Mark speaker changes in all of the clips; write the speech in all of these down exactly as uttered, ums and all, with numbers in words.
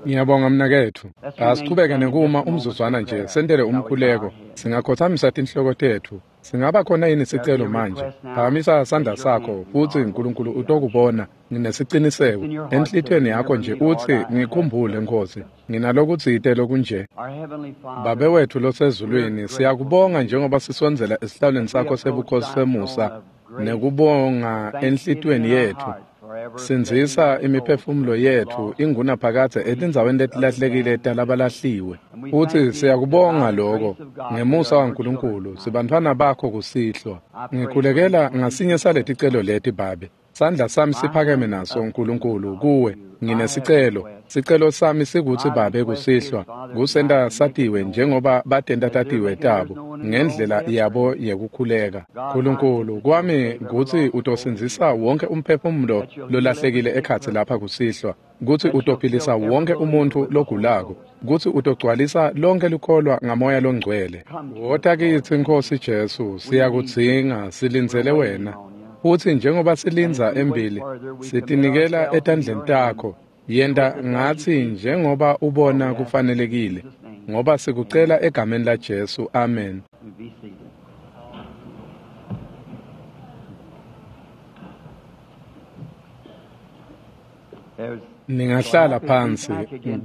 Speaker 1: Ngiyabonga mnaketfu. Asichubeke nekuma umzuzwana nje sentele umkhuleko. Singakhothamisa tinhloko tetfu. Singaba khona yini sicelo manje? Phakamisa sandla sakho futsi uNkulunkulu utokubona. Nginesiciniseko enhlitiyweni yakho nje utsi ngikhumbule Nkosi. Nginalokutsite lokunje. Babe wetfu losezulwini, siyakubonga njengoba sisondzela esihlalweni sakho sebukhosi semusa nekubonga enhlitiyweni yetfu. Sindzisa imiphefumulo yetfu ingunaphakadze etindzaweni letilahlekile talabalahliwe. Futsi siyakubonga lokho ngemusa waNkulunkulu sibantfwana bakho kusihlwa. Ngikhulekela ngasinye saleticelo leti Babe. Sandla sami siphakeme naso uNkulunkulu kuwe. Nginesicelo. Sicelo sami sikutsi Babe kusihlwa kusenta satiwe njengoba batenta tatiwe tabo ngendlela yabo yekukhuleka. Nkulunkulu kwami kutsi utosindzisa wonke umphefumulo lolahlekile ekhatsi lapha kusihlwa, kutsi utophilisa wonke umuntfu logulako, kutsi utogcwalisa lonke likholwa ngamoya longcwele. Wota kitsi Nkosi Jesu, siyakudzinga, silindzele wena. Futsi njengoba silindza embili, sitinikela etandleni takho. Yenta ngatsi njengoba ubona kufanelekile, ngoba sikucela egameni la Jesu. Amen. Ningahlala phansi.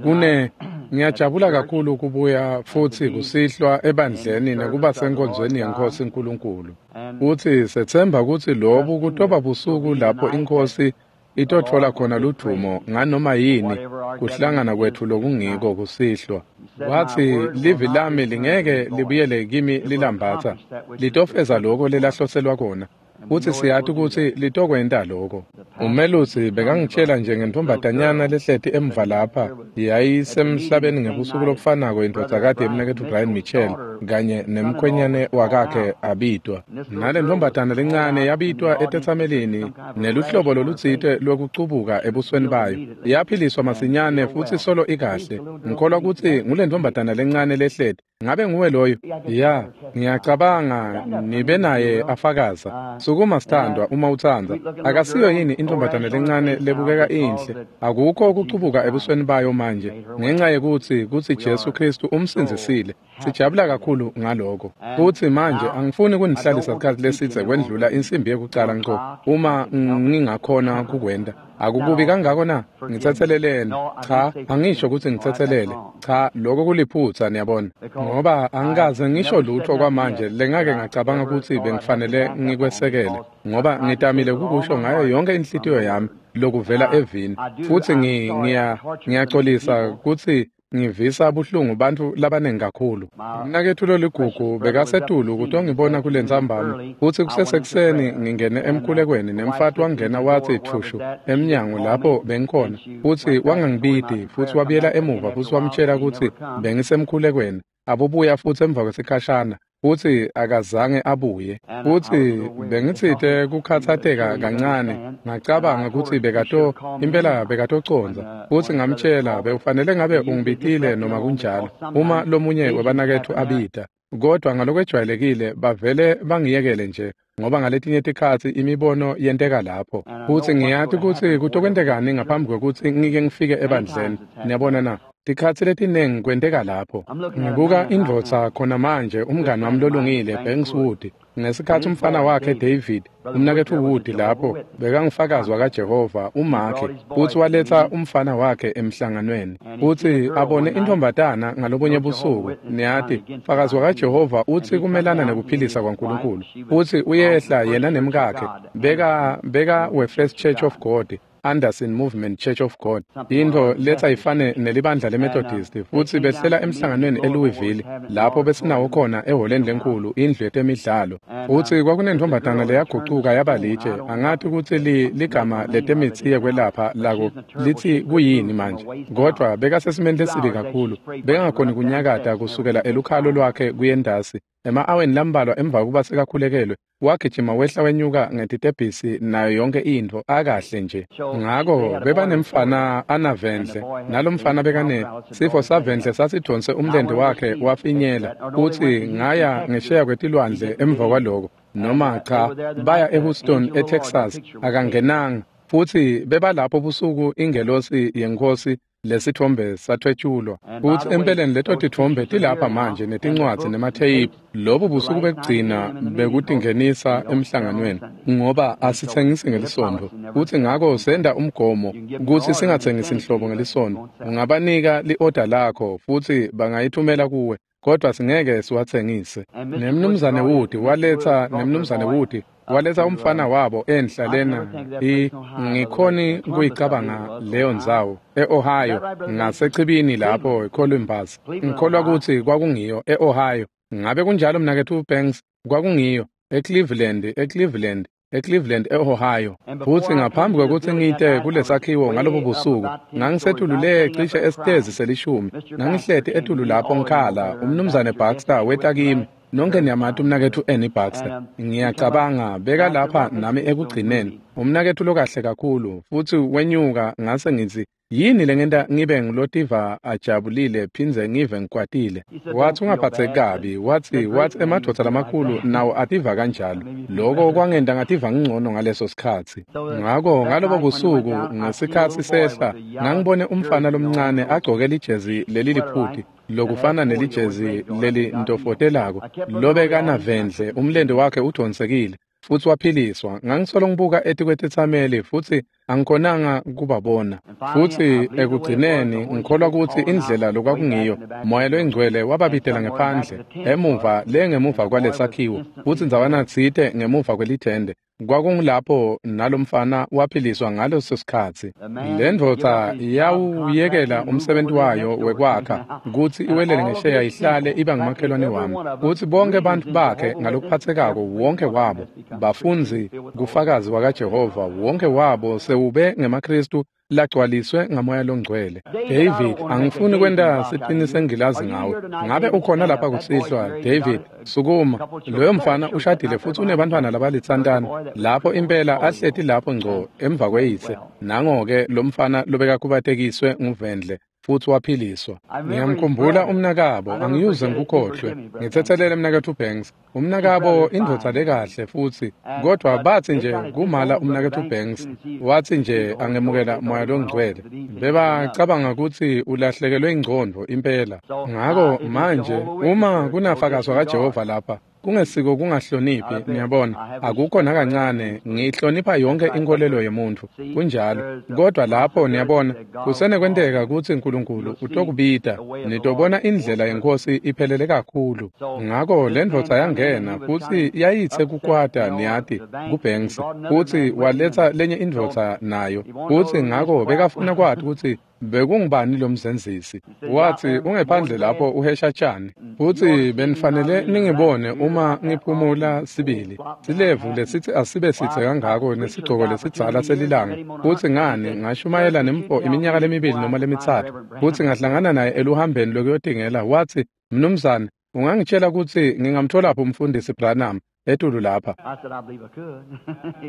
Speaker 1: Kune ngiyajabula kakhulu kubuya futsi kusihlwa ebandleni nekuba senkonzweni yeNkosi uNkulunkulu. Futsi sethemba kutsi lobu kutoba busuku lapho iNkosi itotfola khona ludvumo nganoma yini kuhlangana kwetfu lokungiko kusihlwa. Wathi livi lami lingeke libuyele kimi lilambatha, litofeza lokho lelahloselwa kona. Futsi siyati kutsi litokwenta lokho. Umelusi bekangitshela nje ngentombazanyana lehleti emva lapha yayisemhlabeni ngebusuku lobufanako indvodzakati yemnaketfu Brian Mitchell kanye nemkhwenyane wakakhe abitwa. Nale ntombazana lencane yabitwa etetsamelini neluhlobo lolutsite lwekucubuka ebusweni bayo. Yaphiliswa masinyane futsi solo ikahle. Ngikholwa kutsi ngule ntombazana lencane lehleti. Ngabe nguwe loyo? Ya, ngiyacabanga nibe naye afakaza. Sukuma sithandwa uma utsandza. Akasiyo yini intombazana lencane lebukeka inhle? Akukho ukucubuka ebusweni bayo manje ngenxa yekutsi kutsi Jesu Kristu umsindzisile. Sijabula kakhulu ngaloko. Futsi manje angifuni kunihlalisa isikhatsi lesidze kwendlula insimbi yekucala ngco uma ngingakhona kukwenta. Akukubi kangako na? Ngitsetseleleni. Cha, angisho kutsi ngitsetselele. Cha, lokho kuliphutsa niyabona. Ngoba angikaze ngisho lutho kwamanje lengake ngacabanga kutsi bengifanele ngikwesekele, ngoba ngitamile kukusho ngayo yonke inhlitiyo yami lokuvela evini. Futsi ngiya ngiyaxolisa kutsi ngivisa buhlungu bantfu labanengi kakhulu. Mnaketfu loligugu bekasetulu kutongibona kule ntsambama, futsi kusesekuseni ngingene emkhulekweni nemfati wangena watsi thushu emnyango lapho bengikhona, futsi wangangibiti futsi wabuyela emuva futsi wamtshela kutsi bengisemkhulekweni. Abubuya futsi emva kwesikhashana futsi akazange abuye. Futsi bengitsite kukhatsateka kancane, ngacabanga kutsi bekato impela bekatocondza. Futsi ngamtshela bewufanele ngabe ungibitile noma kunjalo uma lomunye webanaketfu abita. Kodwa ngalokwejwayelekile bavele bangiyekele nje, ngoba ngaletinye tikhatsi imibono yenteka lapho. Futsi ngiyati kutsi kutokwentekani ngaphambi kwekutsi ngike ngifike ebandleni. Niyabona na? Tikhatsi letinengi kwenteka lapho. Ngibuka indvodza khona manje, umngani wami lolungile Banks Wood. Ngesikhatsi umfana wakhe David, umnaketfu Wood lapho bekangufakazi wakaJehova umakhe, futsi waletsa umfana wakhe emhlanganweni. Futsi abone intombatana ngalobunye busuku, niyati, fakazi wakaJehova utsi kumelana nekuphilisa kwaNkulunkulu. Futsi uyehla yena nemkakhe, beka beka we First Church of God, Anderson Movement Church of God, into letha ifane nelibandla leMethodist. Futsi behlela emhlanganweni eLouisville lapho besinawo khona eholeni lenkulu indlu yetemidlalo. Futsi kwakunentombatana leyagucuka yaba litshe. Angathi kutsi li ligama letemitsi yekwelapha lako litsi kuyini manje, kodwa bekasesimeni lesibi kakhulu, bekangakhoni kunyakata kusukela elukhalo lwakhe kuyendasi. Ema-aweni lambalwa emva kokuba sekakhulekelwe, wagijima wehla wenyuka ngetitebhisi nayo yonke intfo akahle nje. Ngako bebanemfana anavendle, nalomfana bekane sifo savendle sasidonse umlente wakhe wafinyela. Futsi ngaya ngesheya kwetilwandle emva kwaloko, noma cha, baya eHouston eTexas, akangenanga. Futsi bebalapho busuku ingelosi yeNkosi Lesitfombe sathwetshulwa. Futsi empeleni leto titfombe tilapha manje netincwadzi nematheyiphu. Lobu busuku bekugcina bekutingenisa emhlanganweni, ngoba asitsengisi ngelisontfo. Futsi ngako senta umgomo kutsi singatsengisi nhlobo ngelisontfo. Ungabanika li-oda lakho futsi bangayithumela kuwe, kodwa singeke siwatsengise. Nemnumzane Wood waletsa nemnumzane Wood waletsa umfana wabo enhla lena i ngikhoni kuyicabanga leyo ndzawo e-Ohio ngasechibini lapho eColumbus. Ngikholwa kutsi kwakungiyo e-Ohio. Ngabe kunjalo mnaketfu Banks? Kwakungiyo eCleveland, eCleveland, eCleveland e-Ohio. Futsi ngaphambi kwekutsi ngite kulesakhiwo ngalobo busuku, ngangisetulu le cishe esitezi selishumi. Ngangihleti etulu lapho ngikhala. Umnumzane Baxter weta kimi. Nonke niyamati umnaketfu Ernie Baxter. Ngiyacabanga beka lapha nami ekugcineni. Umnaketfu lokahle kakhulu. Futsi wenyuka ngase ngitsi, yini lengenta ngibe ngilotiva ajabulile phindze ngive ngikwatile? Wathi ungaphatheki kabi. Wathi wathi emadvodza lamakhulu nawo ativa kanjalo. Lokho kwangenta ngativa ngingcono ngaleso sikhatsi. Ngako ngalobo busuku ngesikhatsi sehla ngangibone umfana lomncane agcoke lijezi leliliphuti lokufana nelijezi lelintofotelako lobekanavendle, umlente wakhe udonsekile futsi waphiliswa. Ngangisolo ngibuka etikwetetsameli futsi angikhonanga kubabona. Futsi ekugcineni ngikholwa kutsi indlela lokwakungiyo, Moya loyiNgcwele wababitela ngephandle emuva le ngemuva kwalesakhiwo, futsi ndzawana tsite ngemuva kwelithende. Kwakungulapho nalomfana waphiliswa ngaleso sikhatsi. Le ndvodza yawuyekela umsebenzi wayo wekwakha kutsi iwelele ngesheya ihlale iba ngumakhelwane wami. Futsi bonke bantfu bakhe ngalokuphatsekako, wonke wabo bafundzi kufakazi wakaJehova, wonke wabo sewube ngemaKristu lagcwaliswe ngamoya longcwele. David, angifuni kwenta siqinise ngilazi ngawe. Ngabe ukhona lapha kusihlwa? David, sukuma. Loyo mfana ushadile futsi unebantfwana labalitsantana. Lapho impela ahleti lapho ngco emva kweyise. Nango-ke lo mfana lobekakhubatekiswe nguvendle futsi waphiliswa. Ngiyamkhumbula umnakabo, angiyuze ngikukhohlwe. Ngitsetselele mnaketfu Banks. Umnakabo indvodza lekahle futsi, kodwa batsi nje kumala umnaketfu Banks, watsi nje angemukela Moya loNgcwele. Bebacabanga kutsi ulahlekelwe ingcondvo impela. Ngako manje uma kunafakazwa kaJehova lapha, kungesiko kungahloniphi, niyabona, akukho nakancane. Ngihlonipha yonke inkolelo yemuntfu, kunjalo. Kodwa lapho niyabona, kusenekwenteka kutsi uNkulunkulu utokubita, nitobona indlela yenkosi iphelele kakhulu. Ngako le ndvodza yangena futsi yayitse kukwata, niyati, kuBanks, futsi waletsa lenye indvodza nayo. Futsi ngako bekafuna kwati kutsi bekungubani lo mzenzisi. Wathi ungephandle lapho uhesha tshani. Futsi benifanele ningibone uma ngiphumula sibili. Silevu lesithi asibe sithe kangako nesigcoko lesidzala selilanga. Futsi ngani ngashumayela nemfo iminyaka lemibili noma lemitsatfu. Futsi ngahlangana naye eluhambeni lokuyotingela. Wathi, mnumzane, ungangitshela kutsi ngingamtholaphi umfundisi Branham etulu lapha?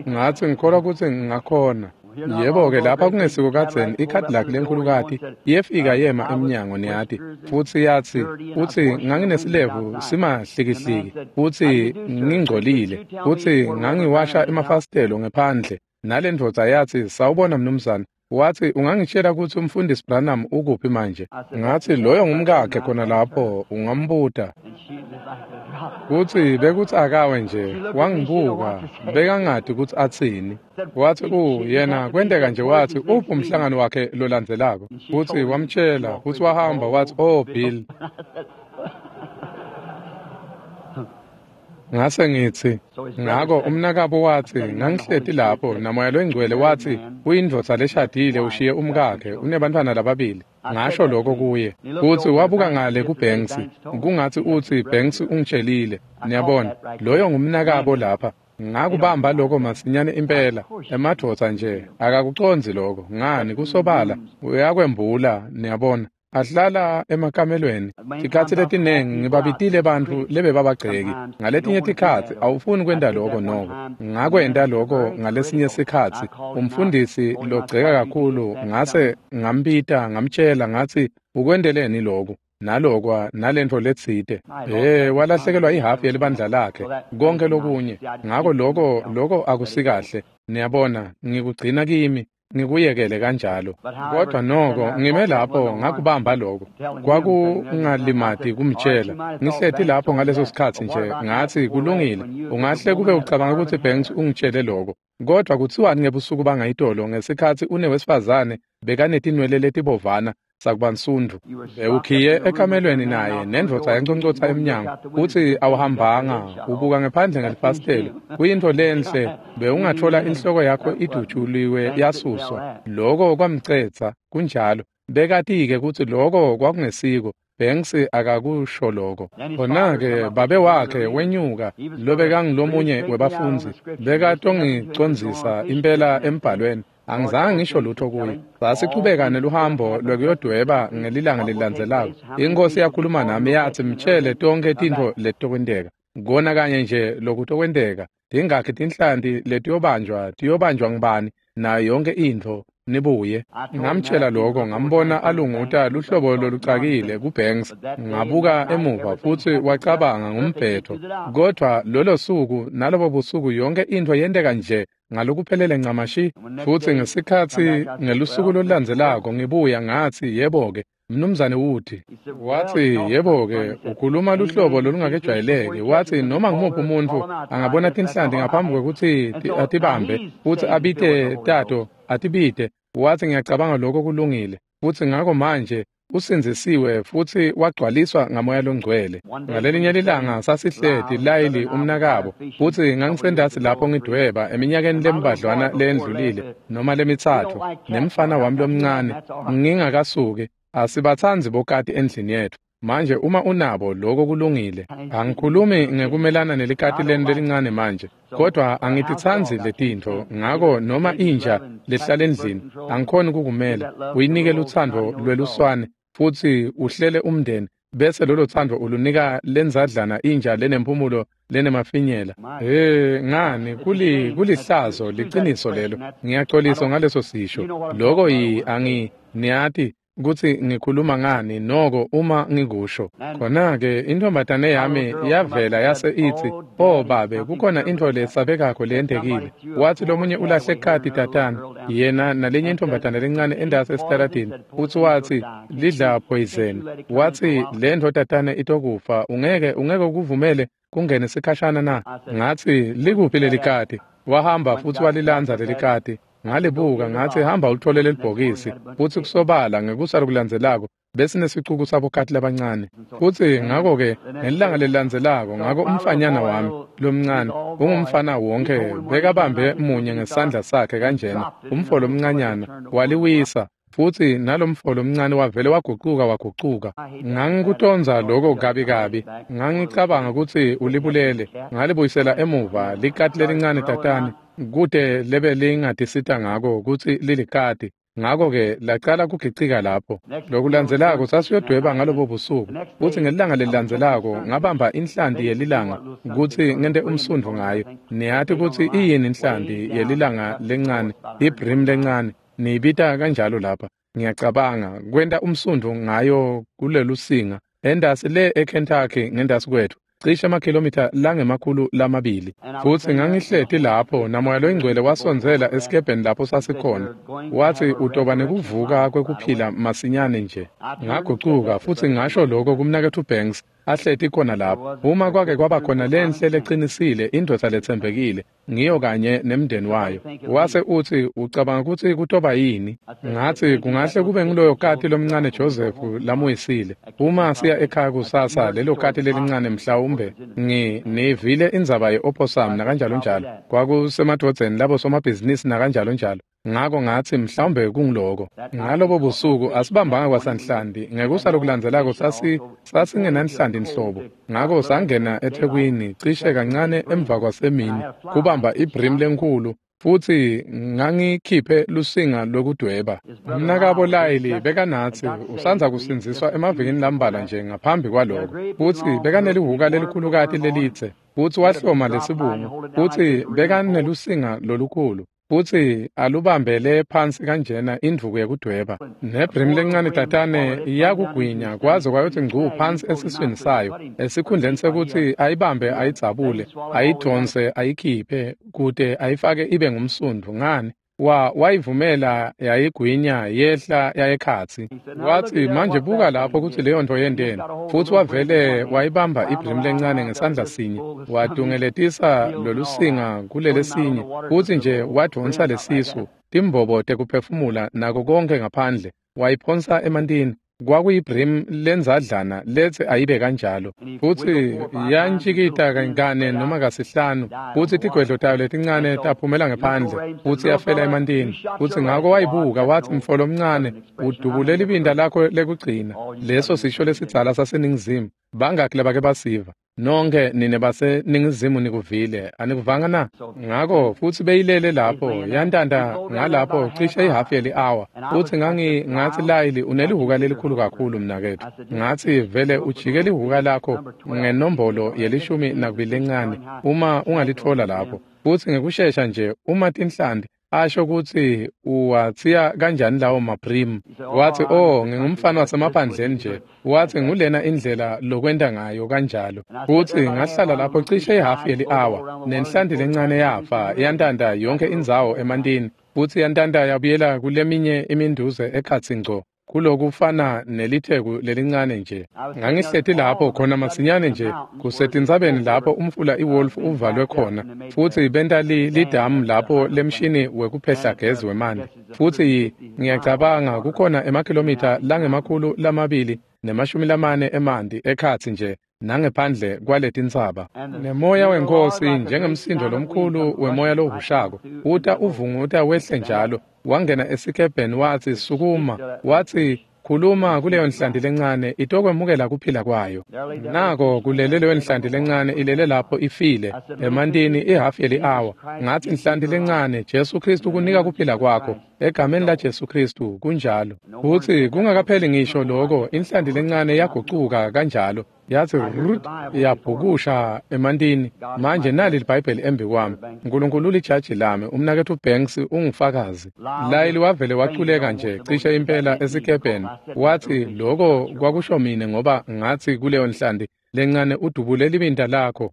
Speaker 1: Ngathi ngikholwa kutsi ngingakhona. Yebo-ke lapha kungesiko kadzeni iCadillac lenkhulukati yefika yema emnyango, niyati, futsi yatsi, utsi nganginesilevu simahlikihliki futsi ngingcolile, futsi ngangiwasha emafasitelo ngephandle. Nale ndvodza yatsi, sawubona mnumzane. Wathi ungangitshela kutsi umfundisi Branham ukuphi manje? Ngathi loyo ngumkakhe khona lapho, ungambuta. Kutsi bekutsi akawe nje, wangibuka, bekangati kutsi atsini. Wathi u yena kwenteka nje, wathi uphi umhlangano wakhe lolandzelako? Futsi wamtshela, futsi wahamba wathi, oh Bill. Ngase ngitsi, ngako umnakabo wathi, ngangihleti lapho naMoya loyiNgcwele wathi, uyindvodza leshadile, ushiye umkakhe, unebantfwana lababili. Ngasho lokho kuye. Futsi wabuka ngale kuBanks, kungatsi utsi Banks ungitshelile. Niyabona, loyo ngumnakabo lapha. Ngakubamba lokho masinyane impela. Emadvodza nje akakucondzi lokho. Ngani kusobala uyakwembula, niyabona. Ahlala emakamelweni. Tikhatsi letinengi ngibabitile bantfu lebebabagceki. Ngaletinye tikhatsi awufuni kwenta lokho noko. Ngakwenta lokho ngalesinye sikhatsi. Umfundisi logceka kakhulu ngase ngambita ngamtshela ngatsi ukwenteleni lokhu nalokwa nalentfo letsite. Eh walahlekelwa ihafu yelibandla lakhe konke lokunye. Ngako lokho lokho akusikahle. Niyabona, ngikugcina kimi. ngikuyekele kanjalo. Kodwa noko ngime lapho ngakubamba lokho. Kwakungalimati kumtshela. Ngihleti lapho ngaleso sikhatsi nje ngathi kulungile. Ungahle kube ucabanga ukuthi Banks ungitshele lokho. Kodwa kuthiwani ngebusuku bangayitolo ngesikhatsi unewesifazane bekanetinwele letibovana sakubansundu bewukhiye ekamelweni naye nendvodza yenconcotsa emnyango uthi awuhambanga ubuka ngephandle ngelifasitelo kuyintfo lenhle bewungathola inhloko yakho idutshuliwe yasuswa. Lokho kwamcetsa kunjalo. Bekati-ke kutsi lokho kwakungesiko. Banks akakusho lokho. Khona-ke babe wakhe wenyuka lobekangulomunye webafundzi bekatongicondzisa impela embhalweni. Angizange ngisho lutho kuye. Sasichubeka neluhambo lwekuyodweba ngelilanga lelilandzelako. Inkosi yakhuluma nami yathi mtshele tonkhe tintfo letitokwenteka. Kona kanye nje lokutokwenteka. Tingakhi tinhlanti letiyobanjwa tiyobanjwa ngubani nayo yonke intfo nibuye. Ngamtshela lokho ngambona alunguta luhlobo lolucakile kuBanks. Ngabuka emuva futsi wacabanga ngumbhetho. Kodwa lolo suku nalobo busuku yonke intfo yenteka nje ngalokuphelele ncamashi. Futsi ngesikhatsi ngelusuku lolulandzelako ngibuya ngathi yebo-ke Mnumzane Wood. Wathi yebo-ke ukhuluma luhlobo lolungakejwayeleki. Wathi noma ngumuphi umuntfu angabona tinhlanti ngaphambi kwekutsi atibambe futsi abite tato atibite. Wathi ngiyacabanga lokho kulungile. Futsi ngako manje usindzisiwe futsi wagcwaliswa ngamoya longcwele. Ngalelinye lilanga sasihleti Layili umnakabo futsi ngangisendasi lapho ngidweba eminyakeni lembadlwana leyendlulile noma lemitsatfu nemfana wami lomncane ngingakasuki. Asibatsandzi bokati endlini yetfu. Manje uma unabo lokho kulungile. Angikhulumi ngekumelana nelikati lenu lelincane manje, kodwa angititsandzi letintfo. Ngako noma inja lehlala endlini angikhoni kukumela. Uyinike lutsandvo lweluswane futsi uhlele umndeni bese lolo tsandvo ulunika lenzadlana inja lenemphumulo lenemafinyela. Eh ngani kuli kulihlazo liciniso lelo. Ngiyaxolisa ngaleso sisho. Lokho yi angi niyati kutsi ngikhuluma ngani noko uma ngikusho. Khona-ke intombatane yami yavela yase itsi, "Oh babe, kukhona intfo lesabekako leyentekile." Wathi lomunye ulahle kati tatana yena nalenye intombatane lencane endasi esitaladini futsi watsi lidla poison. Watsi le ntfo tatane itokufa, ungeke ungeke ukuvumele kungene sikhashana na? Ngatsi likuphi leli kati? Wahamba futsi walilandza leli kati. Ngalibuka ngathi hamba ulithole lelibhokisi futsi kusobala ngekusa lokulandzelako besinesicuku sabokati labancane. Futsi ngako-ke ngelilanga lelilandzelako ngako umfanyana wami lomncane ungumfana wonke bekabambe munye ngesandla sakhe kanjena umfo lomncanyana waliwisa futsi nalomfo lomncane wavele wagucuka wagucuka. Ngangikutonza lokho kabi kabi. Ngangicabanga kutsi ulibulele. Ngalibuyisela emuva likati lelincane tatane kute lebe lingatisita ngako kutsi lilikati. Ngako-ke lacala kugicika lapho. Lokulandzelako sasiyodweba ngalobo busuku futsi ngelilanga lelilandzelako ngabamba inhlanti yelilanga kutsi ngente umsundvu ngayo. Niyati kutsi iyini inhlanti yelilanga lencane, ibrim lencane, niyibita kanjalo lapha. Ngiyacabanga kwenta umsundvu ngayo kulelusinga endasi le eKentucky ngendasi kwethu cishe amakhilomitha langemakhulu lamabili. Futsi ngangihleti lapho namoya loyingcwele wasondzela esikebheni lapho sasikhona. Wathi utoba nekuvuka kwekuphila masinyane nje. Ngagucuka futsi ngasho lokho kumnaketfu Banks ahleti khona lapho. Uma kwake kwaba khona lenhle lecinisile indvodza letsembekile ngiyo kanye nemndeni wayo. Wase utsi ucabanga kutsi kutoba yini? Ngatsi kungahle kube nguloyo kati lomncane Joseph lamuyisile. Uma siya ekhaya kusasa lelo kati lelincane mhlawumbe ngi nivile indzaba ye-opossum nakanjalo njalo. Kwakusemadvodzeni labo somabhizinisi nakanjalo njalo. Ngako ngatsi mhlawumbe kungiloko. Ngalobo busuku asibambanga kwasanhlanti. Ngekusa lokulandzelako sasi sasingenanhlanti nhlobo. Ngako sangena eThekwini cishe kancane emva kwasemini kubamba ibrim lenkhulu futsi ngangikhiphe lusinga lokudweba. Umnakabo Layili bekanatsi usandza kusindziswa emavikini lambalwa nje ngaphambi kwaloko. Futsi bekanelihuka lelikhulukati lelitse futsi wahloma lesibungu futsi bekanelusinga lolukhulu. Futsi alubambele phansi kanjena indvuku yekudweba. Nebrim lencane tatane iyakugwinya kwaze kwayothi ngcu phansi esiswini sayo. Esikhundleni sekuthi ayibambe ayidzabule, ayidonse ayikhiphe kute ayifake ibe ngumsundvu ngani. Wa wayivumela yayigwinya yehla yayekhatsi. Watsi, manje buka lapho kutsi leyo nto yenteni. Futsi wavele wayibamba ibrim lencane ngesandla sinye, watungeletisa lolusinga kulelesinye, futsi nje wadvonsa lesisu, timbobo tekuphefumula nako konke ngaphandle, wayiphonsa emantini. Kwakuyibrim lenzadlana letsi ayibe kanjalo, futsi yantjikita kane noma kasihlanu, futsi tigwedlo tayo letincane taphumela ngephandle, futsi yafela emantini. Futsi ngako wayibuka watsi, mfo lomncane, udubule libinta lakho lekugcina. Leso sisho lesidzala saseNingizimu. Bangaki labake basiva? Nonke nine baseNingizimu nikuvile, anikuvanga na? Ngako futsi beyilele lapho, yantanta ngalapho cishe ihafu yeli-awa. Futsi ngangi ngatsi, Layili, unelihuka lelikhulu kakhulu mnaketfu. Ngatsi, vele ujike lihuka lakho ngenombolo yelishumi nakubili lencane uma ungalitfola lapho. Futsi ngekushesha nje uma tinhlanti asho kutsi uwatsiya kanjani lawo maprim. Watsi, oh, ngingumfana wasemaphandleni nje. Watsi, ngulena indlela lokwenta ngayo kanjalo. Futsi ngahlala lapho cishe ihafu yeli-awa, nenhlanti lencane yafa, yantanta yonke indzawo emantini, futsi yantanta yabuyela kuleminye iminduze ekhatsi ngco, kulokufana nelitheku lelincane nje. Ngangihleti lapho khona masinyane nje kusetintsabeni lapho umfula iWolf uvalwe khona, futsi benta lidamu lapho lemshini wekuphehla gezi wemanti. Futsi ngiyacabanga kukhona emakhilomitha langemakhulu lamabili nemashumi lamane emanti ekhatsi nje nangephandle kwaletintsaba. Nemoya weNkhosi njengemsindo lomkhulu wemoya lohushako uta uvunguta wehle njalo, wangena esikebheni watsi, sukuma. Watsi, khuluma kuleyo nhlanti lencane itokwemukela kuphila kwayo. Nako kulele leyo nhlanti lencane ilele lapho ifile emantini ihafu yeli-awa. Ngatsi, nhlanti lencane, Jesu Khristu kunika kuphila kwakho egameni la Jesu Khristu. Kunjalo. Futsi kungakapheli ngisho lokho, inhlanti lencane yagucuka kanjalo, yatsi rut, yabhukusha emantini. Manje nali liBhayibheli embi kwami. Nkulunkulu ulijaji lami, umnaketfu Banks ungufakazi. Layili wavele waculeka nje cishe impela esikebheni. Watsi, lokho kwakusho mine ngoba ngatsi kuleyo nhlanti lencane udubule libinta lakho.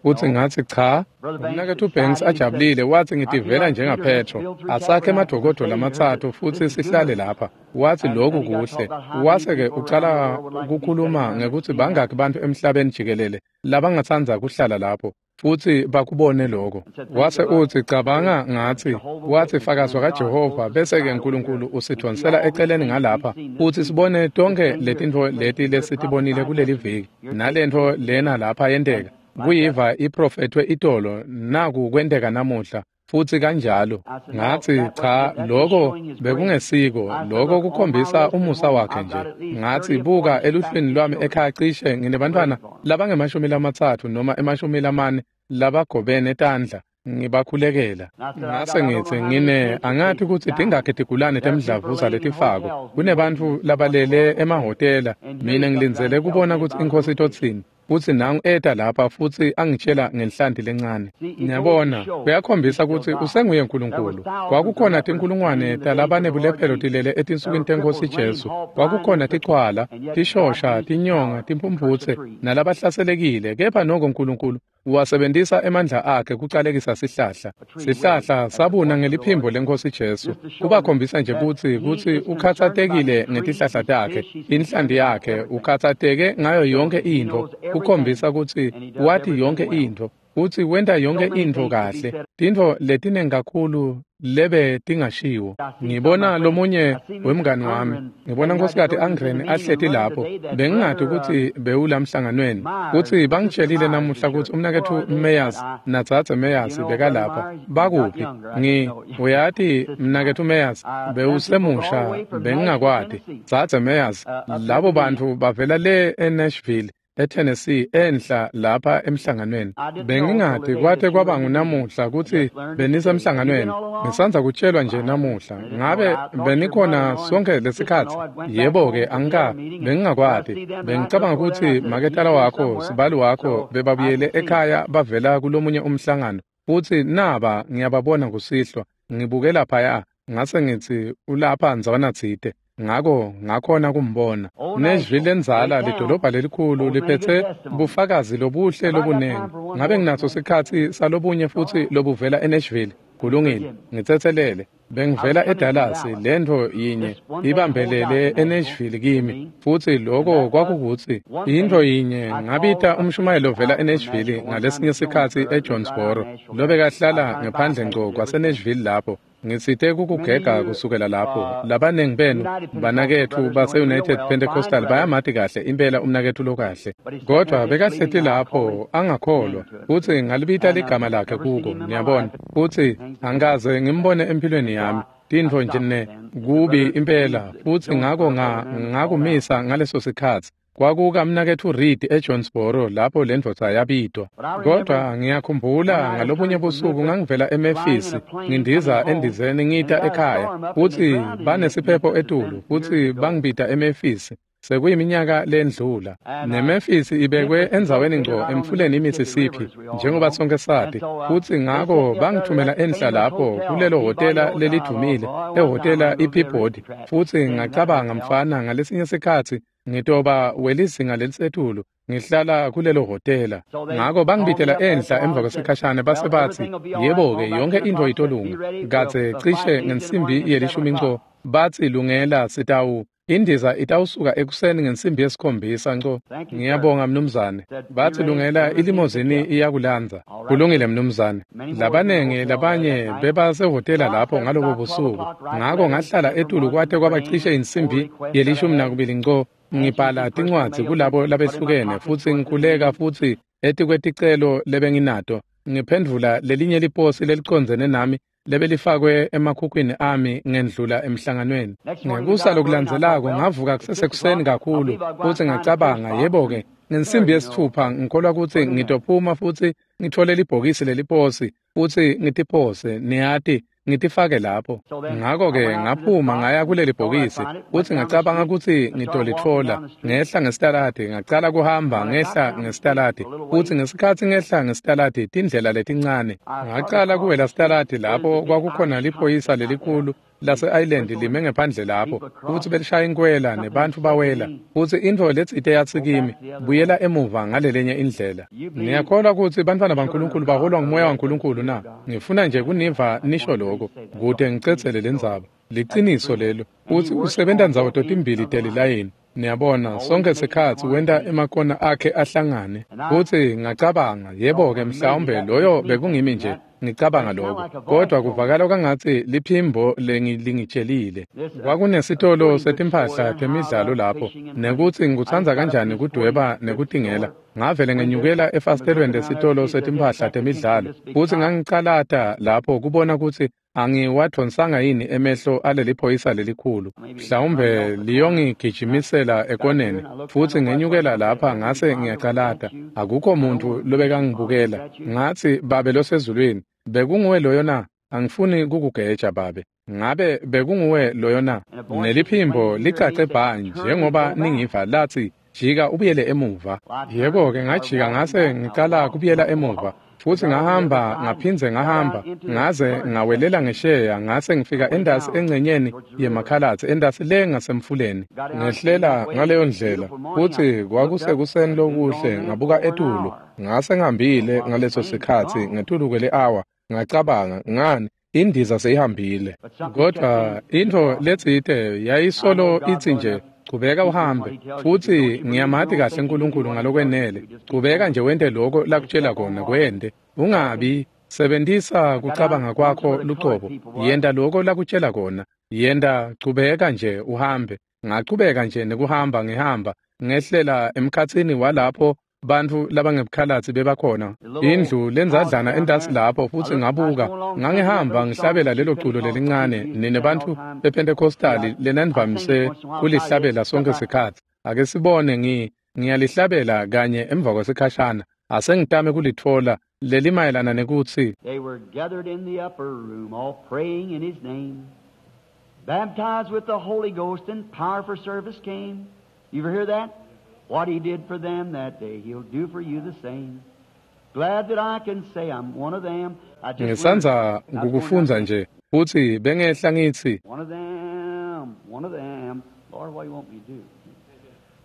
Speaker 1: Futsi ngatsi, cha. Umnaketfu Banks ajabulile watsi, ngitivela njengaPetro, asakhe emadokodo lamatsatfu futsi sihlale lapha. Watsi, lokhu kuhle. Wase-ke ucala kukhuluma ngekutsi bangaki bantfu emhlabeni jikelele labangatsandza kuhlala lapho futsi bakubone lokho. Wase utsi, cabanga ngatsi, watsi, fakazi kaJehova, bese-ke Nkulunkulu usidvonsela eceleni ngalapha futsi sibone tonkhe letintfo leti lesitibonile kuleli viki, nalentfo lena lapha yenteka. Kuyiva iprofethwe itolo, naku kwenteka namuhla. Futsi kanjalo. Ngatsi, cha, lokho bekungesiko, lokho kukhombisa umusa wakhe nje. Ngatsi, buka eluhlwini lwami ekhaya cishe nginebantfwana labangemashumi lamatsatfu noma emashumi lamane labagobene tandla, ngibakhulekela. Ngase ngitsi, ngine angati kutsi tingakhi tigulane temdlavuza letifako. Kunebantfu labalele emahhotela, mina ngilindzele kubona kutsi iNkhosi itotsini. Futsi nangu eta lapha futsi angitshela ngenhlanti lencane. Ngiyabona, kuyakhombisa kutsi usenguye Nkulunkulu. Kwakukhona tinkulungwane talabanebulephelo tilele etinsukwini teNkhosi Jesu. Kwakukhona tichwala, tishosha, tinyonga, timphumphutse nalabahlaselekile, kepha noko Nkulunkulu wasebentisa emandla akhe kucalekisa sihlahla. Sihlahla sabuna ngeliphimbo leNkhosi Jesu. Kubakhombisa nje kutsi kutsi ukhatsatekile ngetihlahla takhe, inhlanti yakhe, ukhatsateke ngayo yonke intfo. Kukhombisa kutsi wati yonke intfo, kutsi wenta yonke intfo kahle. Tintfo letinengi kakhulu lebe tingashiwo. Ngibona lomunye wemngani wami, ngibona Nkhosikati Angren ahleti lapho. Bengingati kutsi bewulamhlanganweni. Kutsi bangitshelile namuhla kutsi umnaketfu Meyers nadzadze Meyers bekalapha. Bakuphi? Ngi uyati mnaketfu Meyers bewusemusha, bengingakwati. Dzadze Meyers, labo bantfu bavela le eNashville, eTennessee, enhla lapha emhlanganweni. Bengingati kwate kwaba ngunamuhla kutsi benisemhlanganweni. Ngisandza kutshelwa nje namuhla. Ngabe benikhona sonke lesikhatsi? Yebo-ke, angika, bengingakwati. Bengicabanga kutsi maketala wakho, sibali wakho, bebabuyele ekhaya bavela kulomunye umhlangano. Futsi naba ngiyababona kusihlwa. Ngibuke laphaya, ngase ngitsi ulapha ndzawana tsite. Ngako ngakhona kumbona. Nashville lendzala, lidolobha lelikhulu, liphetse bufakazi lobuhle lobunengi. Ngabe nginaso sikhatsi salobunye futsi lobuvela eNashville? Kulungile, ngitsetselele. Bengivela eDallas, lentfo yinye ibambelele eNashville kimi, futsi loko kwakukutsi intfo yinye ngabita umshumayeli ovela eNashville ngalesinye sikhatsi eJonesboro, lobekahlala ngephandle ngco kwaseNashville lapho. Ngitsite kukugega kusukela lapho. Labanengi benu banaketfu base-United Pentecostal bayamati kahle impela umnaketfu lokahle, kodvwa bekahleti lapho angakholwa, futsi ngalibita ligama lakhe kuko, niyabona, futsi angikaze ngimbone empilweni yami. Tintfo nje ne kubi impela, futsi ngako ngakumisa ngaleso sikhatsi. Kwakukamnaketfu Reed eJonesboro lapho lendvodza yabitwa. Kodwa ngiyakhumbula ngalobunye busuku ngangivela eMemphis, ngindiza endizeni ngita ekhaya, futsi banesiphepho etulu, futsi bangibita eMemphis. Sekuyiminyaka lendlula. NeMemphis ibekwe endzaweni ngco emfuleni iMississippi, njengoba sonke sati, futsi ngako bangithumela enhla lapho kulelo hhotela lelidvumile, ehhotela iPeabody, futsi ngacabanga, mfana, ngalesinye sikhatsi ngitoba welizinga lelisetulu, ngihlala kulelo hhotela. Ngako bangibitela enhla emva kwesikhashana, base batsi, yebo-ke, yonke intfo itolunga. Kadze cishe ngensimbi yelishumi nco, batsi lungela sitawu indiza itawusuka ekuseni ngensimbi yesikhombisa nco. Ngiyabonga mnumzane. Batsi lungela ilimozini iyakulandza. Kulungile mnumzane. Labanengi labanye bebasehhotela lapho ngalobo busuku. Ngako ngahlala etulu kwate kwabacishe insimbi yelishumi nakubili nco. Ngibhala tincwadzi kulabo labehlukene futsi ngikhuleka futsi etikweticelo lebenginato. Ngiphendvula lelinye liposi lelicondzene nami lebelifakwe emakhukhwini ami ngendlula emhlanganweni. Ngekusa lokulandzelako ngavuka kusesekuseni kakhulu futsi ngacabanga, yebo-ke, ngensimbi yesitfupha ngikholwa kutsi ngitophuma futsi ngitfole libhokisi leliposi futsi ngitiphose, niyati, ngitifake lapho. Ngako-ke ngaphuma ngaya kuleli bhokisi futsi ngacabanga kutsi ngitolitfola. Ngehla ngesitaladi, ngacala kuhamba ngehla ngesitaladi, futsi ngesikhatsi ngehla ngesitaladi tindlela letincane, ngacala kuwela sitaladi lapho kwakukhona liphoyisa lelikhulu lase-Island lime ngephandle lapho, futsi belishaya inkwela nebantfu bawela, futsi intfo letsite yatsi kimi, buyela emuva ngalelenye indlela. Ngiyakholwa kutsi bantfwana baNkulunkulu baholwa ngumoya waNkulunkulu na? Ngifuna nje kuniva nisho lokho kute ngicedzele lendzaba. Liciniso lelo, futsi usebenta ndzawo totimbili telilayini. Niyabona, sonke sikhatsi wenta emakona akhe ahlangane. Futsi ngacabanga, yebo-ke, mhlawumbe loyo bekungimi nje ngicabanga lokho, kodwa kuvakala kwangatsi liphimbo lengilingitshelile. Kwakunesitolo setimphahla temidlalo lapho, nekutsi ngikutsandza kanjani kudweba nekutingela. Ngavele ngenyukela efasitelweni lesitolo setimphahla temidlalo, futsi ngangicalata lapho kubona kutsi angiwadvonsanga yini emehlo aleli phoyisa lelikhulu. Mhlawumbe liyongigijimisela ekoneni. Futsi ngenyukela lapha ngase ngiyacalata. Akukho muntu lobekangibukela. Ngatsi, Babe losezulwini, bekunguwe loyo na? Angifuni kukugeja, Babe. Ngabe bekunguwe loyo na? Neliphimbo licace bha njengoba ningiva latsi, jika ubuyele emuva. Yebo-ke, ngajika ngase ngicala kubuyela emuva. Futsi ngahamba ngaphindze ngahamba ngaze ngawelela ngesheya, ngase ngifika endasi engcenyeni yemakhalatsi, endasi le ngasemfuleni. Ngehlela ngaleyo ndlela, futsi kwakusekuseni lokuhle, ngabuka etulu, ngase ngihambile ngaleso sikhatsi ngetulu kwele-awa. Ngacabanga, ngani, indiza seyihambile. Kodwa intfo letsite yayisolo itsi nje, chubeka uhambe. Futsi ngiyamati kahle uNkulunkulu ngalokwenele. Chubeka nje wente lokho lakutshela kona, kwente. Ungabi sebentisa kucabanga kwakho lucobo. Yenta lokho lakutshela kona. Yenta, chubeka nje uhambe. Ngachubeka nje nekuhamba ngihamba ngehlela emkhatsini walapho bantfu labangebukhalatsi bebakhona. Indlu lenzadlana entasi lapho, futsi ngabuka, ngangihamba ngihlabela lelo culo lelincane nine bantfu bePentecostali lenanivamise kulihlabela sonke sikhatsi. Ake sibone, ngi ngiyalihlabela kanye emva kwesikhashana. Asengitame kulitfola lelimayelana nekutsi
Speaker 2: they were gathered in the upper room, all praying in his name, baptized with the Holy Ghost, and power for service came. You ever hear that? What he did for them that day, he'll do for you the same. Glad that I can say I'm one of them. I just
Speaker 1: ngisandza kukufundza nje, futsi bengehla ngitsi,
Speaker 2: one of them, one of them. Lord, what do you want me to do?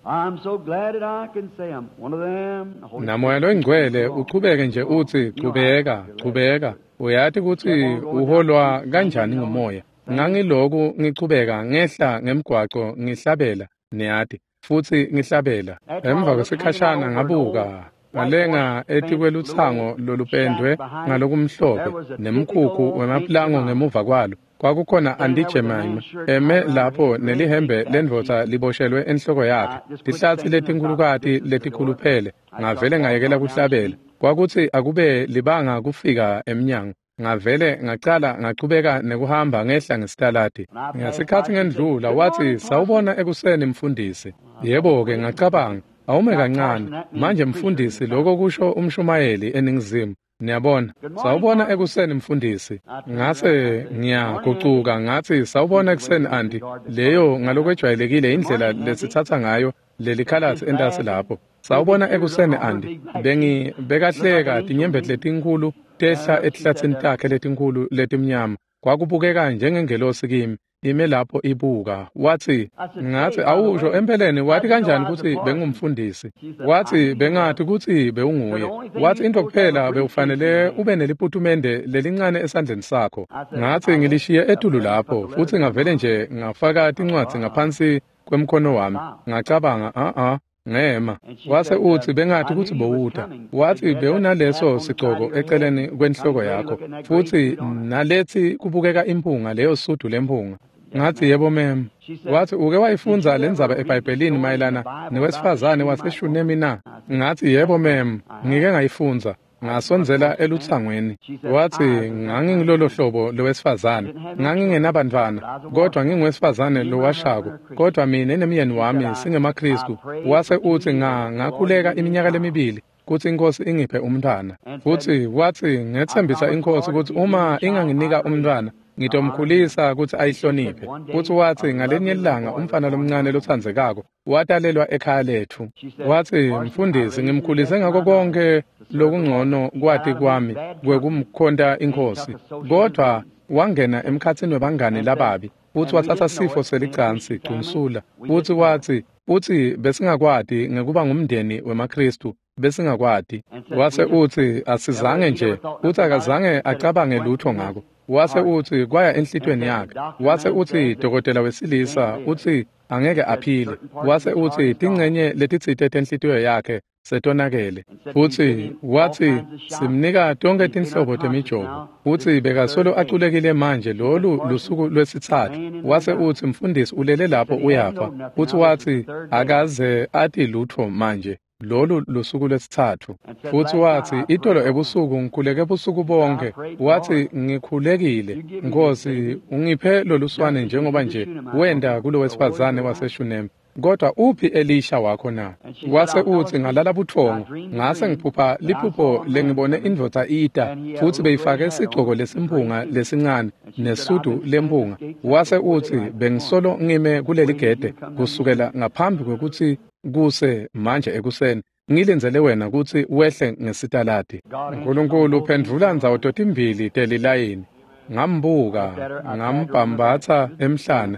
Speaker 2: I'm so glad that I can say I'm one of them.
Speaker 1: Namoya loyingcwele uchubeke nje utsi, chubeka, chubeka. Uyati kutsi uholwa kanjani ngumoya. Ngangiloku ngichubeka ngehla ngemgwaco ngihlabela, niyati, futsi ngihlabela. Emva kwesikhashana ngabuka ngalenga etikwelutsango lolupendwe ngalokumhlophe nemkhukhu wemaplango ngemuva kwalo. Kwakukhona Auntie Jemima eme lapho nelihembe lendvodza liboshelwe enhloko yakhe, tihlatsi letinkhulukati letikhuluphele. Ngavele ngayekela kuhlabela. Kwakutsi akube libanga kufika emnyango. Ngavele ngacala ngachubeka nekuhamba ngehla ngesitaladi. Ngesikhatsi ngendlula watsi, "Sawubona ekuseni mfundisi." Yebo-ke, ngacabanga, awume kancane manje mfundisi, lokho kusho umshumayeli eNingizimu. Niyabona, sawubona ekuseni mfundisi. Ngase ngiyagucuka ngatsi, "Sawubona ekuseni anti." Leyo ngalokwejwayelekile indlela lesitsatsa ngayo lelikhalatsi entasi lapho. Sawubona ekuseni anti. Bengi bekahleka tinyembeti letinkhulu tehla etihlatsini takhe letinkhulu letimnyama. Kwakubukeka njengengelosi kimi ime lapho ibuka. Watsi, ngatsi, "Awusho empeleni wati kanjani kutsi bengumfundisi?" Watsi, "Bengathi kutsi bewunguye." Watsi, "Into kuphela bewufanele ube neliputumende lelincane esandleni sakho." Ngatsi, "Ngilishiye etulu lapho," futsi ngavele nje ngafaka tincwadzi ngaphansi kwemkhono wami. Ngacabanga, "A-a." Ngema. Wase utsi, "Bengathi kutsi bowuta." Watsi, "Bewunaleso sigcoko eceleni kwenhloko yakho, futsi nalethi kubukeka imphunga, leyo sudu lemphunga." Ngatsi, "Yebo mem." Watsi, "Uke wayifundza lendzaba eBhayibhelini mayelana newesifazane waseShunemi na?" Ngatsi, "Yebo mem, ngike ngayifundza." Ngasondzela elutsangweni. Watsi, "Ngangingilolo hlobo lowesifazane. Ngangingenabantwana, kodwa nginguwesifazane lowashako, kodwa mina nemyeni wami singemaKhristu." Wase utsi, nga ngakhuleka iminyaka lemibili kutsi iNkhosi ingiphe umntwana. Futsi watsi, "Ngetsembisa iNkhosi kutsi uma inganginika umntwana, ngitomkhulisa kutsi ayihloniphe." Futsi watsi, "Ngalinye ilanga umfana lomncane lotsandzekako watalelwa ekhaya letfu." Watsi, "Mfundisi, ngimkhulise ngako konke lokungcono kwati kwami kwekumkhonta iNkhosi, kodwa wangena emkhatsini webangani lababi, futsi watsatsa sifo selicansi gcunsula." Futsi watsi, "Futsi besingakwati ngekuba ngumndeni wemaKhristu, besingakwati." Wase utsi, "Asizange nje." Futsi akazange acabange lutho ngako. Wase utsi, "Kwaya enhlitiyweni yakhe." Wase utsi, "Dokotela wesilisa utsi angeke aphile." Wase utsi, "Tincenye letitsite tenhlitiyo yakhe setonakele." Futsi watsi, "Simnika tonkhe tinhlobo temijovo." Futsi bekasolo aculekile manje, lolu lusuku lwesitsatfu. Wase utsi, "Mfundisi, ulele lapho uyafa." Futsi watsi, "Akaze ati lutfo manje, lolu lusuku lwesitsatfu." Futsi watsi, "Itolo ebusuku ngikhuleke busuku bonke." Watsi, "Ngikhulekile, Nkosi, ungiphe loluswane njengoba nje wenta kulowesifazane waseShunemi. Kodwa uphi Elisha wakho na?" Wase utsi, "Ngalala buthongo, ngase ngiphupha liphupho lengibone indvodza ita, futsi beyifake sigcoko lesimphunga lesincane nesudu lemphunga." Wase utsi, "Bengisolo ngime kuleligede kusukela ngaphambi kwekutsi kuse manje ekuseni, ngilindzele wena kutsi wehle ngesitaladi." Nkulunkulu uphendvula ndzawo totimbili telilayini. Ngambuka, ngambhambatsa emhlane.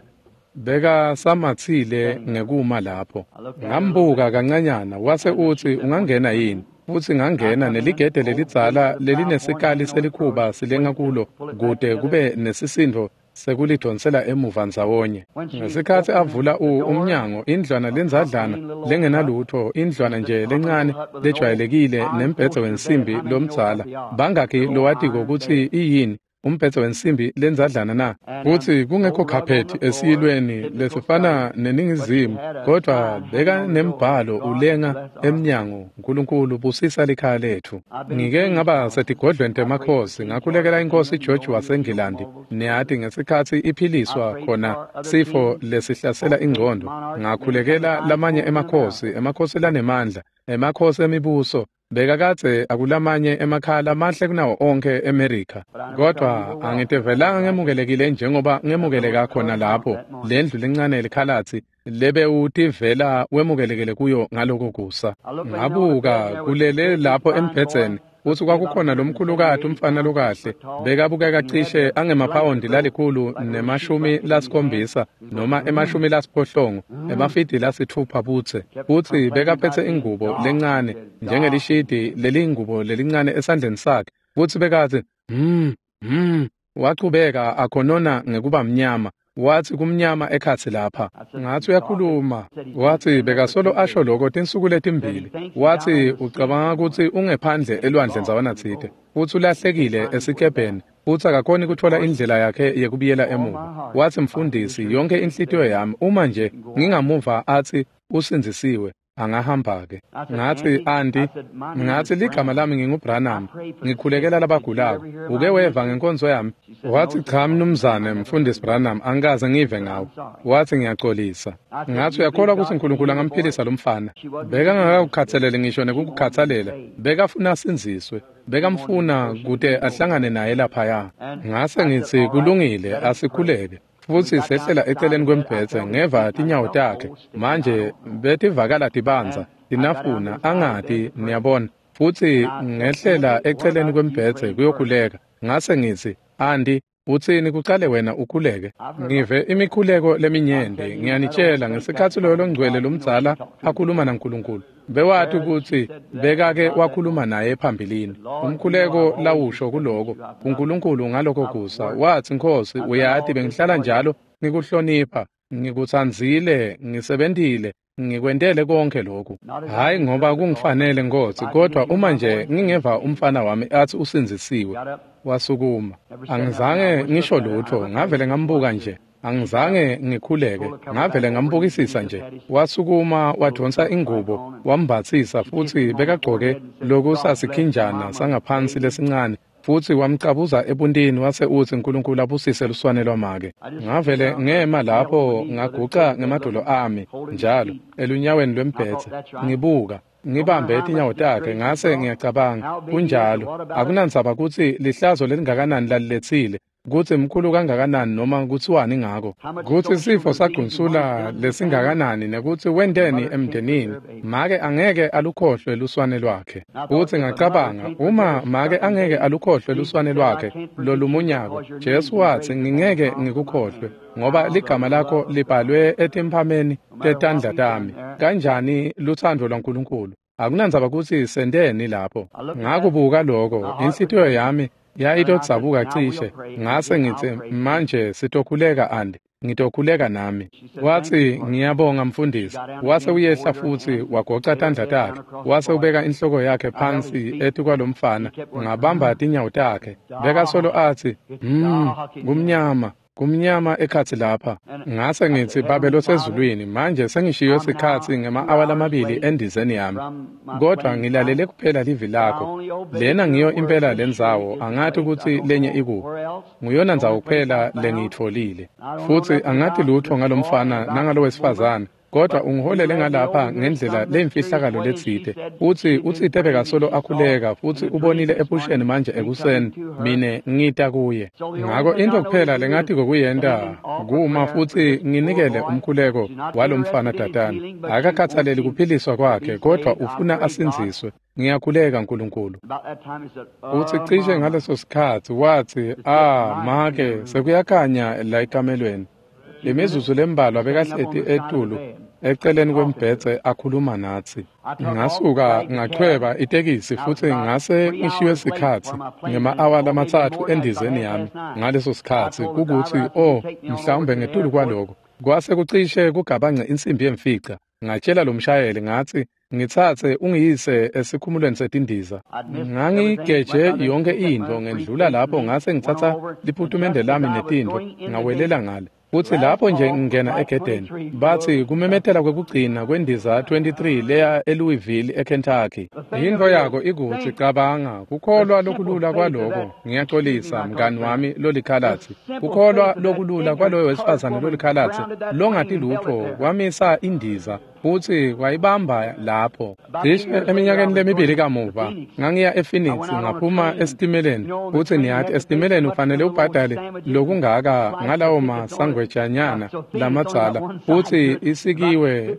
Speaker 1: Bekasamatsile ngekuma lapho. Ngambuka kancanyana, wase utsi, "Ungangena yini?" Futsi ngangena neligede lelidzala lelinesikali selikhuba silenga kulo kute kube nesisindo sekulidonsela emuva ndzawonye. Ngesikhatsi avula umnyango, indlwana lendzadlana lengenalutho, indlwana nje lencane lejwayelekile nembhedze wensimbi lomdzala. Bangakhi lowatiko kutsi iyini umbhedze wensimbi lendzadlana na? Futsi kungekho khaphethi esiyilweni lesifana neNingizimu, kodwa beka nembhalo ulenga emnyango, "Nkulunkulu busisa likhaya letfu." Ngike ngaba setigodlweni temakhosi, ngakhulekela iNkhosi George waseNgilandi, niyati, ngesikhatsi iphiliswa khona sifo lesihlasela ingcondo. Ngakhulekela lamanye emakhosi, emakhosi lanemandla, emakhosi emibuso. Bekakadze akulamanye emakhaya lamahle kunawo onke eMerika, kodwa angitivelanga ngemukelekile njengoba ngemukeleka khona lapho lendlu lencane likhalatsi lebewutivela wemukelekele kuyo ngaloko kusa. Ngabuka kulele lapho embhedzeni, futsi kwakukhona lomkhulukati umfana lokahle, bekabukeka cishe angemaphawondi lalikhulu nemashumi lasikhombisa noma emashumi lasiphohlongo, emafidi lasitfupha budze. Futsi bekaphethe ingubo lencane njengelishidi leliyingubo lelincane esandleni sakhe. Futsi bekatsi, "Hmm, hmm." Wachubeka akhonona ngekuba mnyama. Wathi kumnyama ekhatsi lapha. Ngathi uyakhuluma. Wathi bekasolo asho lokho tinsuku letimbili. Wathi ucabanga kutsi ungephandle elwandle ndzawana tsite, futsi ulahlekile esikebheni, futsi akakhoni kutfola indlela yakhe yekubuyela emuva. Wathi mfundisi, yonke inhlitiyo yami uma nje ngingamuva athi usindzisiwe, angahamba-ke. Ngathi anti, ngathi ligama lami nginguBranham, ngikhulekela labagulako. Uke weva ngenkonzo yami? Wathi cha mnumzane mfundisi Branham, angikaze ngive ngawe. Wathi ngiyaxolisa. Ngathi uyakholwa ukuthi uNkulunkulu angamphilisa lo mfana? Bekangakakukhathaleli ngisho nekukukhathalela, bekafuna asindziswe, bekamfuna kute ahlangane naye laphaya. Ngase ngithi kulungile, asikhuleke. Futsi sehlela eceleni kwembhedze, ngeva tinyawo takhe manje betivakala tibandza tinafuna angati, niyabona. Futsi ngehlela eceleni kwembhedze kuyokhuleka. Ngase ngithi anti, utsini kucale wena ukhuleke? Ngive imikhuleko leminyenti, ngiyanitshela ngesikhatsi loyo longcwele lomdzala akhuluma naNkulunkulu, bewati kutsi bekake wakhuluma naye phambilini. Umkhuleko lawusho kuloko kuNkulunkulu ngaloko kusa, wathi Nkhosi, uyati bengihlala njalo ngikuhlonipha, ngikutsandzile, ngisebentile, ngikwentele konke lokhu. Hhayi ngoba kungifanele Nkhosi, kodwa uma nje ngingeva umfana wami athi usindzisiwe. Wasukuma. Angizange ngisho lutho, ngavele ngambuka nje. Angizange ngikhuleke, ngavele ngambukisisa nje. Wasukuma wadonsa ingubo, wambatsisa, futsi bekagcoke lokusasikhinjana sangaphansi lesincane, futsi wamcabuza ebuntini wase utsi uNkulunkulu abusise luswane lwamake. Ngavele ngema lapho ngaguca ngemadolo ami njalo elunyaweni lwembhedze, ngibuka ngibambe tinyawo takhe. Ngase ngiyacabanga, kunjalo, akunandzaba kutsi lihlazo lelingakanani laliletsile, kutsi mkhulu kangakanani noma kutsiwani ngako, kutsi sifo sagcunsula lesingakanani nekutsi wenteni emndenini, make angeke alukhohlwe luswane lwakhe. Futsi ngacabanga, uma make angeke alukhohlwe luswane lwakhe lolumunyako, Jesu watsi ngingeke ngikukhohlwe, ngoba ligama lakho libhalwe etimphameni tetandla tami. Kanjani lutsandvo lwaNkulunkulu! Akunandzaba kutsi senteni lapho. Ngakubuka lokho, inhlitiyo yami yayitodzabuka cishe. Ngase ngitsi manje sitokhuleka andi, ngitokhuleka nami. Wathi ngiyabonga mfundisi. Wase uyehla futsi wagoca tandla takhe, wase ubeka inhloko yakhe phansi etikwalomfana. Ngabamba tinyawo takhe, bekasolo athi hmm, kumnyama, kumnyama ekhatsi lapha. Ngase ngithi Babe losezulwini, manje sengishiyo sikhatsi ngema-awa lamabili endizeni yami, kodwa ngilalele kuphela livi lakho. Lena ngiyo impela lendzawo, angati kutsi lenye ikuphi. Nguyona ndzawo kuphela lengiyitfolile, futsi angati lutho ngalomfana nangalo wesifazane, kodwa ungiholele ngalapha ngendlela lemfihlakalo letsite. Futsi utsite bekasolo akhuleka, futsi ubonile ephusheni manje ekuseni mine ngita kuye. Ngako into kuphela lengathi kokuyenta kuma futsi nginikele umkhuleko walomfana tatana. Akakhathaleli kuphiliswa kwakhe, kodwa ufuna asindziswe. Ngiyakhuleka Nkulunkulu. Utsi cishe ngaleso sikhatsi wathi, ah make, sekuyakhanya la ekamelweni. Lemizuzu lembalwa bekahleti etulu eceleni kwembhedze akhuluma natsi. Ngasuka ngachweba itekisi futsi ngase ngishiwe sikhatsi ngema-awa lamatsatfu endizeni yami ngaleso sikhatsi, kukutsi oh mhlawumbe ngetulu kwaloko. Kwase kucishe kugabance insimbi yemfica. Ngatshela lo mshayeli ngathi ngitsatse ungiyise esikhumulweni setindiza. Ngangigeje yonke intfo ngendlula lapho, ngase ngitsatsa liputumende lami netintfo ngawelela ngale. Futsi lapho nje ngingena egedeni, bathi kumemetela kwekugcina kwendiza twenty-three leya eLouisville eKentucky. Intfo yako ikutsi cabanga, kukholwa lokulula kwaloko, ngiyaxolisa mngani wami lolikhalatsi, kukholwa lokulula kwaloyo wesifazane lolikhalatsi longati lutfo kwamisa indiza futsi kwayibamba lapho. Cishe eminyakeni lemibili kamuva ngangiya ePhoenix, ngaphuma esitimeleni, futsi niyati esitimeleni ufanele ubhadale lokungaka ngalawo masangwejanyana lamadzala, futsi isikiwe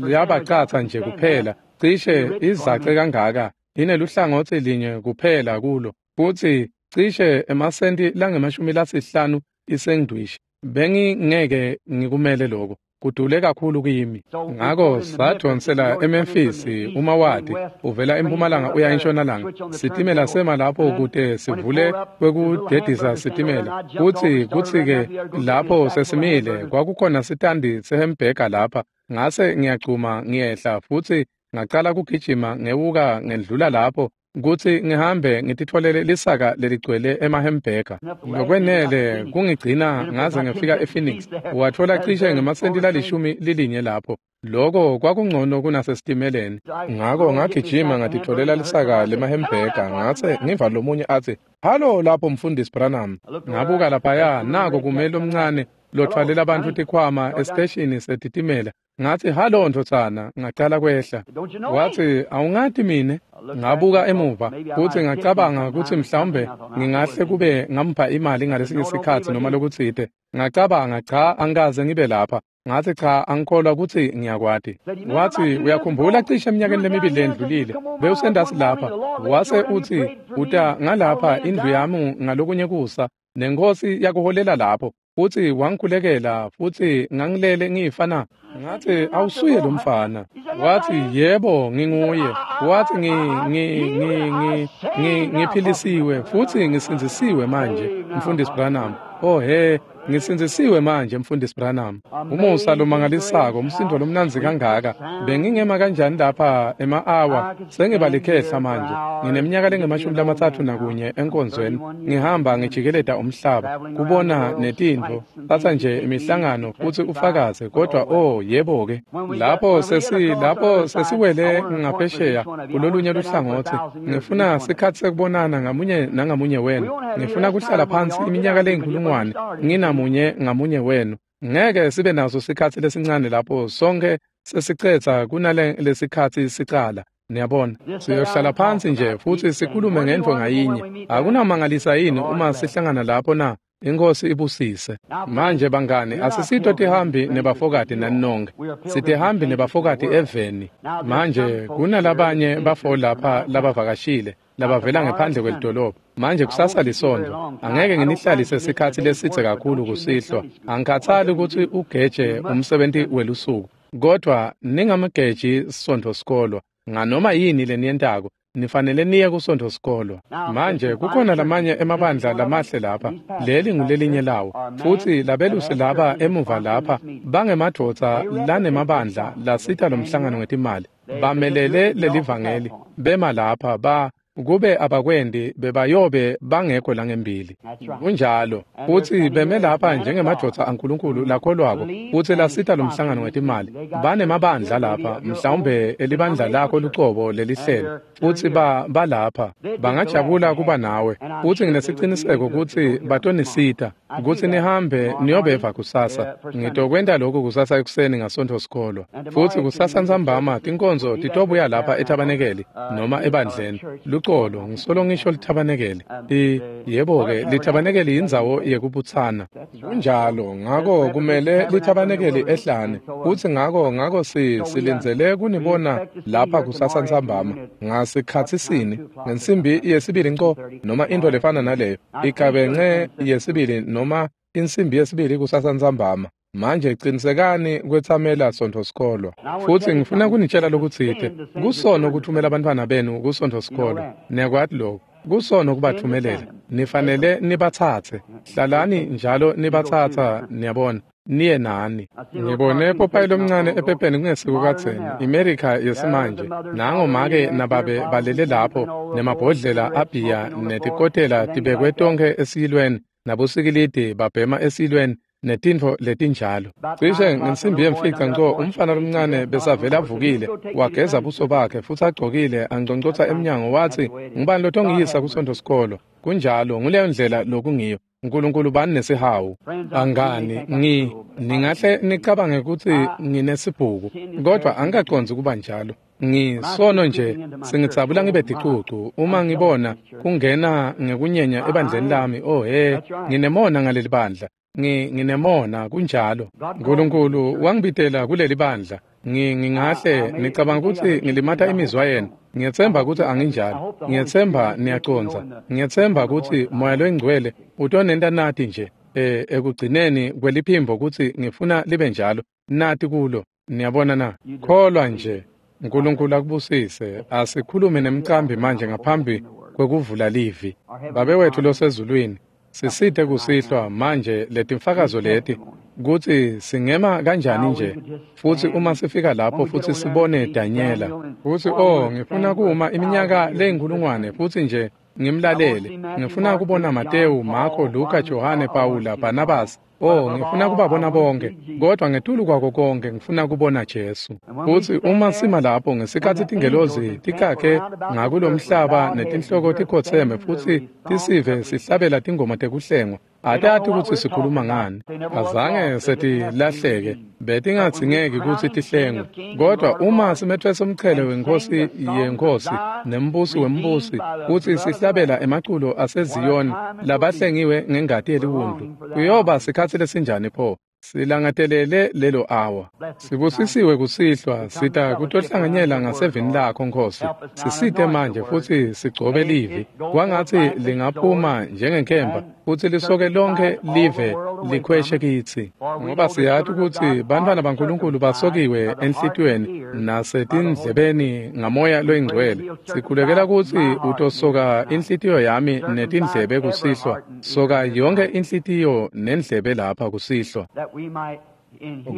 Speaker 1: yabacatsa nje kuphela, cishe izace kangaka, ineluhlangotsi linye kuphela kulo, futsi cishe emasenti langemashumi lasihlanu isengdwishi. Bengingeke ngikumele lokho. Kudule kakhulu kimi. Ngako sadonsela eMemphis uma wati uvela empumalanga uya entshonalanga. Sitimela sema lapho kute sivule kwekudedisa sitimela. Kutsi kutsi ke lapho sesimile kwakukhona sitandi sehembhega lapha. Ngase ngiyagcuma ngiyehla futsi ngacala kugijima ngewuka ngendlula lapho kutsi ngihambe ngititfolele lisaka leligcwele emahembhega. Lokwenele kungigcina ngaze ngifika ePhoenix. Wathola cishe ngemasenti lalishumi lilinye lapho. Loko kwakungcono kunasesitimeleni. Ngako ngagijima ngatitfolela lisaka lemahembhega ngase ngiva lomunye atsi, "Halo lapho Mfundisi Branham." Ngabuka laphaya nako kumele omncane lothwalela abantu tikhwama esiteshini setitimela. Ngathi, "Halo ndvodzana." Ngacala kwehla. Wathi, "Awungati mine?" Ngabuka emuva futsi ngacabanga kutsi mhlawumbe ngingahle kube ngampha imali ngalesinye sikhatsi noma lokutsite. Ngacabanga, cha, angikaze ngibe lapha. Ngathi, cha, angikholwa kutsi ngiyakwati. Wathi, "Uyakhumbula cishe eminyakeni lemibili lendlulile bewusendasi lapha?" Wase utsi, "Uta ngalapha indlu yami ngalokunye kusa nenkosi yakuholela lapho futsi wangikhulekela futsi ngangilele ngifana." Ngathi, "Awusuye lo mfana." Wathi, "Yebo, nginguye." Wathi, ngi ngi ngi ngi ngiphilisiwe futsi ngisindzisiwe manje, Mfundisi Branham. Oh he, ngisindzisiwe manje Mfundisi Branham. Umusa lomangalisako, umsindo lomnandzi kangaka. Bengingema kanjani lapha ema-awa sengibalikhehla manje. Ngineminyaka lengemashumi lamatsatfu nakunye enkonzweni. Ngihamba ngijikeleta umhlaba kubona netintfo. Tsatsa nje imihlangano futsi ufakaze kodwa oh yebo ke. Lapho sesi lapho sesiwele ngaphesheya kulolunye luhlangotsi. Ngifuna sikhatsi sekubonana ngamunye nangamunye wenu. Ngifuna kuhlala phansi iminyaka leyinkulungwane nginamunye ngamunye wenu. Ngeke sibe naso sikhatsi lesincane lapho sonke sesicetha kunale lesikhatsi sicala. Niyabona, siyohlala phansi nje futsi sikhulume ngentfo ngayinye. Akunamangalisa yini uma sihlangana lapho na? Inkosi ibusise. Manje bangani, asisito tihambi nebafokati nani nonke. Sitihambi nebafokati eveni. Manje kunalabanye bafo lapha labavakashile labavela ngephandle kwelidolobha. Manje kusasa lisonto. Angeke nginihlalise sikhatsi lesidze kakhulu kusihlwa. Angikhathali kutsi ugeje umsebenti welusuku. Kodwa ningamgeji sontfo sikolwa. Nganoma yini leniyentako, nifanele niye kusontfo sikolwa. Manje kukhona lamanye emabandla lamahle lapha. Leli ngulelinye lawo. Futsi labelusi laba emuva lapha bangemadvodza lanemabandla lasita lomhlangano ngetimali. Bamelele lelivangeli. Bema lapha ba kube abakwendi bebayobe bangekho langembili. Kunjalo. Futsi beme lapha njengemadvodza aNkulunkulu lakholwako futsi lasita lomhlangano ngetimali. Banemabandla lapha, mhlawumbe elibandla lakho lucobo lelihlelo. Futsi ba balapha bangajabula kuba nawe. Futsi nginesiciniseko kutsi batonisita kutsi nihambe niyobeva kusasa. Ngitokwenta lokhu kusasa ekuseni ngasontfo sikolwa. Futsi kusasa ntsambama tinkonzo titobuya lapha ethabanekeli noma ebandleni. Lucolo, ngisolo ngisho lithabanekeli. I yebo-ke, lithabanekeli yindzawo yekubutsana. Kunjalo, ngako kumele lithabanekeli ehlane. Futsi ngako ngako si silindzele kunibona lapha kusasa ntsambama ngasikhatsisini ngensimbi yesibili nco noma intfo lefana naleyo. Igabence yesibili noma insimbi yesibili kusasa ntsambama. Manje qinisekani kwetsamela sontfo sikolwa. Futsi ngifuna kunitshela lokutsite. Kusono kuthumela abantwana benu kusontfo sikolwa. Niyakwati lokho. Kusono kubathumelela. Nifanele nibatsatse. Hlalani njalo nibatsatsa, niyabona. Niye nani. Ngibone popayi lomncane ephepheni kungesiko kadzeni. Imerika yesimanje. Nango make nababe balele lapho nemabhodlela abhiya netikotela tibekwe tonkhe esiyilweni nabosikilidi babhema esiyilweni netintfo letinjalo. Cishe ngensimbi yemfica nco umfana lomncane besavele avukile wageza buso bakhe futsi agcokile angconcotsa emnyango watsi, "Ngubani lotongiyisa kusontfo sikolwa?" Kunjalo, nguleyo ndlela lokungiyo. Nkulunkulu bani nesihawu. Angani, ngi ningahle nicabange kutsi nginesibhuku, kodwa angikacondzi kuba njalo. Ngisono nje singitsabula ngibe ticucu uma ngibona kungena ngekunyenya ebandleni lami. Oh he, nginemona ngaleli bandla. Ngi nginemona kunjalo. Nkulunkulu wangibitela kuleli bandla. Ngi ngingahle nicabanga kutsi ngilimata imizwa yenu. Ngiyetsemba kutsi anginjalo. Ngiyetsemba niyacondza. Ngiyetsemba kutsi Moya loyiNgcwele utonenta nati nje eh ekugcineni kweliphimbo kutsi ngifuna libe njalo. Nati kulo. Niyabona na? Kholwa nje. Nkulunkulu akubusise. Asikhulume nemcambi manje ngaphambi kwekuvula livi. Babe wethu losezulwini, sisite kusihlwa manje letimfakazo leti kutsi singema kanjani nje futsi uma sifika lapho futsi sibone Danyela futsi oh ngifuna kuma iminyaka leyinkulungwane futsi nje ngimlalele. Ngifuna kubona Matewu, Marko, Luka, Johane, Pawula, Barnabas. Oh, ngifuna kubabona bonke, kodwa ngetulu kwako konke ngifuna kubona Jesu. Futsi uma sima lapho ngesikhatsi tingelozi tikakhe ngakulomhlaba netinhloko tikhotseme futsi tisive sihlabela tingoma tekuhlengwa, atati kutsi sikhuluma ngani. Azange setilahleke, betingadzingeki kutsi tihlengwe. Kodwa uma simetfwesa umchele wenkosi yenkosi nembusi wembusi kutsi sihlabela emaculo aseZiyoni labahlengiwe ngengati yeliwundlu, kuyoba sikhatsi lesinjani pho? Silangatelele lelo awa. Sibusisiwe kusihlwa, sita kutohlanganyela ngasevini lakho Nkosi. Sisite manje futsi sigcobe livi. Kwangatsi lingaphuma njengenkemba futsi lisoke lonke live likhweshe kitsi. Ngoba siyati kutsi bantfwana baNkulunkulu basokiwe enhlitiyweni nasetindlebeni ngamoya loyingcwele. Sikhulekela kutsi utosoka inhlitiyo yami netindlebe kusihlwa. Soka yonke inhlitiyo nendlebe lapha kusihlwa.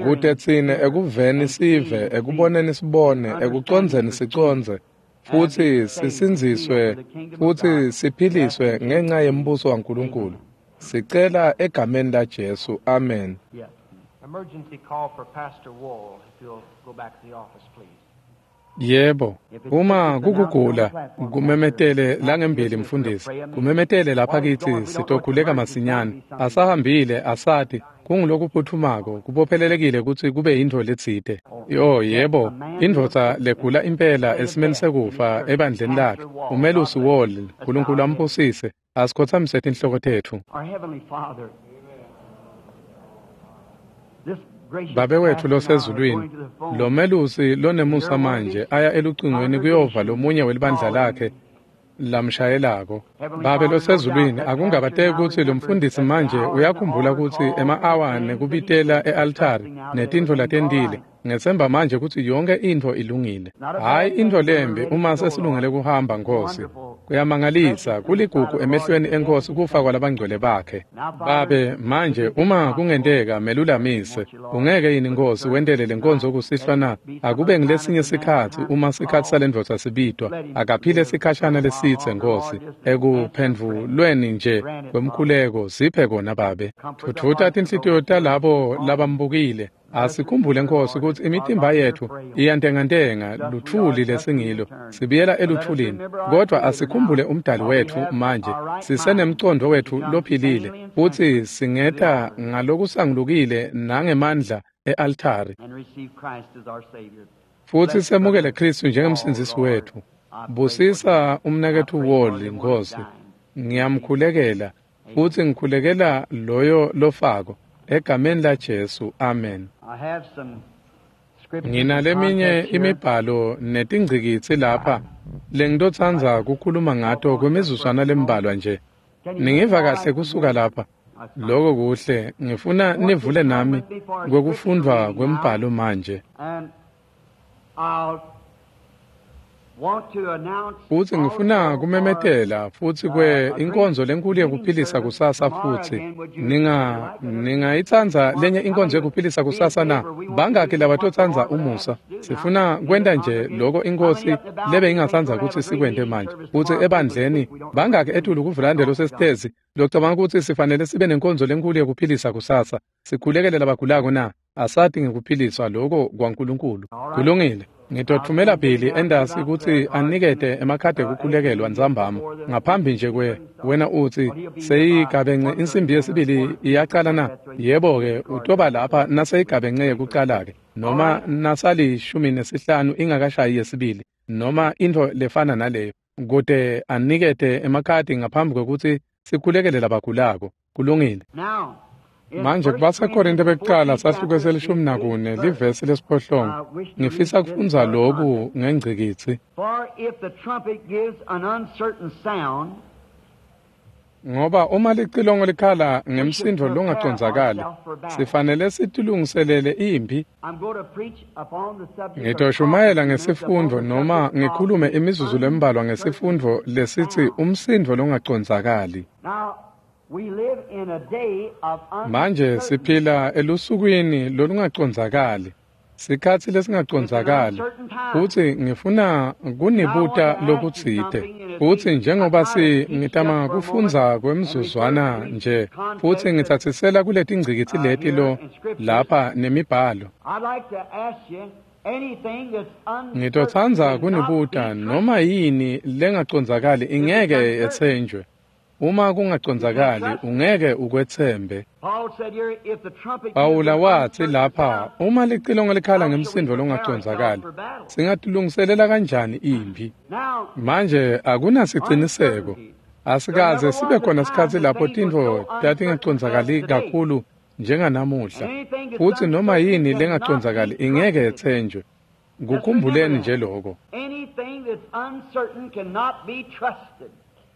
Speaker 1: Kute tsine ekuveni sive, ekuboneni sibone, ekucondzeni sicondze, futsi sisindziswe futsi siphiliswe ngenca yembuso waNkulunkulu. Sicela egameni la Jesu. Amen.
Speaker 3: Emergency call for Pastor Wall, if you'll go back to the office, please.
Speaker 1: Yebo, uma kukugula kumemetele langembili mfundisi, kumemetele lapha kithi sitokhuleka masinyane. Asahambile asati kungulokuphuthumako kubophelelekile kutsi kube yintfo letsite. Yo yebo, indvodza legula impela esimeni sekufa ebandleni lakhe, umelusi Wall, Nkulunkulu ambusise. Asikhotsamise tinhloko tetfu. Babe wethu losezulwini, lo melusi lonemusa manje aya elucingweni kuyova lomunye welibandla lakhe lamshayelako. Babe losezulwini, akungabateki kutsi lo mfundisi manje uyakhumbula kutsi ema-awa nekubitela e-altari netintfo latentile. Ngetsemba manje kutsi yonke intfo ilungile. Hhayi intfo lembi uma sesilungele kuhamba Nkosi. Kuyamangalisa, kuligugu emehlweni eNkosi kufa kwalabangcwele bakhe. Babe, manje uma kungenteka melulamise, ungeke yini Nkosi wentele lenkonzo kusihlwa na? Akube ngilesinye sikhatsi uma sikhatsi salendvodza sibitwa, akaphile sikhashana lesitse Nkosi, ekuphendvulweni nje kwemkhuleko siphe kona Babe. Thuthuta tinhlitiyo talabo labambukile. Asikhumbule Nkosi kutsi imitimba yetfu iyantengantenga luthuli lesingilo, sibuyela eluthulini. Kodwa asikhumbule umdali wetfu manje, sisenemcondvo wetfu lophilile, futsi singeta ngalokusangulukile nangemandla e-altari, futsi semukele Khristu njengemsindzisi wetfu. Busisa umnaketfu Wall Nkosi, ngiyamkhulekela futsi ngikhulekela loyo lofako. Egameni la Jesu, amen. Nginaleminye imibhalo netingcikitsi lapha lengitotsandza kukhuluma ngato kwimizuzwana lembalwa nje. Ningiva kahle kusuka lapha? Loko kuhle. Ngifuna nivule nami kwekufundvwa kwembhalo manje. Futsi ngifuna kumemetela futsi kwe inkonzo lenkulu yekuphilisa kusasa futsi. Ninga ningayitsandza lenye inkonzo yekuphilisa kusasa na? Bangaki labatotsandza umusa? Sifuna kwenta nje loko inkosi lebe ingatsandza kutsi sikwente manje. Futsi ebandleni bangaki etulu kuvulande losesitezi locabanga kutsi sifanele sibe nenkonzo lenkulu yekuphilisa kusasa. Sikhulekele labagulako na? Asati ngekuphiliswa loko kwaNkulunkulu. Kulungile. Ngitotfumela Billy endasi kutsi anikete emakhadi ekukhulekelwa ntsambama ngaphambi nje kwe wena utsi seyigabence insimbi yesibili iyacala na? Yebo-ke, utoba lapha naseyigabence yekucala-ke, noma nasalishumi nesihlanu ingakashayi yesibili, noma intfo lefana naleyo, kute anikete emakhadi ngaphambi kwekutsi sikhulekele labagulako. Kulungile. Manje kubaseKorinte bekucala sahluko selishumi nakune livesi lesiphohlongo. Ngifisa kufundza loku ngengcikitsi.
Speaker 2: For if the trumpet gives an uncertain sound,
Speaker 1: Ngoba uma licilongo likhala ngemsindo longacondzakali, sifanele sitilungiselele imphi. Ngitoshumayela ngesifundvo noma ngikhulume imizuzu lembalwa ngesifundvo lesitsi umsindo longacondzakali. Manje siphila elusukwini lolungacondzakali, sikhatsi lesingacondzakali, futsi ngifuna kunibuta lokutsite. Futsi njengoba si ngitama kufundza kwemzuzwana nje, futsi ngitsatsisela kuletingcikitsi leti lo lapha nemibhalo. Ngitotsandza kunibuta noma yini lengacondzakali ingeke yetsenjwe. Uma kungacondzakali ungeke ukwetsembe. Pawula watsi lapha, uma licilongo likhala ngemsindo longacondzakali, singatilungiselela kanjani imphi? Manje akunasiciniseko. Asikaze sibe khona sikhatsi lapho tintfo tatingacondzakali kakhulu njenganamuhla. Futsi noma yini lengacondzakali ingeke yetsenjwe. Kukhumbuleni nje lokho.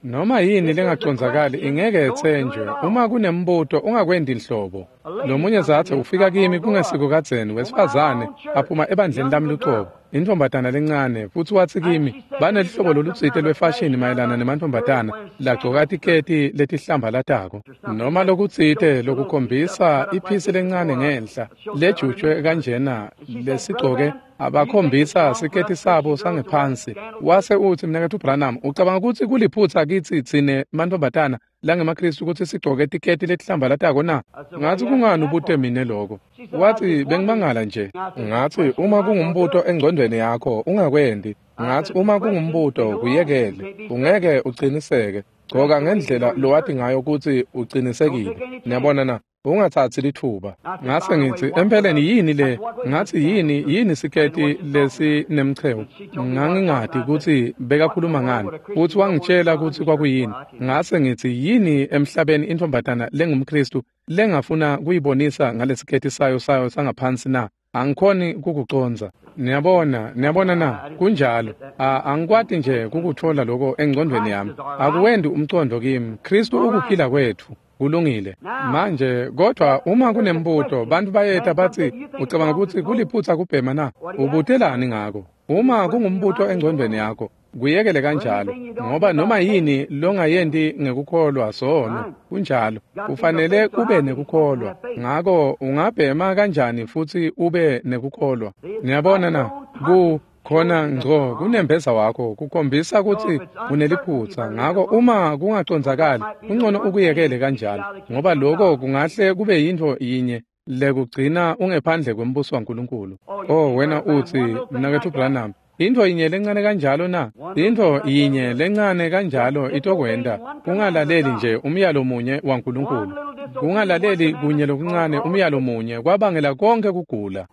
Speaker 1: Noma yini lengacondzakali ingeke yetsenjwe. Uma kunembuto ungakwendi inhlobo. Lomunye zatsi ufika kimi kungesiko kadzeni, wesifazane aphuma ebandleni lami lucobo, intombatana lencane, futsi watsi kimi banelihlobo lolutsite lwefashini mayelana nemantfombatana lagcoka tiketi letihlambalatako noma lokutsite lokukhombisa iphisi lencane ngenhla lejutjwe kanjena lesigcoke abakhombisa siketi sabo sangephansi. Wase utsi, Mnaketfu Branham, ucabanga kutsi kuliphutsa kitsi tsine mantfombatana langemaKhristu kutsi sigcoke tiketi letihlambalatako na? Ngatsi, kungani ubute mine lokho? Watsi, bengimangala nje. Ngatsi, uma kungumbuto engcondweni yakho ungakwendi. Ngatsi, uma kungumbuto kuyekele, ungeke uciniseke. Gcoka ngendlela lowati ngayo kutsi ucinisekile. Niyabona na? Ungatsatsi litfuba. Ngase ngitsi, empeleni yini le? Ngatsi, yini yini siketi lesinemchewu? Ngangingati kutsi bekakhuluma ngani, futsi wangitshela kutsi kwakuyini. Ngase ngitsi, yini emhlabeni intombatana lengumKhristu lengafuna kuyibonisa ngalesiketi sayo sayo sangaphansi na? Angikhoni kukucondza. Niyabona, niyabona na? Kunjalo. Angikwati nje kukutfola lokho engcondweni yami. Akuwendi umcondo kimi. Khristu ukuphila kwetfu. Kulungile. Manje kodwa uma kunembuto, bantu bayeta batsi, ucabanga kutsi kuliphutsa kubhema na? Ubutelani ngako? Uma kungumbuto engcondweni yakho, kuyekele kanjalo, ngoba noma yini longayendi ngekukholwa sono. Kunjalo. Kufanele kube nekukholwa. Ngako ungabhema kanjani futsi ube nekukholwa? Niyabona na? Ku khona ngco kunembeza wakho kukhombisa kutsi uneliphutsa. Ngako uma kungacondzakali kungcono ukuyekele kanjalo, ngoba lokho kungahle kube yintfo yinye lekugcina ungephandle kwembuso waNkulunkulu. Oh, wena utsi, Mnaketfu Branham, intfo yinye lencane kanjalo na? Intfo yinye lencane kanjalo itokwenta ungalaleli nje umyalo munye waNkulunkulu. Kungalaleli kunye lokuncane umyalo munye kwabangela konke kugula.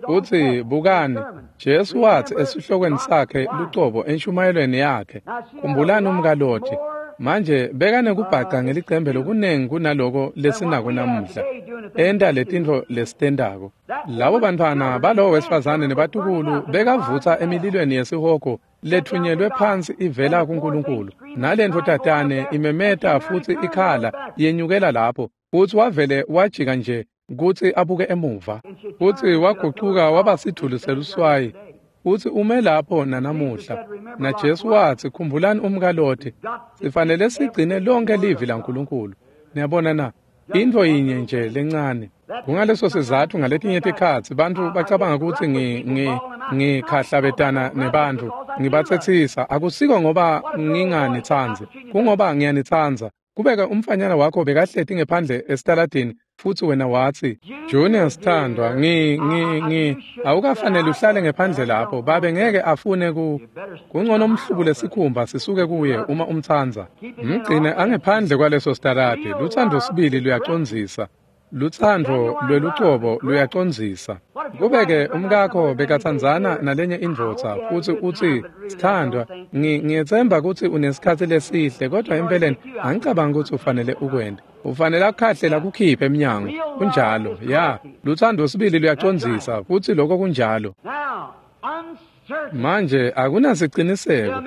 Speaker 1: Utsi, bukani, Jesu watsi esihlokweni sakhe lucobo enshumayelweni yakhe, khumbulani umkaLoti. Manje bekanekubhaca ngelicembe lokunengi kunaloko lesinako namuhla, enta letintfo lesitentako. Labo bantfwana balowo wesifazane nebatukulu bekavutsa emililweni yesihogo lethunyelwe phansi ivela kuNkulunkulu. Nalentfo tatane imemeta futsi ikhala yenyukela lapho, futsi wavele wajika nje kutsi abuke emuva, futsi wagucuka waba sidvuli seluswayi, futsi ume lapho nanamuhla. Na Jesu watsi, khumbulani umkaLoti. Sifanele sigcine lonke livi laNkulunkulu. Niyabona na? Intfo yinye nje lencane. Kungaleso sizatfu ngaletinye tikhatsi bantfu bacabanga kutsi ngi ngi ngikhahlabetana nebantfu, ngibatsetsisa. Akusiko ngoba nginganitsandzi, kungoba ngiyanitsandza. Kubeka umfanyana wakho bekahleti ngephandle esitaladini, futsi wena watsi, Junior sithandwa, ngi ngi ngi awukafanele uhlale ngephandle lapho, babe ngeke afune ku kungcono umhlubule sikhumba sisuke kuye uma umtsandza. Mgcine angephandle kwaleso sitaladi. Lutsandvo sibili luyacondzisa. Lutsandvo lwelucobo luyacondzisa. Kubeke umkakho bekatsandzana nalenye indvodza, futsi utsi, sithandwa, ngiyetsemba kutsi unesikhatsi lesihle, kodwa empeleni angicabangi kutsi ufanele ukwente. Ufanele akukhahlela kukhiphe emnyango. Kunjalo, ya. Lutsandvo sibili luyacondzisa, futsi lokho kunjalo. Manje akunasiciniseko.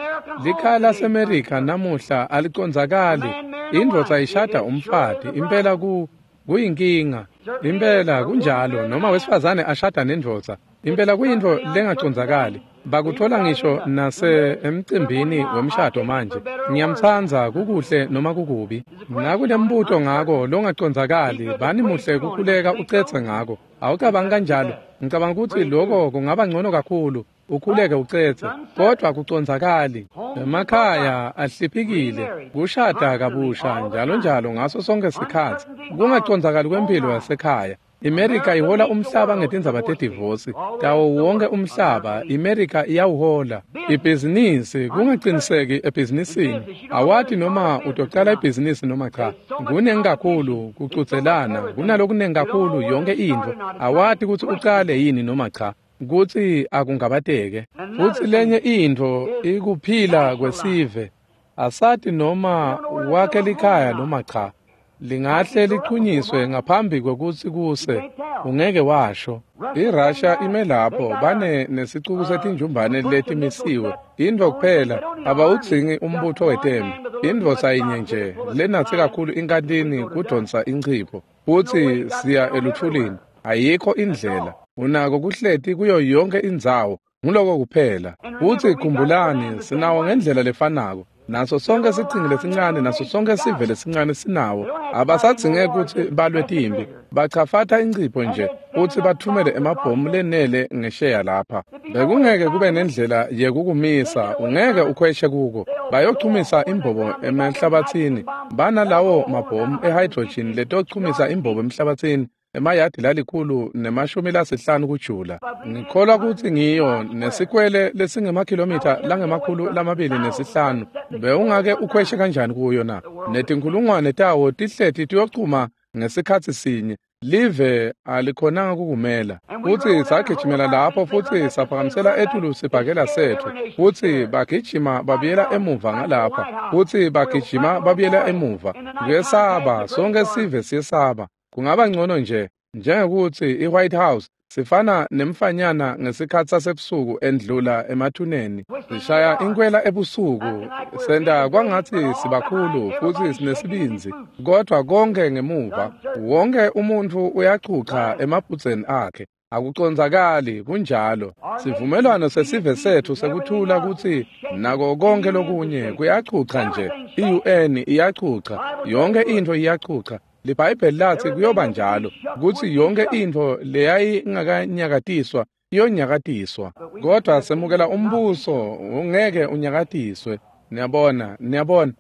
Speaker 1: Likhaya laseMerika namuhla alicondzakali. Indvodza ishada umfati impela ku kuyinkinga. Impela kunjalo noma wesifazane ashada nendvodza. Impela kuyintfo lengacondzakali. Bakuthola ngisho nase emcimbini wemshado manje. Ngiyamtsandza kukuhle noma kukubi. Nakunembuto ngako longacondzakali bani muhle kukhuleka ucetse ngako. Awucabangi kanjalo. Ngicabanga ukuthi lokho kungaba ngcono kakhulu. Ukhuleke ucetse kodwa kucondzakali. Emakhaya ahliphikile kushada kabusha njalo njalo ngaso sonke sikhatsi. Kungacondzakali kwempilo yasekhaya. IMerika ihola umhlaba ngetindzaba tedivosi. Tawo wonke umhlaba iMerika iyawuhola. Ibhizinisi kungaciniseki ebhizinisini. Awati noma utocala ibhizinisi noma cha. Kunengi kakhulu kucudzelana, kunalokunengi kakhulu yonke intfo. Awati kutsi ucale yini noma cha. Kutsi akungabateke. Futsi lenye intfo ikuphila kwesive. Asati noma wakhe likhaya noma cha. Lingahle lichunyiswe ngaphambi kwekutsi kuse ungeke washo. IRussia ime lapho bane nesicuku setinjumbane letimisiwe. Intfo kuphela abawudzingi umbutho wetempi. Indvodza yinye nje lenatse kakhulu inkantini kudonsa inchipho futsi siya elutfulini. Ayikho indlela. Unako kuhleti kuyo yonke indzawo. Nguloko kuphela. Futsi khumbulani sinawo ngendlela lefanako. Naso sonke sichingi lesincane naso sonke sive lesincane sinawo. Abasadzinge kutsi balwe timbi. Bachafata incipho nje futsi bathumele emabhomu lenele ngesheya lapha. Bekungeke kube nendlela yekukumisa, ungeke ukhweshe kuko. Bayochumisa imbobo emhlabathini. Banalawo mabhomu ehydrogen letochumisa imbobo emhlabathini. Emayadi lalikhulu nemashumi lasihlanu kujula. Ngikholwa kutsi ngiyo nesikwele lesingemakhilomitha langemakhulu lamabili nesihlanu. Bewungake ukhweshe kanjani kuyo na? Netinkhulungwane tawo tihleti tiyochuma ngesikhatsi sinye. Live alikhonanga kukumela. Futsi sagijimela lapho futsi saphakamisela etulu sibhakela setfu. Futsi bagijima babuyela emuva ngalapha. Futsi bagijima babuyela emuva. Kuyesaba, sonke sive siyesaba. Kungaba ngcono nje njengekuthi iWhite House sifana nemfanyana ngesikhatsi sasebusuku endlula emathuneni. Sishaya inkwela ebusuku senta kwangatsi sibakhulu futsi sinesibindzi, kodwa konke ngemuva wonke umuntfu uyachucha emaphutseni akhe. Akucondzakali kunjalo. Sivumelwano sesive setfu sekuthula kutsi nako konke lokunye kuyachucha nje. I U N iyachucha, yonke intfo iyachucha. LiBhayibheli latsi kuyoba njalo kutsi yonke intfo leyayingakanyakatiswa iyonyakatiswa, kodwa semukela umbuso ungeke unyakatiswe. Niyabona, niyabona,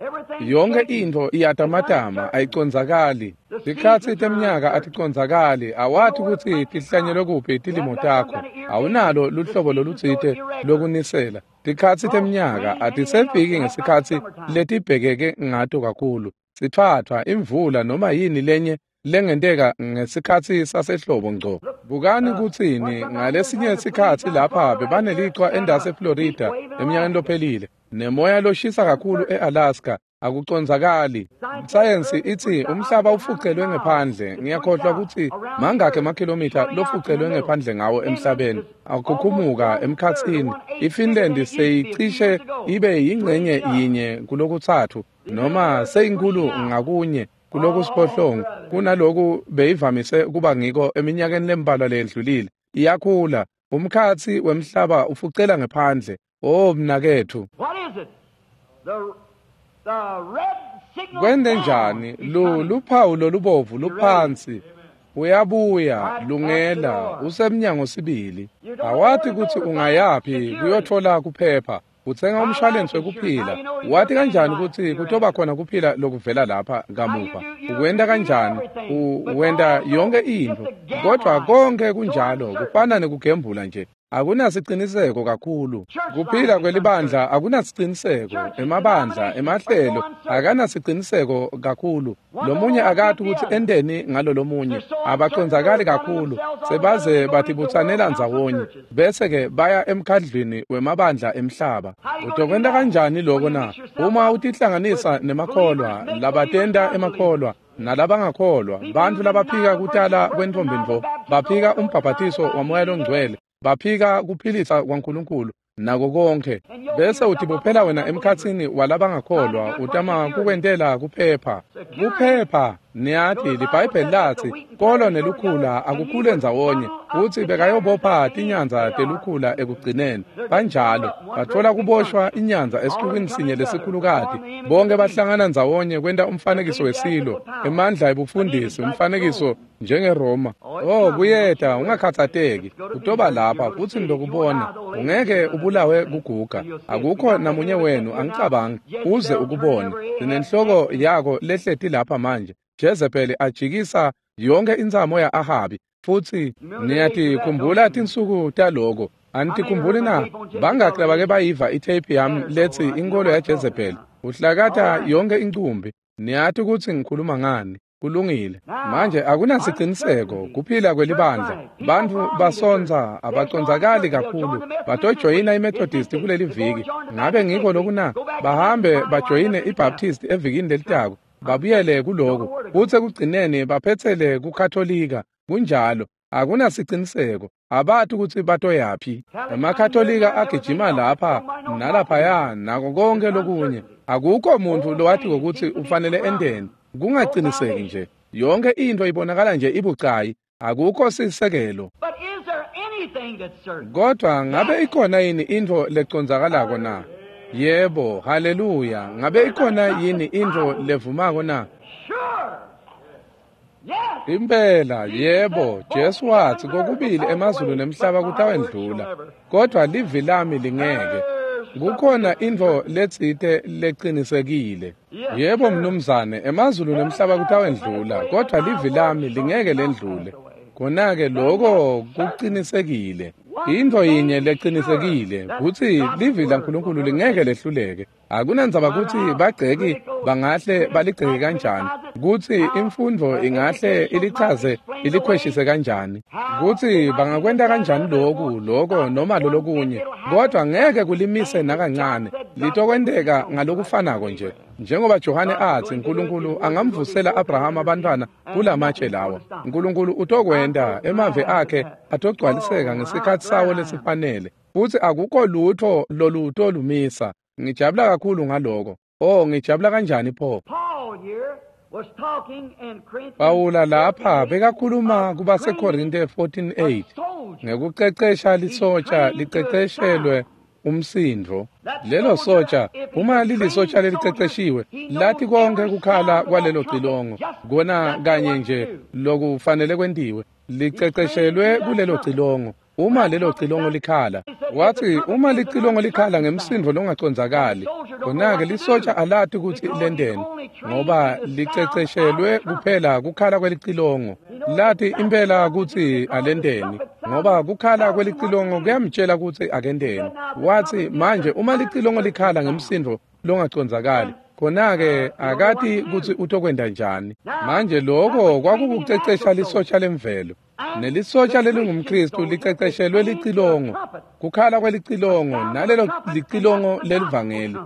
Speaker 1: yonke intfo iyatamatama ayicondzakali. Tikhatsi teminyaka aticondzakali. Awati kutsi tihlanyelwe kuphi tilimo takho. Awunalo luhlobo lolutsite lokunisela. Tikhatsi teminyaka atisefiki ngesikhatsi letibhekeke ngato kakhulu. Sitfwatfwa, imvula noma yini lenye lengenteka ngesikhatsi sasehlobo ngco. Bukani kutsini ngalesinye sikhatsi lapha bebanelichwa endase eFlorida eminyakeni lophelile nemoya loshisa kakhulu eAlaska. Akucondzakali. Sayensi itsi umhlaba ufucelwe ngephandle. Ngiyakhohlwa kutsi mangakhi emakhilomitha lofucelwe ngephandle ngawo emhlabeni. Akukhukhumuka emkhatsini. IFinland seyicishe ibe yingcenye yinye kulokutsatfu noma seyinkulu ngakunye kulokusiphohlongo kunaloku beyivamise kuba ngiko eminyakeni lembalwa leyendlulile. Iyakhula. Umkhatsi wemhlaba ufucela ngephandle. Oh mnaketfu.
Speaker 2: What is it? The the red signal
Speaker 1: Kwente njani? Lu luphawu lolubovu luphansi. Uyabuya lungela usemnyango sibili. Awati kutsi ungayaphi kuyothola kuphepha. Utsenga umshwalense wekuphila. Wati kanjani kutsi kutoba khona kuphila lokuvela lapha kamuva? Ukwenta kanjani? Uwenta yonke intfo. Kodwa konke kunjalo kufana nekugembula nje. Akunasiciniseko kakhulu. Kuphila kwelibandla akunasiciniseko. Emabandla, emahlelo akanasiciniseko kakhulu. Lomunye akati kutsi enteni ngalo lomunye. Abacondzakali kakhulu. Sebaze batibutsanela ndzawonye. Bese ke baya emkhandlwini wemabandla emhlaba. Utokwenta kanjani loko na? Uma utihlanganisa nemakholwa, labatenta emakholwa nalabangakholwa, bantfu labaphika kutala kwentfombi ntfo, baphika umbhabhatiso waMoya loNgcwele, baphika kuphilisa kwaNkulunkulu nako konke, bese utibophela wena emkhatsini walabangakholwa, utama kukwentela kuphepha. Kuphepha, niyati liBhayibheli latsi kolo nelukhula akukhule ndzawonye, futsi bekayobopha tinyanza telukhula ekugcineni. Kanjalo batfola kuboshwa inyanza esixukwini sinye lesikhulukati, bonke bahlangana ndzawonye kwenta umfanekiso wesilo, emandla ebufundisi, umfanekiso njengeRoma. Oh, kuyeta, ungakhatsateki, utoba lapha futsi ngitokubona. Ungeke ubulawe kuguga, akukho namunye wenu, angicabangi, uze ukubone. Sinenhloko yako lehleti lapha manje. Jezebeli ajikisa yonke intsamo ya-Ahabi, futsi niyatikhumbula tinsuku taloko. Anitikhumbuli na? Bangaki labake bayiva itheyiphi yami letsi Inkholo yaJezebeli? Uhlakata yonke incumbi. Niyati kutsi ngikhuluma ngani. Kulungile. Manje akunasiciniseko kuphila kwelibandla. Bantfu basonza abacondzakali kakhulu. Batojoyina iMethodist kuleli viki. Ngabe ngiko loku na? Bahambe bajoyine iBaptist evikini lelitako. Babuyele kuloku, futsi ekugcineni baphetsele kuKatolika. Kunjalo, akunasiciniseko, abati kutsi batoyaphi. EmaKatolika agijima lapha nalaphaya nako konke lokunye. Akukho muntfu lowatiko kutsi ufanele enteni. Kungaciniseki nje. Yonke intfo ibonakala nje ibucayi, akukho sisekelo.
Speaker 2: But is there anything that's certain?
Speaker 1: Kodwa ngabe ikhona yini intfo lecondzakalako na? Yebo, haleluya. Ngabe ikhona yini intfo levumako na?
Speaker 2: Sure. Yes.
Speaker 1: Impela, yebo, Jesu watsi kokubili emazulu nemhlaba kutawendlula, kodwa livi lami lingeke. Kukhona intfo letsite lecinisekile. Yebo, mnumzane, emazulu nemhlaba kutawendlula, kodwa livi lami lingeke lendlule. Kona-ke loko kucinisekile. Intfo yinye lecinisekile kutsi livi laNkulunkulu lingeke lehluleke. Akunandzaba kutsi bagceki bangahle baligceke kanjani, kutsi imfundvo ingahle ilichaze ilikhweshise kanjani, kutsi bangakwenta kanjani loku, loko noma lolokunye, kodwa ngeke kulimise nakancane. Litokwenteka ngalokufanako nje. Njengoba Johane atsi Nkulunkulu angamvusela Abrahama abantwana kulamatshe lawa. Nkulunkulu utokwenta, emave akhe atogcwaliseka ngesikhatsi sawo lesifanele, futsi akukho lutho lolutolumisa. Ngijabula kakhulu ngaloko. Oh, ngijabula kanjani pho.
Speaker 2: Paul here was talking in Corinthians
Speaker 1: Pawula lapha bekakhuluma kubaseKorinte fourteen eight ngekucecesha lisotsha liceceshelwe umsindvo. Lelo sotsha, uma lilisotsha leliceceshiwe, lathi konke kukhala kwalelo cilongo, kona kanye nje lokufanele kwentiwe, liceceshelwe kulelo cilongo. Uma lelo cilongo likhala, wathi uma licilongo likhala ngemsindvo longacondzakali, khona-ke lisotsha alati kutsi lenteni, ngoba liceceshelwe kuphela kukhala kwelicilongo. Lati impela kutsi alenteni, ngoba kukhala kwelicilongo kuyamtshela kutsi akenteni. Wathi manje uma licilongo likhala ngemsindvo longacondzakali, khona-ke akati kutsi utokwenta njani. Manje loko kwakukucecesha lisotsha lemvelo. Nelisotsha lelingumKristu liceceshelwe licilongo, kukhala kwelicilongo, nalelo licilongo lelivangeli.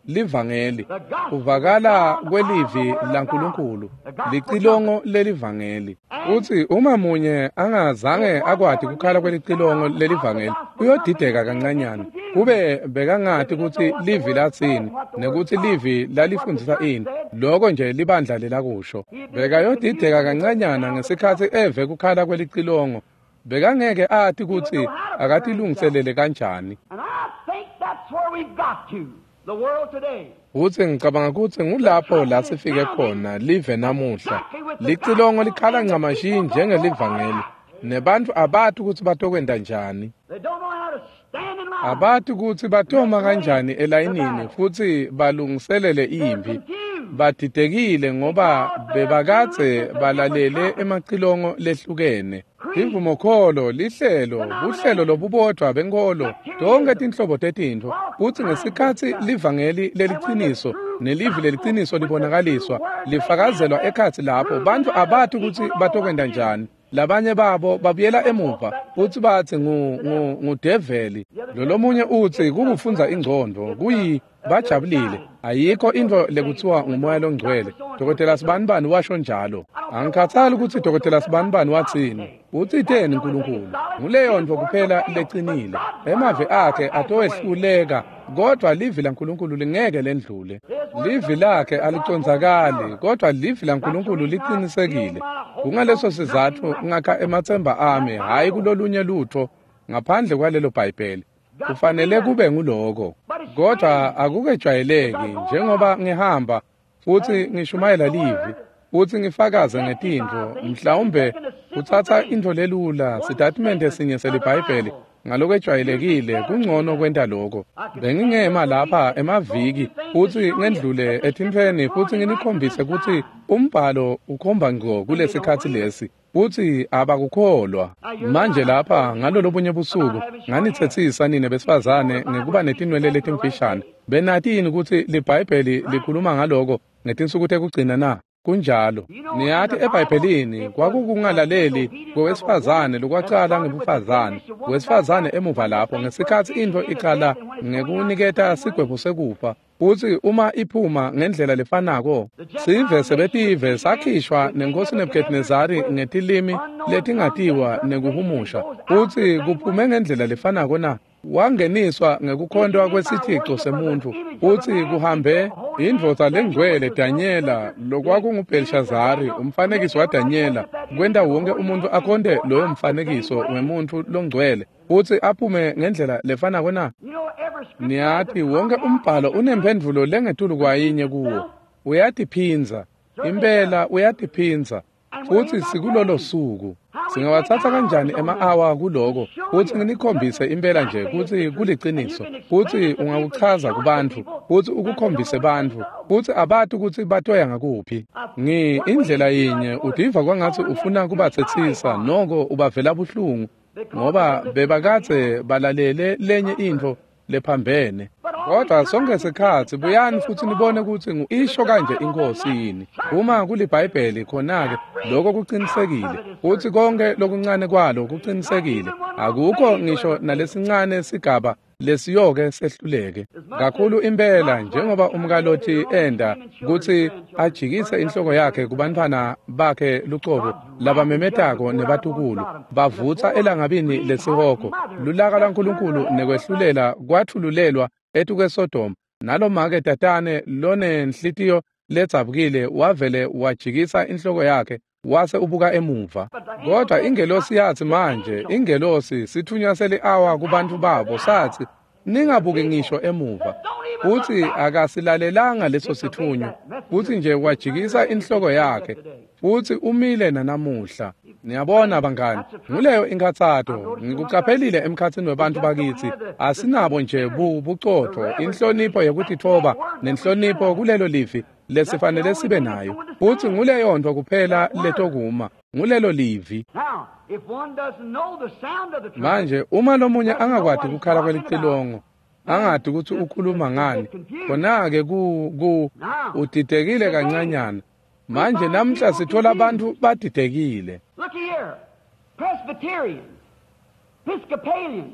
Speaker 1: Livangeli kuvakala kwelivi laNkulunkulu, licilongo lelivangeli. Utsi uma munye angazange akwati kukhala kwelicilongo lelivangeli, uyodideka kancanyana. Kube bekangati kutsi livi latsini nekuthi livi lalifundzisa ini, loko nje libandla lelakusho. Bekayodideka kancanyana ngesikhatsi eve kukhala kwelicilongo. Bekangeke ati kutsi akatilungiselele kanjani.
Speaker 2: And I think that's where we've got to, the world today.
Speaker 1: Utsi ngicabanga kutsi ngulapho la sifike khona live namuhla. Licilongo likhala ncamashi njengelivangeli, nebantfu abati kutsi batokwenta njani.
Speaker 2: They don't know how to stand in line.
Speaker 1: Abati kutsi batoma kanjani elayinini futsi balungiselele imphi. Badidekile ngoba bebakadze balalele emacilongo lehlukene. Imvumokholo, lihlelo, buhlelo lobubodvwa benkholo, tonke tinhlobo tetintfo. Kutsi ngesikhatsi livangeli leliciniso nelivi leliciniso libonakaliswa, lifakazelwa ekhatsi lapho, bantfu abati kutsi batokwenta njani. Labanye babo babuyela emuva futsi batsi ngu ngu ngudeveli. Lolomunye utsi kukufundza ingcondvo, kuyi Bajabulile. Ayikho intfo lekuthiwa ngumoya longcwele. Dokotela Sibanibani washo njalo. Angikhathali kutsi Dokotela Sibanibani watsini. Utsiteni Nkulunkulu. Nguleyo ntfo kuphela lecinile. Emavi akhe atowehluleka, kodwa livi laNkulunkulu lingeke lendlule. Livi lakhe alicondzakali, kodwa livi laNkulunkulu liqinisekile. Kungaleso sizatfu ngakha ematsemba ami hhayi kulolunye lutfo ngaphandle kwalelo Bhayibheli. Kufanele kube nguloko. Kodwa akukejwayeleki njengoba ngihamba futsi ngishumayela livi futsi ngifakaze ngetintfo, mhlawumbe kutsatsa intfo lelula, sitatimende sinye seliBhayibheli ngalokwejwayelekile kungcono kwenta loko. Bengingema lapha emaviki futsi ngendlule etintfweni futsi nginikhombise kutsi umbhalo ukhomba ngco kulesikhatsi lesi, futsi abakukholwa. Manje lapha ngalolobunye busuku nganitsetsisa nine besifazane ngekuba netinwele letimfishane. Benati yini kutsi liBhayibheli likhuluma ngaloko ngetinsuku tekugcina na? Kunjalo. Niyati eBhayibhelini kwakukungalaleli kwewesifazane lokwacala ngebufazane. Wesifazane emuva lapho ngesikhatsi intfo icala ngekuniketa sigwebo sekufa, futsi uma iphuma ngendlela lefanako, sive sebetive sakhishwa nenkosi Nebuchadnezzari ngetilimi letingatiwa nekuhumusha, futsi kuphume ngendlela lefanako na? Wangeniswa ngekukhontwa kwesithico semuntfu, futsi kuhambe indvodza lengcwele Danyela lokwakunguBhelshazari, umfanekiso waDanyela, kwenta wonke umuntfu akhonte loyo mfanekiso wemuntfu longcwele, futsi aphume ngendlela lefanako na? Niyati wonke umbhalo unemphendvulo lengetulu kwayinye kuwo. Uyatiphindza, impela uyatiphindza, futsi sikulolo suku. Singawatsatsa kanjani ema-awa kuloko futsi nginikhombise impela nje kutsi kuliciniso, futsi ungakuchaza kubantfu futsi ukukhombise bantfu futsi abati kutsi batoya ngakuphi. Ngi indlela yinye utiva kwangatsi ufuna kubatsetsisa, noko ubavela buhlungu ngoba bebakadze balalele lenye intfo lephambene. Kodwa sonke sikhatsi buyani futsi nibone kutsi ngu-isho kanje inkosi yini. Uma kuliBhayibheli khona-ke lokho kuqinisekile, futsi konke lokuncane kwalo kuqinisekile. Akukho ngisho nalesincane sigaba lesiyoke sehluleke. Kakhulu impela njengoba umkalothi enda kutsi ajikise inhloko yakhe kubantfwana bakhe lucobo labamemetako nebatukulu, bavutsa elangabini lesihogo. Lulaka lwaNkulunkulu nekwehlulela kwathululelwa etukweSodoma, nalomake tatane lonenhlitiyo ledzabukile wavele wajikisa inhloko yakhe wase ubuka emuva. Kodwa ingelosi yathi manje, ingelosi sithunywa seli-awa kubantu babo sathi, ningabuki ngisho emuva. Futsi akasilalelanga leso sithunywa, futsi nje wajikisa inhloko yakhe, futsi umile nanamuhla. Niyabona bangani, nguleyo inkhatsato. Ngikucaphelile emkhatsini webantfu bakitsi, asinabo nje bu bucotfo, inhlonipho yekutitfoba nenhlonipho kulelo livi lesifanele sibe nayo. Futsi nguleyo ntfo kuphela letokuma, ngulelo livi. Manje uma lomunye angakwati kukhala kwelicilongo, angati kutsi ukhuluma ngani, khona-ke ku ku udidekile kancanyana. Manje namhla sithola abantu badidekile.
Speaker 2: Look here, Presbyterians, Episcopalians,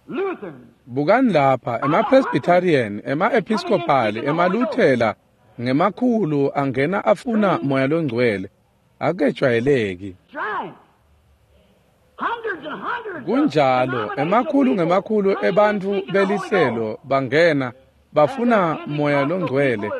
Speaker 2: Lutherans.
Speaker 1: Bukani lapha, ema-Presbyterian, ema-Episcopal, emaLuthela ngemakhulu angena afuna moya longcwele. Akejwayeleki. Kunjalo, emakhulu ngemakhulu ebantfu belihlelo bangena bafuna moya longcwele.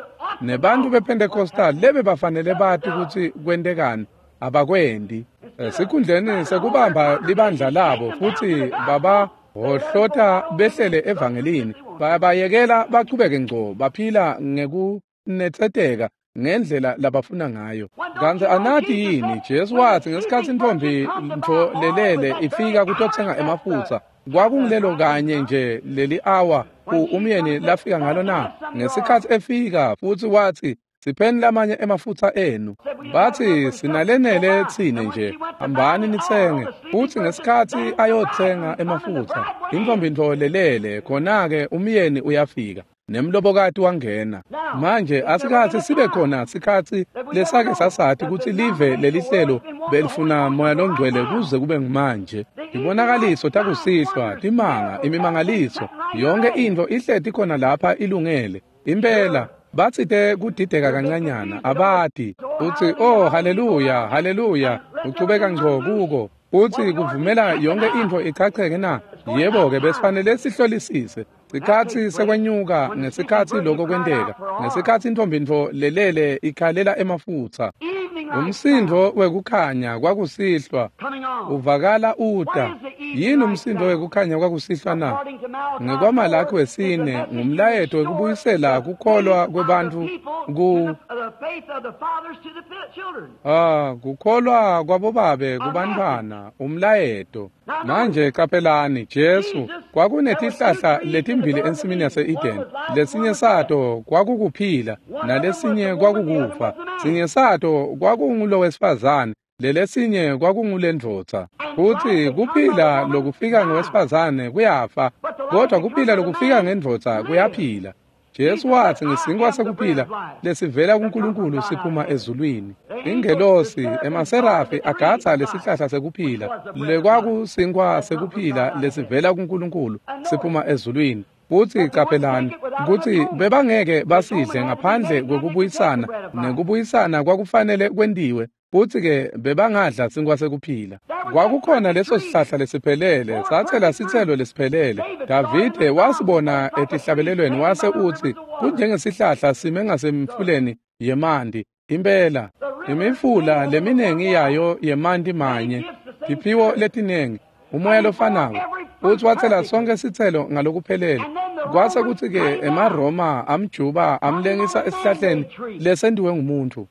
Speaker 1: Nebantu bePentecostal lebe bafanele bati kutsi kwentekani abakwendi. Esikhundleni sekubamba libandla labo futsi baba hohlota behlele evangelini, bayabayekela bachubeke ngco baphila ngekunetseteka ngendlela labafuna ngayo. Kantsi anati yini, Jesu wathi ngesikhatsi intfombi ntfo lelele ifika kutotsenga emafutsa, kwakungilelo kanye nje leli awa umyeni lafika ngalo na? Ngesikhatsi efika futsi wathi, sipheni lamanye emafutsa enu. Bathi sinalenele tsine nje, hambani nitsenge. Futsi ngesikhatsi ayotsenga emafutsa, intfombi ntfo lelele, khona-ke umyeni uyafika. Nemlobokati wangena. Manje asikhathi sibe khona sikhathi lesake sasathi kutsi live lelihlelo belifuna Moya Longcwele kuze kube ngumanje. Tibonakaliso takusihlwa, timanga, imimangaliso, yonke intfo ihleti khona lapha ilungele. Impela batsite kudideka kancanyana abati utsi oh haleluya haleluya uchubeka ngco kuko utsi kuvumela yonke intfo ichacheke na. Yebo-ke besifanele sihlolisise sikhatsi sekwenyuka ngesikhatsi lokho kwenteka, ngesikhatsi intombi-ntfo lelele ikhalela emafutsa. Umsindvo wekukhanya kwakusihlwa uvakala uta. Yini umsindvo wekukhanya kwakusihlwa na? NgekwaMalaki wesine ngumlayeto wekubuyisela kukholwa kwebantfu ku ah kukholwa kwabobabe kubantfwana, umlayeto. Manje qaphelani, Jesu kwakunetihlahla letimbili ensimini yase-Eden. Lesinye sato kwakukuphila nalesinye kwakukufa. Sinye sato kwakungulowesifazane, lelesinye kwakungulendvodza. Futsi kuphila lokufika ngowesifazane kuyafa, kodwa kuphila lokufika ngendvodza kuyaphila. Jesu watsi ngesinkwa sekuphila lesivela kuNkulunkulu siphuma ezulwini. Ingelosi emaserafi agatsa lesihlahla sekuphila lekwakusinkwa sekuphila lesivela kuNkulunkulu siphuma ezulwini. Futsi qaphelani kutsi bebangeke basidle ngaphandle kwekubuyisana, nekubuyisana kwakufanele kwentiwe. Futsi-ke bebangadla sinkwa sekuphila. Kwakukhona leso sihlahla lesiphelele, satsela sitselo lesiphelele. Davide wasibona etihlabelelweni wase utsi kunjengesihlahla sime ngasemfuleni yemanti. Impela imifula leminengi yayo yemanti manye, tiphiwo letinengi, umoya lofanako. Futsi watsela sonke sitselo ngalokuphelele. Kwase kutsi-ke emaRoma amjuba amlengisa esihlahleni lesentiwe ngumuntfu.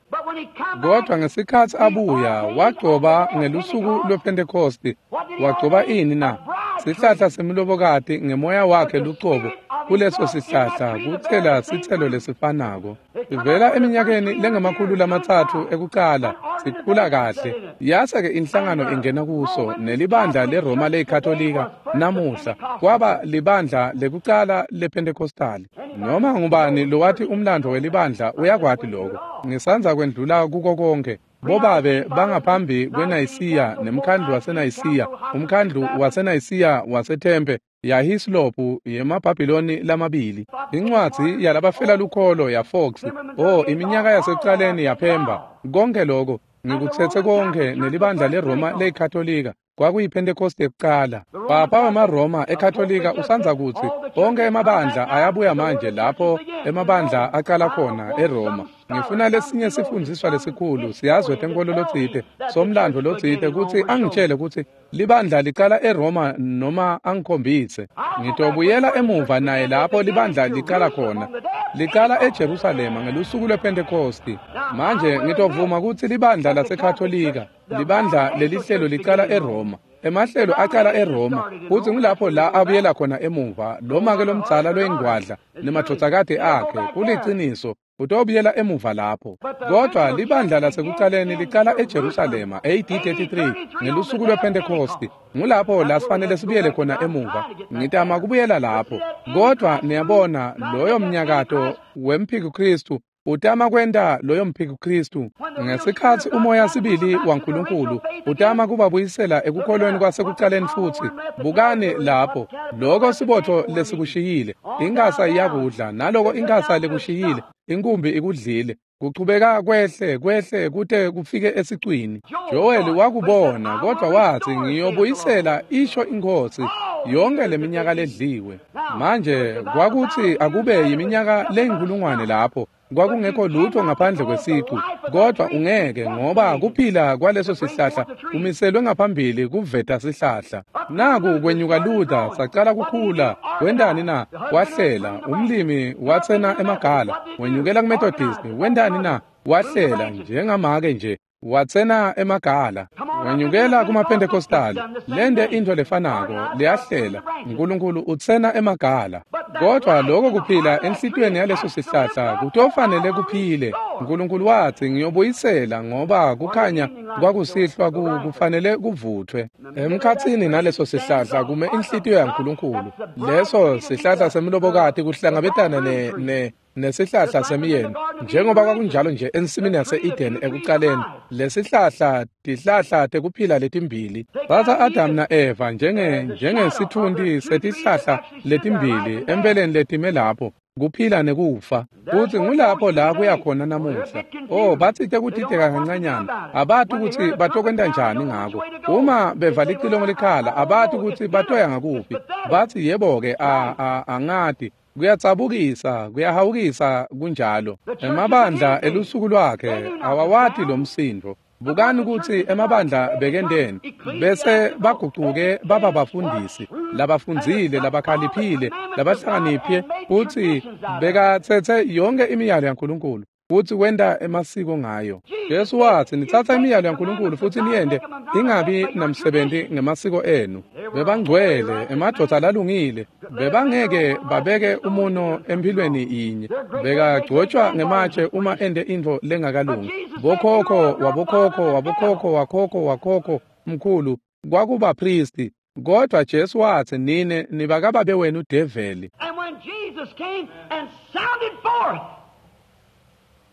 Speaker 1: Kodwa ngesikhatsi abuya wagcoba ngelusuku lwePhentekosti. Wagcoba ini na? Sihlahla semlobokati ngemoya wakhe lucobo. Kuleso sihlahla kutsela sitselo lesifanako. Sivela eminyakeni lengemakhulu lamatsatfu ekucala sikhula kahle. Yase-ke inhlangano ingena kuso nelibandla leRoma leyiKatolika namuhla kwaba libandla lekucala lePhentekostali. Noma ngubani lowati umlandvo welibandla uyakwati lokho. Ngisandza kwendlula kuko konke. Bobabe bangaphambi kweNayisiya nemkhandlu waseNayisiya, umkhandlu waseNayisiya waseThempe yaHislopu yemaBhabhiloni lamabili. Incwadzi yalabafela lukholo yaFox, oh iminyaka yasekucaleni yaPhemba. Konke lokho ngikutsetse konke nelibandla leRoma leyiKatolika kwakuyiPhentekoste yekucala. Papa wemaRoma eKatolika usandza kutsi onke emabandla ayabuya manje lapho emabandla aqala khona eRoma. Ngifuna lesinye sifundziswa lesikhulu siyazwe tenkolo lotsite somlandvo lotsite kutsi angitshele kutsi libandla licala eRoma noma angikhombise. Ngitobuyela emuva naye lapho libandla licala khona. Licala eJerusalema ngelusuku lwePhentekosti. Manje ngitovuma kutsi libandla laseKatolika, libandla lelihlelo licala eRoma. Emahlelo aqala eRoma, futsi ngulapho la abuyela khona emuva. Loma-ke lomdzala loyingwadla nemadvodzakati akhe kuliciniso utobuyela emuva lapho. Kodwa libandla lasekucaleni licala eJerusalema A D thirty-three ngelusuku lwePhentekosti. Ngulapho la sifanele sibuyele khona emuva. Ngitama kubuyela lapho. Kodwa niyabona loyo mnyakato wemphikuKristu utama kwenta loyo mphikuKristu ngesikhatsi umoya sibili waNkulunkulu utama kubabuyisela ekukholweni kwasekucaleni futsi. Bukani lapho lokho sibotho lesikushiyile, inkasa iyakudla, naloko inkasa lekushiyile inkumbi ikudlile. Kuchubeka kwehle kwehle kute kufike esicwini. Joel wakubona, kodwa watsi ngiyobuyisela isho iNkhosi yonke leminyaka ledliwe. Manje kwakutsi akube yiminyaka leyinkulungwane lapho kwakungekho lutho ngaphandle kwesicu, kodwa ungeke ngoba kuphila kwaleso sihlahla kumiselwe ngaphambili kuveta sihlahla. Naku kwenyuka Luther sacala kukhula. Wendani na? Wahlela. Umlimi watsena emagala. Wenyukela kuMethodist. Wendani na? Wahlela njengamake nje. Watsena emagala. Wenyukela kumaPentecostal, lente intfo lefanako, liyahlela. Nkulunkulu utsena emagala. Kodwa lokho kuphila enhlitiyweni yaleso sihlahla kutofanele kuphile. Nkulunkulu watsi ngiyobuyisela ngoba kukhanya kwakusihlwa kufanele kuvuthwe. Emkhatsini naleso sihlahla kume inhlitiyo yaNkulunkulu. Leso sihlahla semlobokati kuhlangabetana ne ne nesihlahla semiyeni, njengoba kwakunjalo nje ensimini yase-Eden ekucaleni. Lesihlahla tihlahla tekuphila letimbili. Tsatsa Adam na-Eva njenge njengesitfunti setihlahla letimbili empeleni letime lapho, kuphila nekufa. Futsi ngulapho la kuya khona namuhla. Oh, batsite kutideka kancanyana, abati kutsi batokwenta njani ngako. Uma beva licilongo likhala, abati kutsi batoya ngakuphi. Batsi yebo-ke, a a angati. Kuyatsabukisa, kuyahawukisa kunjalo. Emabandla elusuku lwakhe awawati lo msindvo. Bukani kutsi emabandla bekendeni bese bagucuke baba bafundisi labafundzile, labakhaliphile, labahlakaniphe, futsi bekatsetse yonke imiyalo yaNkulunkulu futsi wenta emasiko ngayo. Jesu watsi nitsatsa imiyalo yaNkulunkulu futsi niyente ingabi namsebenti ngemasiko enu. Bebangcwele, emadvodza lalungile, bebangeke babeke umuno emphilweni yinye. Bekagcotshwa ngematshe uma ente intfo lengakalungi. Bokhokho wabokhokho wabokhokho wakhokho wakhokho mkhulu kwakubapristi, kodwa Jesu watsi nine nibakababe wenu develi.
Speaker 2: And when Jesus came and sounded forth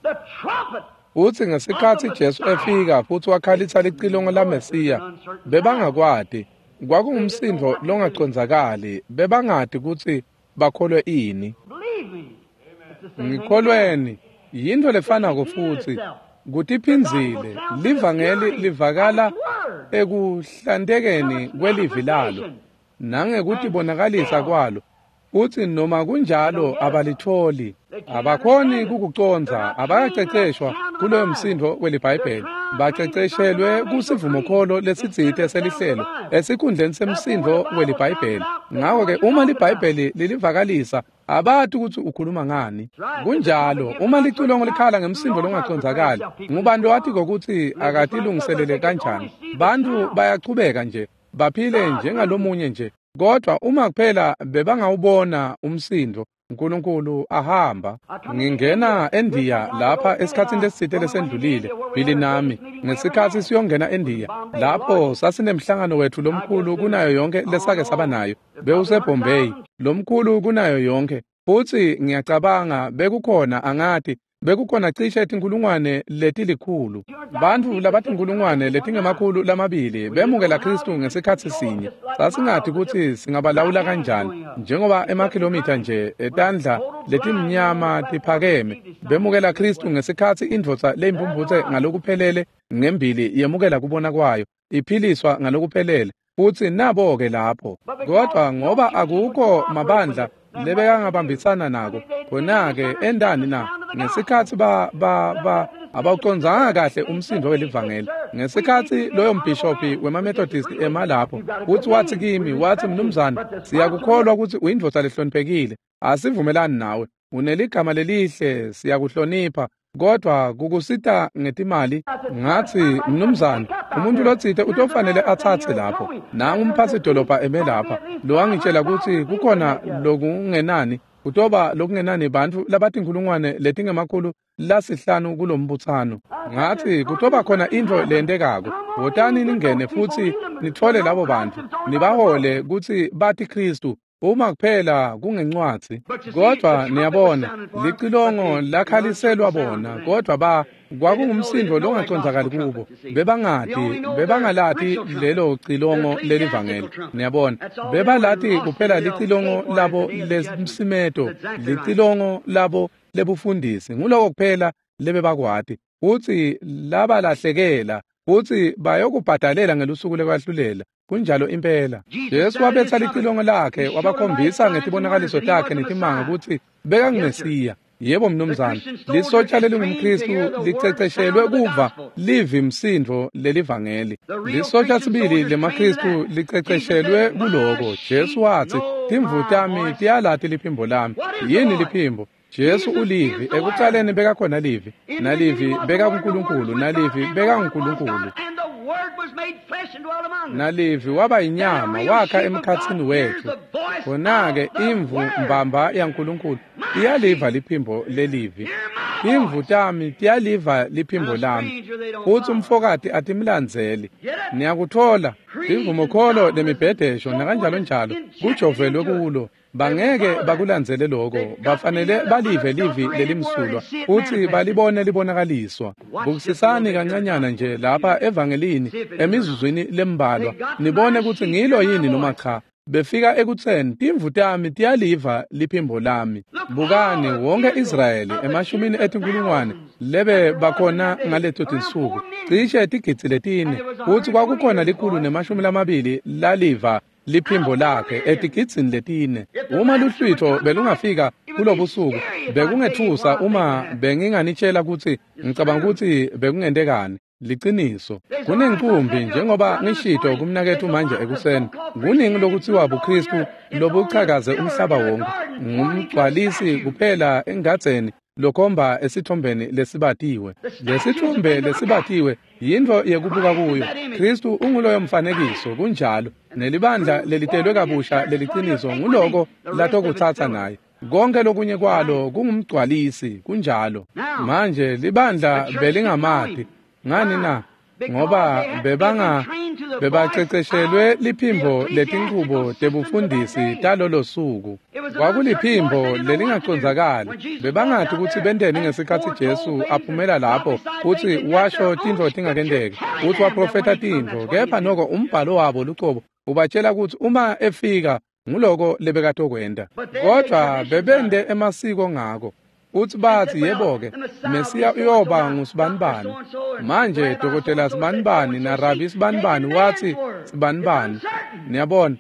Speaker 2: the trumpet,
Speaker 1: Utsi ngesikhatsi Jesu efika futsi wakhalitsa licilongo laMesiya, bebangakwati. Kwakungumsindvo longacondzakali, bebangati kutsi bakholwe ini.
Speaker 2: believe me, it's the same thing.
Speaker 1: Ngikholweni, yintfo lefanako futsi kutiphindzile. Livangeli livakala ekuhlantekeni kwelivi lalo nangekutibonakalisa kwalo, futsi noma kunjalo abalitfoli. Abakhoni kukucondza, abakaceceshwa kuloyo msindvo weliBhayibheli. Baceceshelwe kusivumokholo lesitsite selihlelo esikhundleni semsindvo weliBhayibheli. Ngako-ke uma liBhayibheli lilivakalisa, abati kutsi ukhuluma ngani. Kunjalo, uma licilongo likhala ngemsindvo longacondzakali, ngubani lowatiko kutsi akatilungiselele kanjani? Bantfu bayachubeka nje, baphile njengalomunye nje. Kodwa uma kuphela bebangawubona umsindvo, uNkulunkulu ahamba. Ngingena eNdiya lapha esikhatsini lesitsite lesendlulile, Billy nami, ngesikhatsi siyongena eNdiya, lapho sasinemhlangano wetfu lomkhulu kunayo yonke lesake saba nayo, bewuseBombay, lomkhulu kunayo yonke. Futsi ngiyacabanga bekukhona angati, bekukhona cishe tinkhulungwane letilikhulu. Bantfu labatinkhulungwane letingemakhulu lamabili bemukela Khristu ngesikhatsi sinye. Sasingati kutsi singabalawula kanjani, njengoba emakhilomitha nje etandla letimnyama tiphakeme. Bemukela Khristu ngesikhatsi indvodza leyimphumphutse ngalokuphelele ngembili yemukela kubona kwayo, iphiliswa ngalokuphelele. Futsi nabo-ke lapho. Kodwa ngoba akukho mabandla lebekangabambisana nako, khona-ke endani na? Ngesikhatsi ba ba ba abawucondzanga kahle umsindvo welivangeli. Ngesikhatsi loyo mbhishophi wemaMethodist ema lapho, futsi watsi kimi, watsi mnumzane, siyakukholwa kutsi uyindvodza lehloniphekile, asivumelani nawe, uneligama lelihle, siyakuhlonipha, kodwa kukusita ngetimali. Ngatsi mnumzane, umuntu lotsite utofanele atsatse lapho. Nangu umphatsi dolobha eme lapha, lowangitshela kutsi kukhona lokungenani, kutoba lokungenani bantfu labatinkhulungwane letingemakhulu lasihlanu kulombutsano. Ngatsi kutoba khona intfo leyentekako. Wotani ningene futsi nitfole labo bantfu, nibahole kutsi bati Khristu, uma kuphela kungencwadzi. Kodwa niyabona, licilongo lakhaliselwa bona, kodwa ba kwakungumsindvo longacondzakali kubo. Bebangati, bebangalati lelo cilongo lelivangeli. Niyabona, bebalati kuphela licilongo labo lesimsimeto, licilongo labo lebufundisi. Nguloko kuphela lebebakwati. Futsi labalahlekela, futsi bayokubhadalela ngelusuku lekwahlulela. Kunjalo impela. Jesu wabetsa licilongo lakhe, wabakhombisa ngetibonakaliso takhe netimanga kutsi bekanguMesiya. Yebo mnumzane, lisotsha lelingumKhristu liceceshelwe kuva livi msindvo lelivangeli. Lisotsha sibili lemaKhristu liceceshelwe kuloko. Jesu watsi, timvu tami tiyalati liphimbo lami. Yini liphimbo? Jesu ulivi, ekucaleni bekakhona livi, nalivi bekakuNkulunkulu, nalivi bekaNkulunkulu. Nalivi waba inyama wakha emkhatsini wethu. Khona-ke imvu mbamba yaNkulunkulu iyaliva liphimbo lelivi. Imvu tami tiyaliva liphimbo lami, futsi umfokati atimlandzeli. Niyakutfola imvumokholo lemibhedesho nakanjalo njalo kujovelwe kulo. Bangeke bakulandzele lokho, bafanele balive livi lelimsulwa futsi balibone libonakaliswa. Bukisisani kancanyana nje lapha evangelini emizuzwini lembalwa, nibone kutsi ngilo yini noma cha. Befika ekutseni timvu tami tiyaliva liphimbo lami. Bukani wonke Israyeli emashumini etinkulungwane lebe bakhona ngaleto tinsuku, cishe tigidzi letine, futsi kwakukhona likhulu nemashumi lamabili laliva liphimbo lakhe etigidzini letine. Uma luhlwitho belungafika kulobusuku, bekungethusa uma benginganitshela kutsi ngicabanga kutsi bekungentekani. Liciniso, kunenkumbi njengoba ngishito kumnaketfu manje ekuseni, kuningi lokutsiwa buKristu lobuchakaze umhlaba wonke. Ngumgcwalisi kuphela engadzeni lokhomba esithombeni lesibatiwe. Lesithombe lesibatiwe yintfo yekubuka kuyo. Kristu unguloyo mfanekiso, kunjalo. Nelibandla lelitelwe kabusha leliciniso nguloko latokutsatsa naye. Konke lokunye kwalo kungumgcwalisi, kunjalo. Manje libandla belingamati. Ngani na? Ngoba bebanga bebaceceshelwe liphimbo letinchubo tebufundisi talolo suku. Kwakuliphimbo lelingacondzakali. Bebangati kutsi benteni ngesikhatsi Jesu aphumela lapho futsi washo tintfo tingakenteki, futsi waprofetha tintfo, kepha noko umbhalo wabo lucobo ubatshela kutsi uma efika nguloko lebekatokwenta. Kodvwa bebente emasiko ngako. Utsi batsi yebo-ke, Mesiya uyoba ngusibanibani. Manje dokotela sibanibani na rabi sibanibani watsi sibanibani. Niyabona,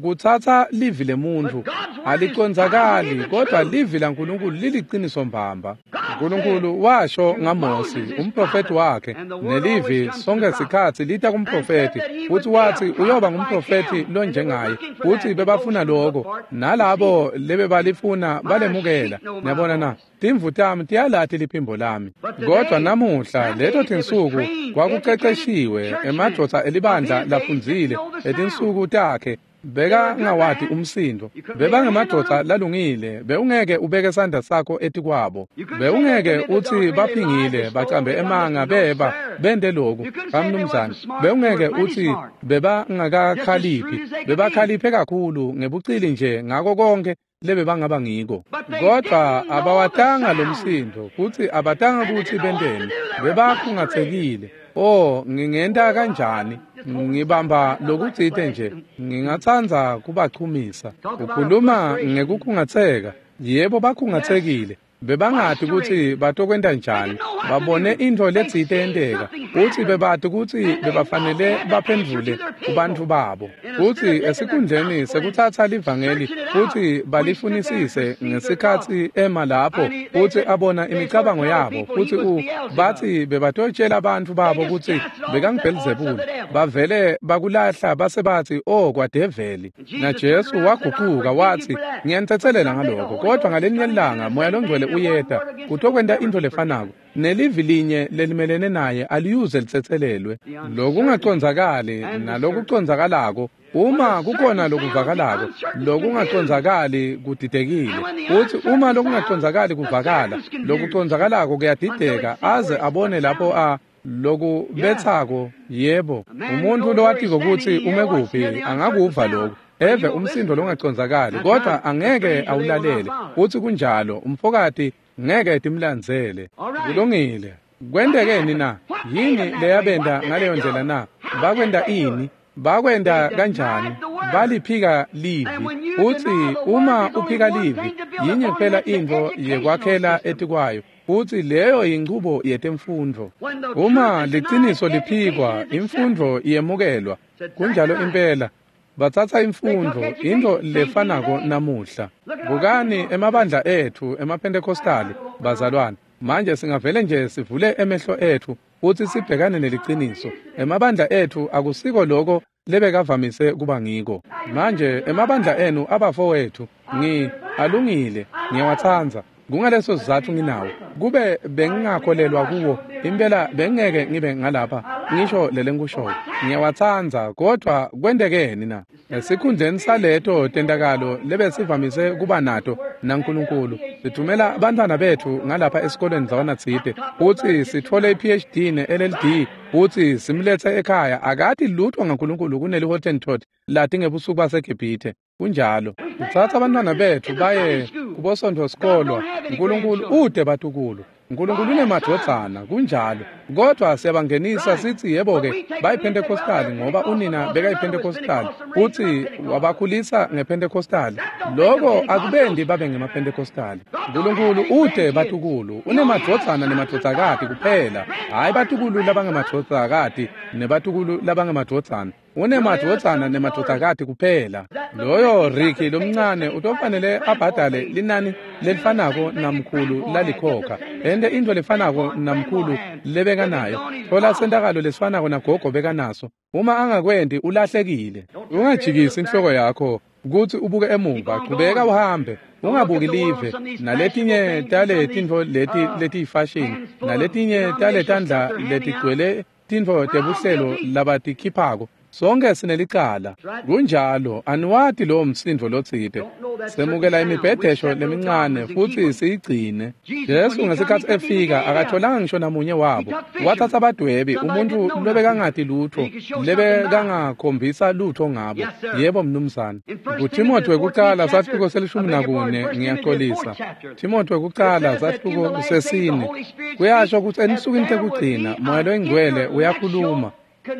Speaker 1: kutsatsa livi lemuntfu alicondzakali, kodwa livi laNkulunkulu liliciniso mbamba. Nkulunkulu washo ngaMosi umprofeti wakhe, nelivi sonke sikhatsi lita kumprofeti, futsi watsi uyoba ngumprofeti lonjengaye, futsi bebafuna lokho, nalabo lebebalifuna balemukela. Niyabona na? Timvu tami tiyalati liphimbo lami. Kodwa namuhla leto tinsuku kwakuceceshiwe emadvodza elibandla lafundzile etinsuku takhe bekangawati umsindo. Bebangemadvodza lalungile, bewungeke ubeke sandla sakho etikwabo. Bewungeke utsi baphingile, bacambe emanga, beba bente loku, bamnumzane. Bewungeke utsi bebangakakhaliphi, bebakhaliphe kakhulu ngebucili nje ngako konke lebebangaba ngiko. Kodwa abawatanga lo msindo, kutsi abatanga kutsi benteni, bebakhungatsekile. Oh, ngingenta kanjani? Ngibamba lokutsite nje, ngingatsandza kubachumisa. Ukhuluma ngekukhungatseka. Yebo, bakhungatsekile. Bebangati kutsi batokwenta njani. Babone intfo letsite yenteka, futsi bebati kutsi bebafanele baphendvule kubantfu babo. Futsi esikhundleni sekutsatsa livangeli futsi balifunisise ngesikhatsi ema lapho futsi abona imicabango yabo, futsi u batsi bebatotshela bantfu babo kutsi bekanguBhelzebule. Bavele bakulahla base batsi, oh, kwadeveli. Na Jesu wagucuka watsi, ngiyanitsetselela ngaloko, kodwa ngalinye ilanga Moya loNgcwele uyeta kutokwenta intfo lefanako, nelivi linye lelimelene naye aliyuze litsetselelwe. Lokungacondzakali nalokucondzakalako, uma kukhona lokuvakalako, lokungacondzakali kudidekile. Futsi uma lokungacondzakali kuvakala, lokucondzakalako kuyadideka aze abone lapho a lokubetsako. Yebo, umuntu lowatiko kutsi ume kuphi angakuva lokhu, eve umsindo longacondzakali, kodwa angeke awulalele. Futsi kunjalo, umfokati ngeke timlandzele. Kulungile. Kwentekeni na? Yini leyabenta ngaleyo ndlela na? Bakwenta ini? Bakwenta kanjani? Baliphika livi. Futsi uma uphika livi, yinye kuphela intfo yekwakhela etikwayo, futsi leyo yinchubo yetemfundvo. Uma liciniso liphikwa, imfundvo iyemukelwa. Kunjalo impela. Batsatsa imfundvo, intfo lefanako namuhla. Bukani emabandla etfu emaPhentekostali, bazalwane. Manje singavele nje sivule emehlo etfu futsi sibhekane neliciniso. Emabandla etfu akusiko loko lebekavamise kuba ngiko. Manje emabandla enu abafowethu, ngi alungile, ngiyawatsandza. Kungaleso sizatfu nginawo. Kube bengingakholelwa kuwo, impela bengeke ngibe ngalapha ngisho lelenkushoyo. Ngiyawatsandza, kodwa kwentekeni na? Esikhundleni saleto tentakalo lebesivamise kuba nato naNkulunkulu, sithumela bantfwana betfu ngalapha esikolweni ndzawana-tsite futsi sitfole i-P H D ne-L L D futsi simlethe ekhaya. Akati lutho ngaNkulunkulu kuneli-Hottentot lati ngebusuku baseGibhithe. Kunjalo. Sitsatsa abantwana betfu baye kubosontfo sikolwa. Nkulunkulu ude batukulu. Nkulunkulu unemadvodzana, kunjalo. Kodwa siyabangenisa sithi yebo-ke bayiPentecostali ngoba unina bekayiPentecostali futsi wabakhulisa ngePentecostali. Loko akubendi babe ngemaPentecostali. Nkulunkulu ude batukulu, unemadvodzana nemadvodzakati kuphela, hhayi batukulu labangemadvodzakati nebatukulu labangemadvodzana. Unemadvodzana nemadvodzakati kuphela. Loyo Ricky lomncane utofanele abhadale linani lelifanako namkhulu lalikhokha, ente intfo lefanako namkhulu lebekanayo, thola sentakalo lesifanako nagogo bekanaso. Uma angakwenti ulahlekile. Ungajikisi inhloko yakho kutsi ubuke emuva, chubeka uhambe. Ungabuki live naletinye tale tintfo leti letiyifashini naletinye tale tandla letigcwele tintfo tebuhlelo labatikhiphako. Sonke sinelicala. Kunjalo, aniwati lowo msindvo lotsite. Semukela imibhedesho lemincane futsi siyigcine. Jesu ngesikhatsi efika akatholanga ngisho namunye wabo. Watsatsa badwebi, umuntfu lobekangati lutho, lebekangakhombisa lutho ngabo. Yebo mnumzane. KuThimothi wekucala sahluko selishumi nakune, ngiyaxolisa. Thimothi wekucala sahluko sesine. Kuyasho kutsi ensukwini tekugcina Moya loyiNgcwele uyakhuluma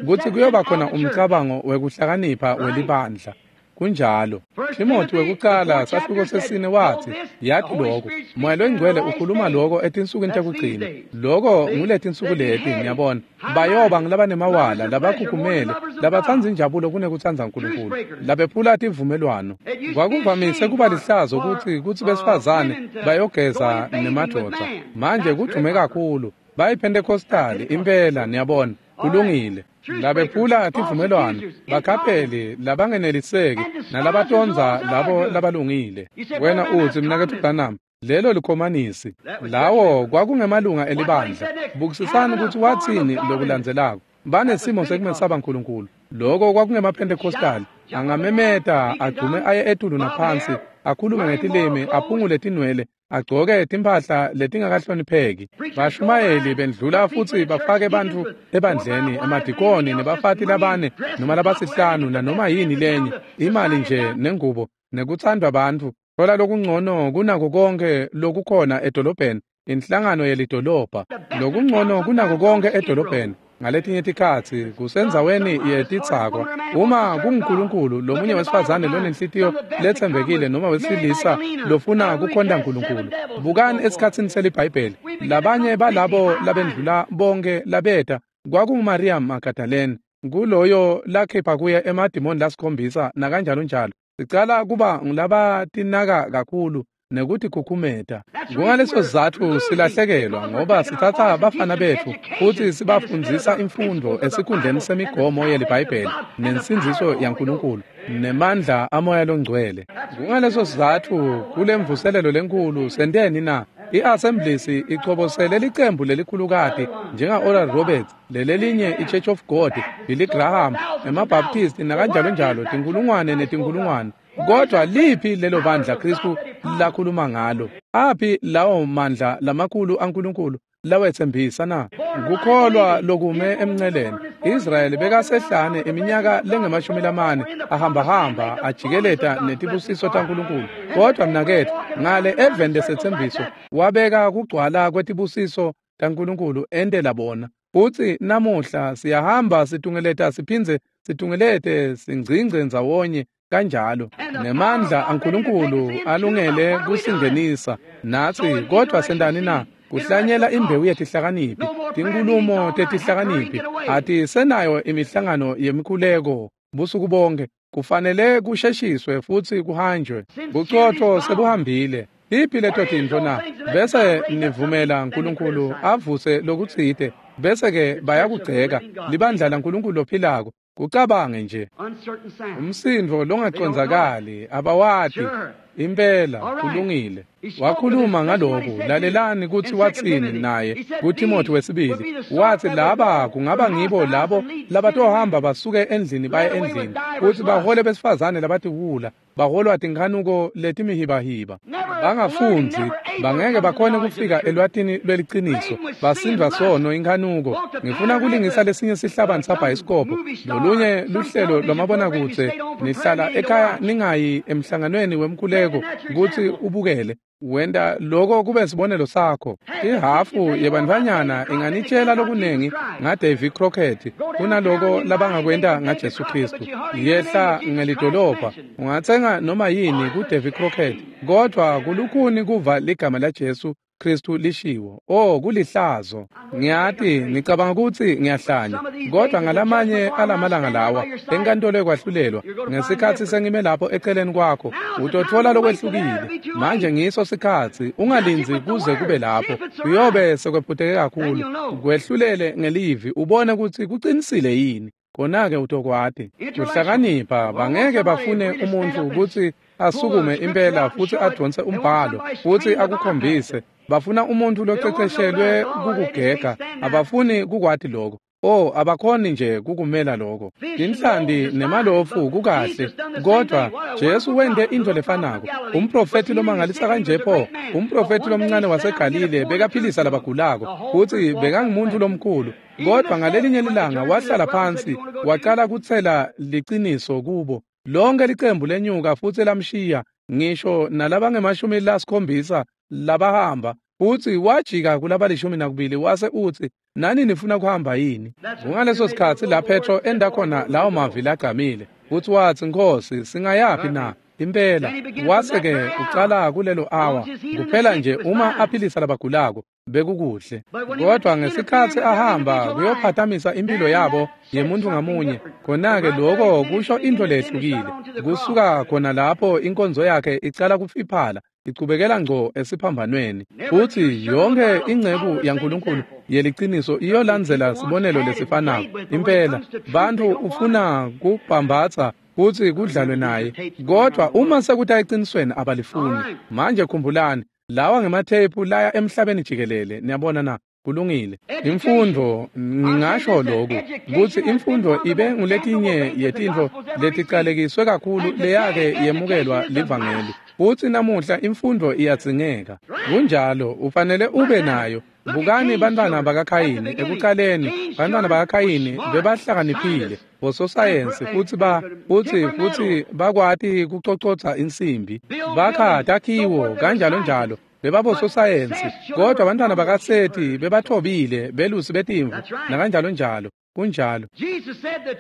Speaker 1: kutsi kuyoba khona umcabango wekuhlakanipha welibandla. Kunjalo. Thimothi wekucala sahluko sesine watsi, yati lokho, Moya loyiNgcwele ukhuluma lokho etinsukwini tekugcina. Lokho nguletinsuku leti, ngiyabona. Bayoba ngulabanemawala, labakhukhumele, labatsandza injabulo kunekutsandza Nkulunkulu, labephula tivumelwano. Kwakuvamise kuba lihlazo kutsi kutsi besifazane bayogeza nemadvodza. Manje kudvume kakhulu. BayiPentecostali impela, niyabona. Kulungile. Labephula tivumelwano, bakhapheli labangeneliseki nalabatondza labo labalungile. Wena utsi mnaketfu Branham, lelo likhomanisi. Lawo kwakungemalunga elibandla. Bukisisani kutsi watsini lokulandzelako. Banesimo sekumesaba Nkulunkulu. Loko kwakungemaPentecostali. Angamemeta agcume aye etulu naphansi, akhulume ngetilimi, aphungule tinwele, agcoke timphahla letingakahlonipheki. Bashumayeli bendlula futsi bafake bantfu ebandleni, emadikoni nebafati labane noma labasihlanu nanoma yini lenye, imali nje nengubo nekutsandvwa bantfu. Thola lokungcono kunako konke lokukhona edolobheni, inhlangano yelidolobha. Lokungcono kunako konke edolobheni. Ngaletinye tikhatsi kusendzaweni yetitsakwa. Uma kunguNkulunkulu, lomunye wesifazane lonenhlitiyo letsembekile noma wesilisa lofuna kukhonta Nkulunkulu. Bukani esikhatsini seliBhayibheli, labanye balabo labendlula bonke labeta kwakunguMariya Magdalene, kuloyo lakhipha kuye emadimoni lasikhombisa nakanjalo njalo. Sicala kuba ngulabatinaka kakhulu nekutikhukhumeta. Kungaleso sizatfu silahlekelwa, ngoba sitsatsa bafana betfu futsi sibafundzisa imfundvo esikhundleni semigomo yeliBhayibheli nensindziso yaNkulunkulu nemandla amoya longcwele. Kungaleso sizatfu kulemvuselelo lenkhulu senteni na? I-Assemblies ichobosele licembu lelikhulukati njenga-Oral Roberts, lelelinye i-Church of God, Billy Graham, emaBaptist nakanjalo njalo, tinkulungwane netinkulungwane. Kodwa liphi lelo bandla Kristu lakhuluma ngalo? Aphi lawo mandla lamakhulu aNkulunkulu lawetsembisa na? Kukholwa lokume emnceleni. Israyeli bekasehlane iminyaka lengemashumi lamane ahambahamba ajikeleta netibusiso taNkulunkulu. Kodwa mnaketfu, ngale eveni lesetsembiso wabeka kugcwala kwetibusiso taNkulunkulu entela bona. Futsi namuhla siyahamba situngeleta siphindze situngelete singcingce ndzawonye kanjalo, nemandla aNkulunkulu alungele kusingenisa natsi. Kodwa sentani na? Kuhlanyela imbewu yetihlakaniphi, tinkhulumo tetihlakaniphi. Atisenayo imihlangano yemikhuleko busuku bonke. Kufanele kusheshiswe futsi kuhanjwe. Bucotfo sebuhambile. Tiphi leto tintfo na? Bese nivumela Nkulunkulu avuse lokutsite, bese-ke bayakugceka libandla laNkulunkulu lophilako. Kucabange nje. Umsindvo longacondzakali, abawati. Impela kulungile. Wakhuluma ngaloku, lalelani kutsi watsini naye kuTimothy wesibili. Watsi laba kungaba ngibo labo labatohamba basuke endlini baye endlini, kutsi bahole besifazane labatiwula, baholwa tinkhanuko letimihibahiba. Bangafundzi, bangeke bakhone kufika elwatini lweliciniso, basindvwa sono inkhanuko. Ngifuna kulingisa lesinye sihlabani sabhayisikobho, lolunye luhlelo lwamabonakudze, nihlala ekhaya ningayi emhlanganweni wemkhuleko kutsi ubukele. Wenta loko kube sibonelo sakho. Ihhafu yebantfwanyana inganitshela lokunengi ngaDavy Crockett kunaloko labangakwenta ngaJesu Khristu. Yehla ngelidolobha, ungatsenga noma yini kuDavy Crockett, kodvwa kulukhuni kuva ligama laJesu Khristu lishiwo. Oh, kulihlazo. Ngiyati ngicabanga kutsi ngiyahlanya, kodwa ngalamanye alamalanga lawa enkantolo ekwahlulelwa, ngesikhatsi sengime lapho eceleni kwakho, utotfola lokwehlukile. Manje ngiso sikhatsi, ungalindzi kuze kube lapho, kuyobe sekwephuteke kakhulu. Kwehlulele ngelivi ubone kutsi kucinisile yini. Khona-ke utokwati. Kuhlakanipha, bangeke bafune umuntfu kutsi asukume impela futsi advonse umbhalo futsi akukhombise. Bafuna umuntfu loceceshelwe kukugega, abafuni kukwati lokho. Oh, abakhoni nje kukumela lokho. Tinhlanti nemalofu kukahle, kodwa Jesu wente intfo lefanako. Umprofethi lomangalisa kanje pho, umprofethi lomncane waseGalile bekaphilisa labagulako, futsi bekangumuntu lomkhulu. Kodwa ngalelinye lilanga wahlala phansi, wacala kutsela liciniso kubo. Lonke licembu lenyuka futsi lamshiya, ngisho nalabangemashumi lasikhombisa labahamba, futsi wajika kulabalishumi nakubili wase utsi, nani nifuna kuhamba yini? Kungaleso sikhatsi la Petro enda khona lawo mavi lagcamile, futsi watsi, Nkhosi, singayaphi na? Impela, wase-ke ucala kulelo awa, kuphela nje uma aphilisa labagulako, bekukuhle. Kodwa ngesikhatsi ahamba kuyophatamisa impilo yabo yemuntu ngamunye, khona-ke lokho kusho intfo lehlukile. Kusuka khona lapho inkonzo yakhe icala kufiphala, ichubekela ngco esiphambanweni. Futsi yonke inceku yaNkulunkulu yeliciniso iyolandzela sibonelo lesifanako. Impela, bantfu ufuna kubhambatsa futsi kudlalwe naye, kodwa uma sekuta ecinisweni abalifuni. Manje khumbulani, lawa ngematheyiphu laya emhlabeni jikelele. Niyabona na? Kulungile. Imfundvo, ngingasho lokhu kutsi imfundvo ibe nguletinye yetintfo leticalekiswe kakhulu leyake yemukelwa livangeli. Futsi namuhla imfundvo iyadzingeka. Kunjalo, ufanele ube nayo. Bukani bantwana bakaKhayini ekucaleni, bantwana bakaKhayini bebahlakaniphile, bososayensi futsi ba futsi futsi bakwati kucocotsa insimbi, bakha takhiwo kanjalo njalo. Bebabososayensi, kodwa bantwana bakaSeti bebathobile, belusi betimvu nakanjalo njalo. Kunjalo.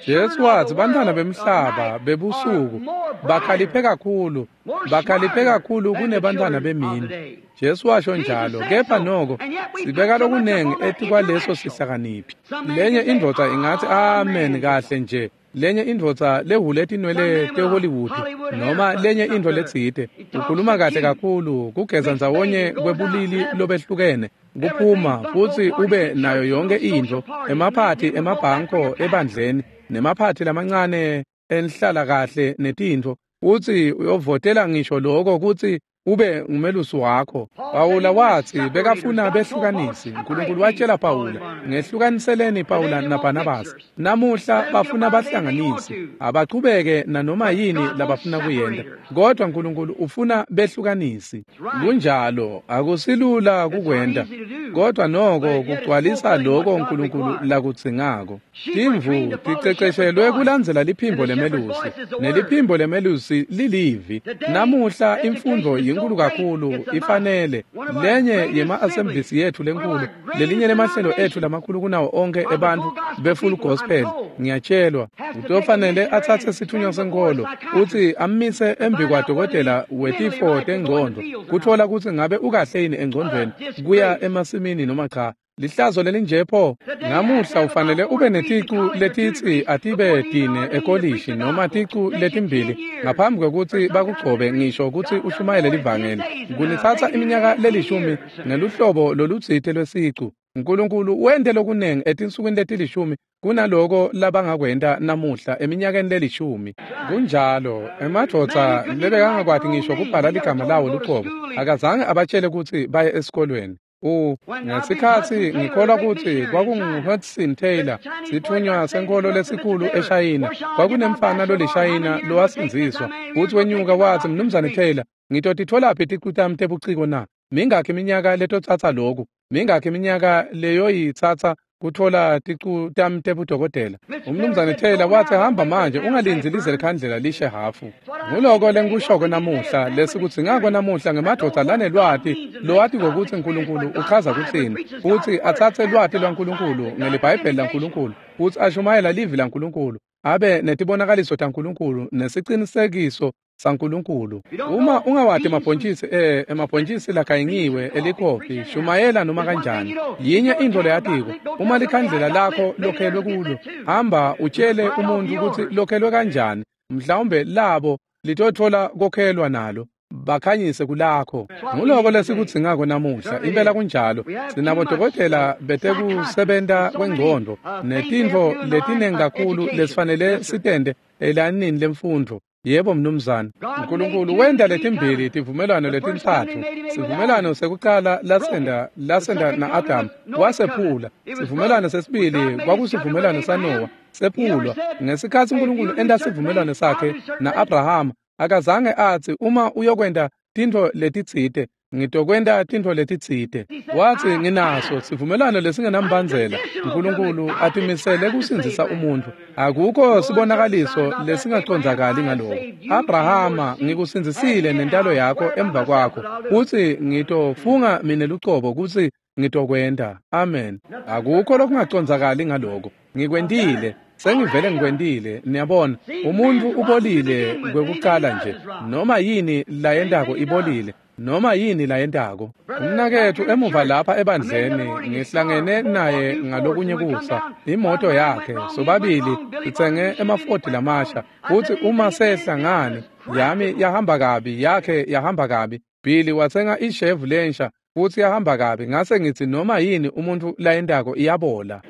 Speaker 1: Jesu watsi bantwana bemhlaba bebusuku bakhaliphe kakhulu, bakhaliphe kakhulu kunebantwana bemini. Jesu washo njalo, kepha noko sibeka lokunengi etikwaleso sihlakaniphi. Lenye indvodza ingatsi amen kahle nje, lenye indvodza lehule tinwele teHollywood noma lenye intfo letsite, ukhuluma kahle kakhulu, kugeza ndzawonye kwebulili lobehlukene, kuphuma futsi ube nayo yonke intfo, emaphathi emabhanko ebandleni nemaphathi lamancane enhlala kahle netintfo, futsi uyovotela ngisho lokho kutsi ube ngumelusi wakho. Pawula watsi bekafuna behlukanisi. Nkulunkulu watshela Pawula, ngehlukaniseleni Pawula naBarnabas. Namuhla bafuna bahlanganisi, abachubeke nanoma yini labafuna kuyenta, kodwa Nkulunkulu ufuna behlukanisi. Kunjalo, akusilula kukwenta, kodwa noko kugcwalisa lokho Nkulunkulu lakudzingako. Timvu ticeceshelwe kulandzela liphimbo lemelusi, neliphimbo lemelusi lilivi. Namuhla imfundvo inkulu kakhulu ifanele. Lenye yema-assemblies yethu lenkulu, lelinye lemahlelo ethu lamakhulu kunawo onke ebantfu be-full gospel, ngiyatshelwa, utofanele atsatse sithunywa senkolo utsi ammise embi kwadokotela wetifo tengcondvo kutfola kutsi ngabe ukahle yini engcondvweni kuya emasimini noma cha. Lihlazo lelinje pho. Namuhla ufanele ube neticu letitsi atibe tine ekolishi noma ticu letimbili ngaphambi kwekutsi bakugcobe ngisho kutsi ushumayele livangeli. Kunitsatsa iminyaka lelishumi ngeluhlobo lolutsite lwesicu Nkulunkulu wente lokunengi etinsukwini letilishumi kunaloko labangakwenta namuhla eminyakeni lelishumi. Kunjalo, emadvodza lebekangakwati ngisho kubhala ligama lawo luqobo, akazange abatshele kutsi baye esikolweni. U ngesikhatsi ngikholwa kutsi kwakungu-Hudson Taylor, sitfunywa senkholo lesikhulu eShayina, kwakunemfana lolishayina lowasindziswa, futsi wenyuka watsi, Mnumzane Taylor, ngitotitfolaphi ticu tami tebuciko na? Mingakhi iminyaka letotsatsa loku? Mingakhi iminyaka leyoyitsatsa kutfola ticu tami tebudokotela? Umnumzane Taylor watsi, hamba manje, ungalindzi lize likhandlela lishe hafu. Nguloko lengikushoko namuhla, lesikudzingako namuhla ngemadvodza lanelwati lowati ngokutsi Nkulunkulu uchaza kutsini, futsi atsatse lwati lwaNkulunkulu ngeliBhayibheli laNkulunkulu, futsi ashumayela livi laNkulunkulu, abe netibonakaliso taNkulunkulu nesicinisekiso saNkulunkulu. Uma ungawati emabhontjisi eh emabhontjisi lagayingiwe elikhofi, shumayela noma kanjani. Yinye intfo leyatiko, uma likhandlela lakho lokhelwe kulo, hamba utshele umuntu kutsi lokhelwe kanjani, mhlawumbe labo litotfola kokhelwa nalo, bakhanyise kulakho. Nguloko lesikudzingako namuhla, impela kunjalo. Sinabodokotela betekusebenta kwengcondvo netintfo letinengi kakhulu lesifanele sitente elanini lemfundvo. Yebo mnumzane, Nkulunkulu wenta letimbili tivumelwano letintsatfu. Sivumelwano sekucala lasenda lasenda na-Adamu wasephula. Sivumelwano sesibili kwakusivumelwano saNowa sephulwa. Ngesikhatsi Nkulunkulu enta sivumelwano sakhe na-Abrahama, akazange atsi uma uyokwenta tintfo letitsite, ngitokwenta tintfo letitsite. Watsi nginaso sivumelwano lesingenambandzela. Nkulunkulu atimisele kusindzisa umuntfu. Akukho sibonakaliso lesingacondzakali ngaloko. Abrahama, ngikusindzisile nentalo yakho emva kwakho, futsi ngitofunga mine lucobo kutsi ngitokwenta. Amen. Akukho lokungacondzakali ngaloko. Ngikwentile. Sengivele ngikwentile. Niyabona, umuntfu ubolile kwekucala nje. Noma yini layentako ibolile. Noma yini layentako. Umnaketfu emuva lapha ebandleni, ngihlangene naye ngalokunye kusa, imoto yakhe, sobabili sitsenge emafodi lamasha, futsi uma sehla ngani, yami yahamba kabi, yakhe yahamba kabi. Billy watsenga ishevu lensha, futsi yahamba kabi. Ngase ngitsi noma yini umuntfu layentako iyabola.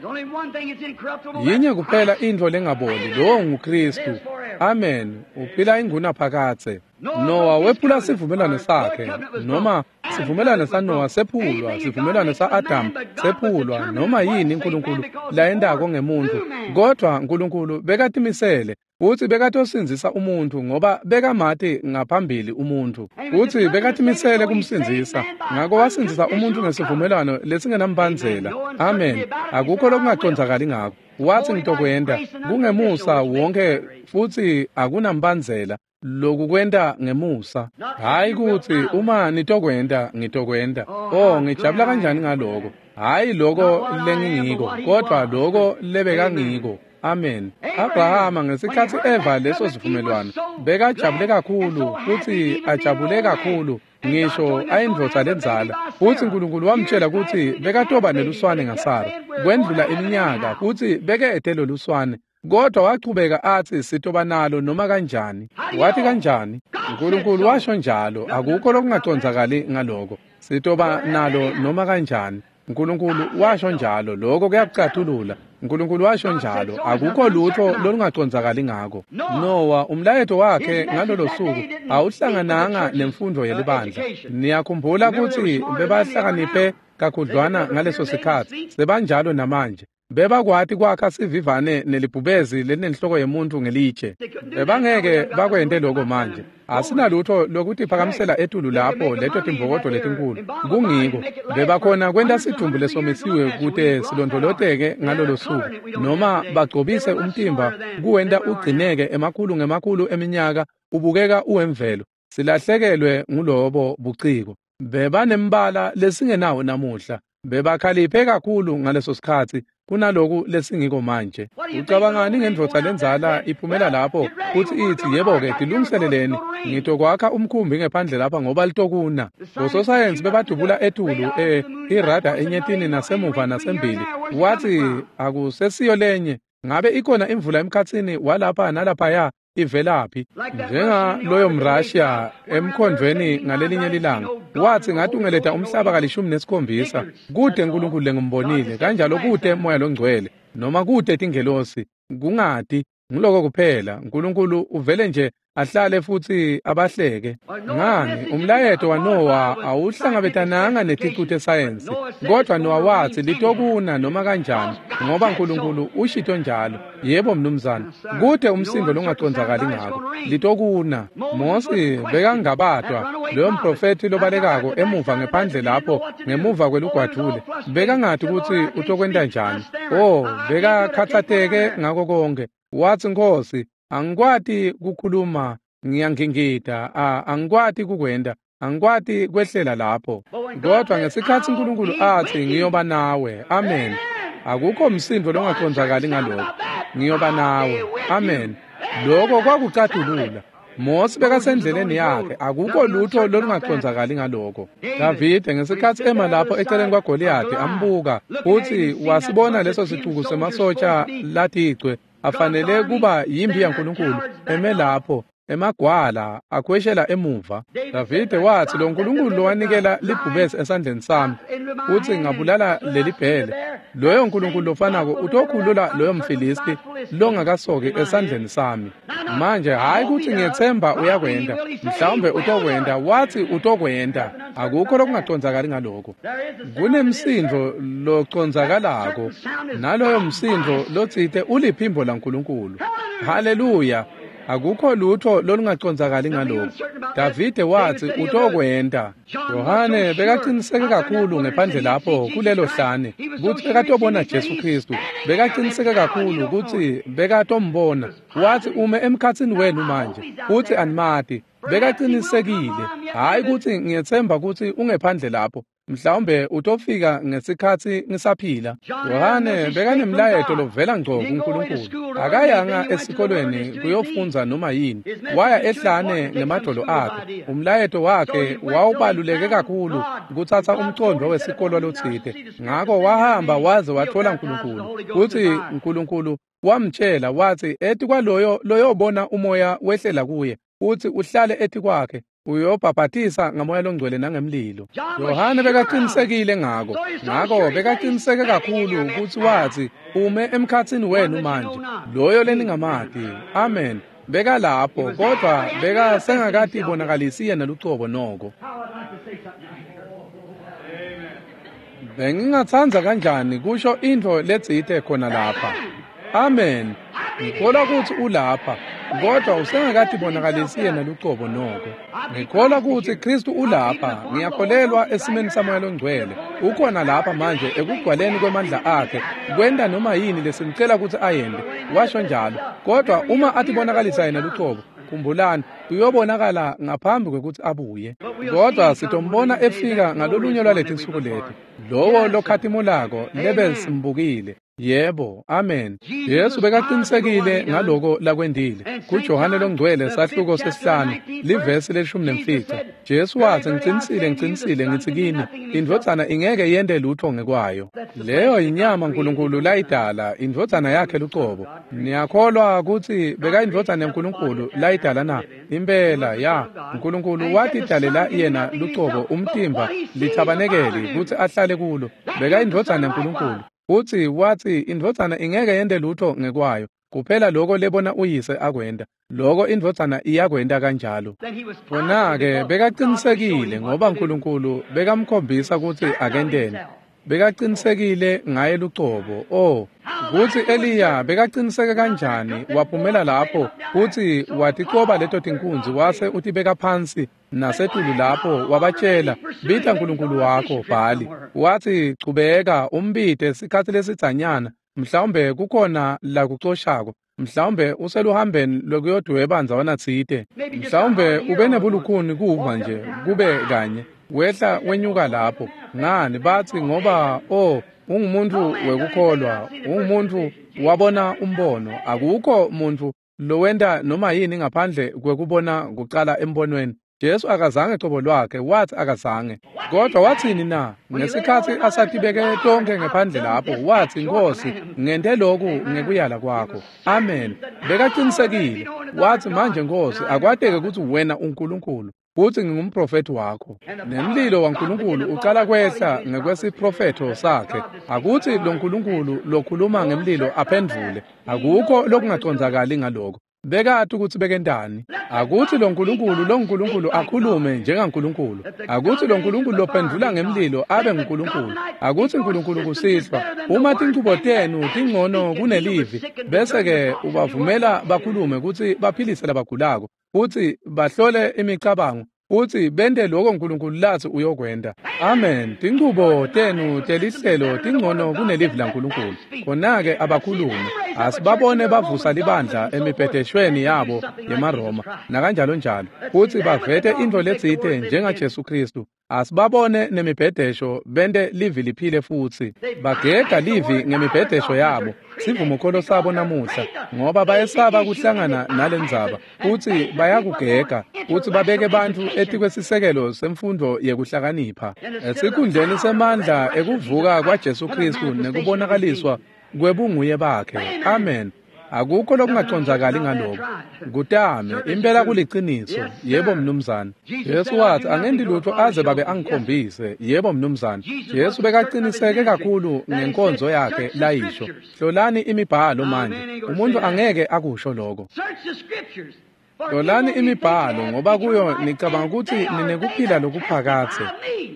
Speaker 1: Yinye kuphela intfo lengaboli, lowo nguKhristu. Amen. Uphila ingunaphakadze. Noah wephula sivumelwano sakhe, noma sivumelwano saNoah sephulwa, sivumelwano sa-Adamu sephulwa, noma yini Nkulunkulu layentako ngemuntfu. Kodvwa Nkulunkulu bekatimisele futsi bekatosindzisa umuntfu ngoba bekamati ngaphambili umuntfu, futsi bekatimisele kumsindzisa. Ngako wasindzisa umuntfu ngesivumelwano lesingenambandzela. Amen. Akukho lokungacondzakali ngako. Watsi ngitokwenta kungemusa wonke futsi akunambandzela. Loku kwenta ngemusa, hayi kutsi uma nitokwenta ngitokwenta. Oh, ngijabula kanjani ngaloko. Hayi loko lengingiko, kodvwa loko lebekangiko. Amen. Abrahama ngesikhatsi eva leso sivumelwano bekajabule kakhulu futsi ajabule kakhulu ngisho ayindvodza lendzala, futsi Nkulunkulu wamtshela kutsi bekatoba neluswane ngaSara. Kwendlula iminyaka futsi bekete loluswane, kodwa wachubeka atsi sitoba nalo noma kanjani. Wathi kanjani? Nkulunkulu washo njalo. Akukho lokungacondzakali ngaloko. Sitoba nalo noma kanjani. Nkulunkulu washo njalo. Lokho kuyakucathulula. Nkulunkulu washo njalo. Akukho lutho lolungacondzakali ngako. Noah umlayeto wakhe ngalolo suku awuhlangananga nemfundo yelibandla. Niyakhumbula kutsi bebahlakaniphe kakhudlwana ngaleso sikhatsi, sebanjalo namanje. Bebakwati kwakha sivivane nelibhubezi lelinenhloko yemuntu ngelitshe. Bebangeke bakwente lokho manje. Asinalutho lokutiphakamisela etulu lapho leto timbokodo letinkulu. Kungiko bebakhona kwenta sidumbu lesomisiwe kute silondvoloteke ngalolo suku, noma bagcobise umtimba kuwenta ugcineke emakhulu ngemakhulu eminyaka ubukeka uwemvelo. Silahlekelwe ngulobo buciko. Bebanembala lesingenawo namuhla. Bebakhaliphe kakhulu ngaleso sikhatsi kunaloku lesingiko manje. Ucabangani ngendvodza lendzala iphumela lapho futsi itsi, yebo-ke, tilungiseleleni, ngitokwakha umkhumbi ngephandle lapha ngoba litokuna. Bososayensi bebadubula etulu eh irada enyetini nasemuva nasembili. Wathi akusesiyo lenye. Ngabe ikhona imvula emkhatsini walapha nalaphaya? Ivelaphi? Njenga loyo mRussia emkhondvweni ngalelinye lilanga wathi ngatungeleta umhlaba kalishumi nesikhombisa kude uNkulunkulu lengimbonile kanjalo kude moya longcwele noma kude tingelosi kungati ngiloko kuphela uNkulunkulu uvele nje ahlale futhi abahleke. Ngani umlayeto waNoah awuhlangabetananga neticu tesayensi kodwa Noah wathi litokuna noma kanjani ngoba uNkulunkulu ushito njalo. Yebo mnumzane, kude umsindo longacondzakali ngako litokuna. Mose bekangabatwa loyo mprofethi lobalekako emuva ngephandle lapho ngemuva kwelugwadvule bekangati ukuthi utokwenta njani. Oh, bekakhatsateke ngako konke. Wathi Nkosi, angikwati kukhuluma, ngiyangingida, angikwati kukwenda, angikwati kwehlela lapho. Kodwa ngesikhathi uNkulunkulu athi ngiyoba nawe, amen. Akukho msindo longacondzakali ngalokho. Ngiyoba nawe, amen. Lokho kwakucatulula. Mose bekasendleleni yakhe, akukho lutho lolungacondzakali ngalokho. Davide ngesikhathi ema lapho eceleni kwaGoliyathi ambuka, futhi wasibona leso sicuku semasotsha laticwe afanele kuba yimpi yaNkulunkulu eme lapho emagwala akhweshela emuva. Davide wathi lo nkulunkulu lowanikela libhubesi esandleni sami uthi ngabulala leli bhele, loyo nkulunkulu lofanako utokhulula loyo mfilisti longakasoki esandleni sami. Manje hayi ukuthi ngiyethemba uyakwenda, mhlawumbe utokwenda, wathi utokwenda. Akukho lokungacondzakali ngalokho. Kunemsindo locondzakalako naloyo msindo lotsite uliphimbo laNkulunkulu. Haleluya. Akukho lutho lolungacondzakali ngalokho. Davide wathi utokwenda. Yohane bekaqiniseke kakhulu ngephandle lapho kulelo hlane ukuthi bekatobona Jesu Kristu. Bekaqiniseke kakhulu ukuthi bekatombona. Wathi ume emkhatsini wenu manje uthi animati. Bekaqinisekile, hayi ukuthi ngiyethemba ukuthi ungephandle lapho, mhlawumbe utofika ngesikhathi ngisaphila. Yohane bekanemlayeto lovela ngco kuNkulunkulu. Akayanga esikolweni kuyofundza noma yini, waya ehlane ngemadolo akhe. Umlayeto wakhe wawubaluleke kakhulu kuthatha umcondo wesikolo lotsite. Ngako wahamba waze wathola uNkulunkulu. Uthi uNkulunkulu wamtshela wathi ethi kwaloyo loyobona umoya wehlela kuye uthi uhlale ethi kwakhe uyobhabhatisa ngamoya longcwele nangemlilo. Yohane bekaqinisekile ngako. Ngako bekaqiniseke kakhulu ukuthi wathi ume emkhatsini wenu manje loyo leningamati. Amen. Bekalapho kodwa bekasengakati bonakalisi yena lucobo noko. Bengingatsandza kanjani kusho intfo letsite khona lapha. Amen. Ngikholwa ukuthi ulapha kodwa usengakati bonakalisi yena lucobo noko. Ngikholwa ukuthi Kristu ulapha. Ngiyakholelwa esimeni samoya longcwele. Ukhona lapha manje ekugcwaleni kwemandla akhe kwenta noma yini lesimcela ukuthi ayende. Washo njalo. Kodwa uma atibonakalisa yena lucobo, khumbulani uyobonakala ngaphambi kwekuthi abuye. Kodwa sitombona efika ngalolunye lwaletinsuku lethu, lowo lokhatimulako lebe simbukile. Yebo, amen. Yesu bekaqinisekile ngaloko lakwendile. KuJohane longcwele sahluko sesihlanu livesi leshumi nemfica. Jesu wathi ngicinisile ngicinisile ngithi kini indvodzana ingeke yente lutho ngekwayo. Leyo inyama uNkulunkulu layidala, indvodzana yakhe lucobo. Niyakholwa ukuthi bekayindvodzana yaNkulunkulu layidala na? Impela ya. uNkulunkulu watidalela yena lucobo umtimba lithabanekeli ukuthi ahlale kulo. Bekayindvodzana yaNkulunkulu. Uthi wathi indvodzana ingeke yente lutho ngekwayo kuphela lokho lebona uyise akwenda, lokho indvodzana iyakwenda kanjalo. Khona-ke bekaqinisekile ngoba uNkulunkulu bekamkhombisa ukuthi akenteni. Bekaqinisekile ngaye lucobo. Oh, kuthi Eliya bekaqiniseke kanjani waphumela lapho futhi waticoba leto tinkunzi wase utibeka phansi nasetulu lapho wabatshela bita uNkulunkulu wakho Bhali. Wathi chubeka umbite sikhathi lesidzanyana, mhlawumbe kukhona la kucoshako, mhlawumbe useluhambeni lokuyodweba ndzawana tsite, mhlawumbe ube nebulukhuni kuva nje kube kanye wehla wenyuka lapho. Ngani bathi ngoba oh ungumuntu wekukholwa, ungumuntu wabona umbono. Akukho muntu lowenta noma yini ngaphandle kwekubona kucala embonweni. Jesu akazange cobo lwakhe, wathi akazange. Kodwa wathini na? Ngesikhathi asatibeke tonke ngephandle lapho, wathi Nkosi, ngente lokhu ngekuyala kwakho. Amen. Bekaqinisekile. Wathi, manje Nkosi, akwateke ukuthi wena uNkulunkulu futhi ngingumprofeti wakho. Nemlilo waNkulunkulu ucala kwehla ngekwesiprofetho sakhe. Akuthi lo Nkulunkulu lokhuluma ngemlilo aphendvule. Akukho lokungacondzakali ngaloko. Bekati ukuthi bekentani. Akuthi lo Nkulunkulu lo Nkulunkulu akhulume njengaNkulunkulu. Akuthi lo Nkulunkulu lophendvula ngemlilo abe nguNkulunkulu. Akuthi uNkulunkulu kusihlwa uma tinchubo tenu tingcono kunelivi, bese ke ubavumela bakhulume ukuthi baphilise labagulako, futhi bahlole imicabango, futhi bente lokho uNkulunkulu lathi uyokwenta. Amen. Tinchubo tenu telihlelo tingcono kunelivi laNkulunkulu. Khona-ke abakhulume. Asibabone bavusa libandla emibhedeshweni yabo yemaRoma nakanjalo njalo, futhi bavete intfo letsite njengaJesu Kristu. Asibabone nemibhedesho bente livi liphile futhi. Bagega livi ngemibhedesho yabo, sivumokholo sabo namuhla, ngoba bayesaba kuhlangana nalendzaba, futhi bayakugega futhi babeke bantfu etikwesisekelo semfundo yekuhlakanipha. Esikhundleni semandla ekuvuka kwaJesu Kristu nekubonakaliswa kwebunguye bakhe. Amen. Akukho lokungacondzakali ngaloko. Kutame impela kuliciniso. Yebo mnumzane. Jesu wathi angendi lutho aze babe angikhombise. Yebo mnumzane. Jesu bekaqiniseke kakhulu ngenkonzo yakhe layisho. Hlolani imibhalo manje. Umuntu angeke akusho lokho. Hlolani imibhalo ngoba kuyo nicabanga ukuthi ninekuphila lokuphakathe,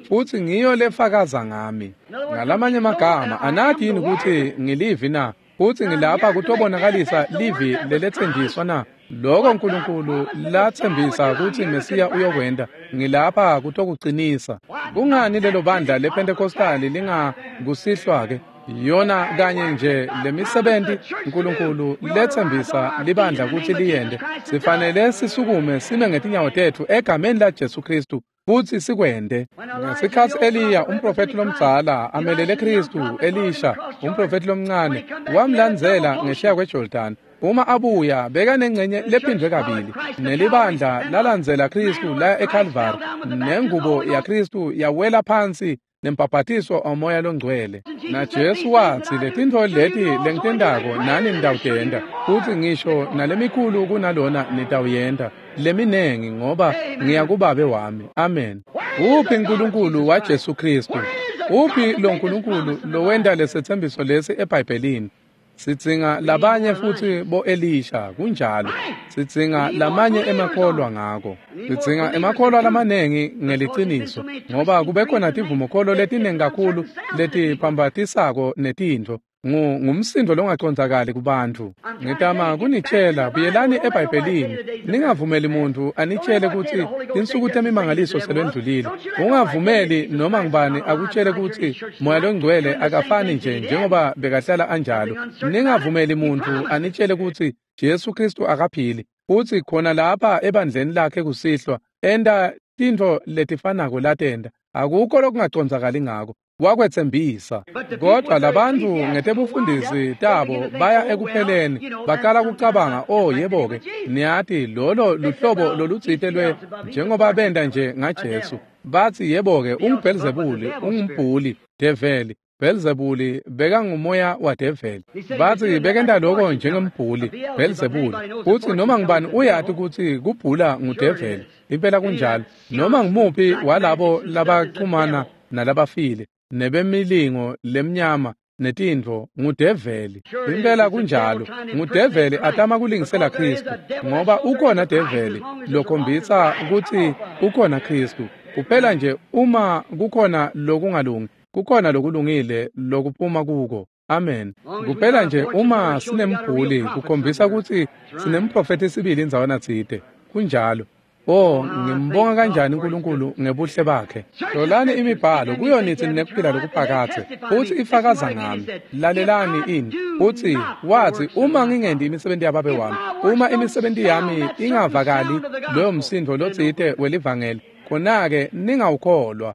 Speaker 1: futhi ngiyo lefakaza ngami. Ngalamanye amagama, anathi yini ukuthi ngilivi na? Futhi ngilapha kutobonakalisa livi lelethenjiswa na? Lokho uNkulunkulu lathembisa ukuthi Mesiya uyokwenda, ngilapha kutokuqinisa. Kungani lelo bandla lePentecostali lingakusihlwa ke? Yona kanye nje lemisebenzi uNkulunkulu lethembisa libandla ukuthi liyende. Sifanele sisukume sime ngetinyawo tethu egameni la Jesu Kristu futhi sikwende. Ngesikhathi Eliya umprofeti lomdzala amelele Kristu, Elisha umprofeti lomncane wamlandzela ngesheya kweJordan. Uma abuya bekanengcenye lephindwe kabili, nelibandla lalandzela Kristu laya eCalvary, nengubo yaKristu yawela phansi nembhabhatiso omoya longcwele. Na Jesu wathi letintfo leti lengitendako nani nitawutenta, futhi ngisho nalemikhulu kunalona nitawuyenta, leminengi, ngoba ngiya kuBabe wami. Amen. Uphi uNkulunkulu waJesu Kristu? Uphi lo Nkulunkulu lowenta lesethembiso lesi eBhayibhelini? Sidzinga labanye futhi bo-Elisha, kunjalo. Sidzinga lamanye emakholwa ngako. Sidzinga emakholwa lamanengi ngeliciniso, ngoba kube khona tivumokholo letinengi kakhulu letiphambatisako netintfo. Ngumsindo longacondzakali kubantfu. Ngitama kunitshela, buyelani eBhayibhelini. Ningavumeli muntu anitshele ukuthi tinsuku temimangaliso selwendlulile. Ungavumeli noma ngubani akutshele ukuthi Moya loNgcwele akafani nje njengoba bekahlala anjalo. Ningavumeli muntu anitshele ukuthi Jesu Kristu akaphili. Uthi khona lapha ebandleni lakhe kusihlwa enta tintfo letifanako latenta. Akukho lokungacondzakali ngako. Wakwethembisa. Kodwa labantu ngetebufundisi tabo baya ekupheleni, baqala kucabanga, oh yebo-ke, niyati lolo luhlobo lolutsite lwe njengoba benda nje ngaJesu. Bathi yebo-ke, unguBhelzebuli, ungumbhuli, develi. Bhelzebuli bekangumoya wadeveli. Bathi bekenta lokho njengembhuli, Bhelzebuli. Futhi noma ngubani uyati ukuthi kubhula ngudeveli. Impela kunjalo. Noma ngumuphi walabo labachumana nalabafile nebemilingo lemnyama netintfo ngudeveli. Impela kunjalo. Ngudeveli atama kulingisela Kristu, ngoba ukhona develi lokhombisa ukuthi ukhona Kristu. Kuphela nje uma kukhona lokungalungi, kukhona lokulungile lokuphuma kuko. Amen. Kuphela nje uma sinembhuli kukhombisa ukuthi sinemprofeti sibili indzawana tsite. Kunjalo. Oh, ngimbonga kanjani uNkulunkulu ngebuhle bakhe. Hlolani imibhalo kuyo nithi ninekuphila lokuphakathe, futhi ifakaza ngami. Lalelani ini. Uthi wathi uma ngingendi imisebenzi yababe wami, uma imisebenzi yami ingavakali loyo msindo lotsite welivangeli, khona-ke ningawukholwa.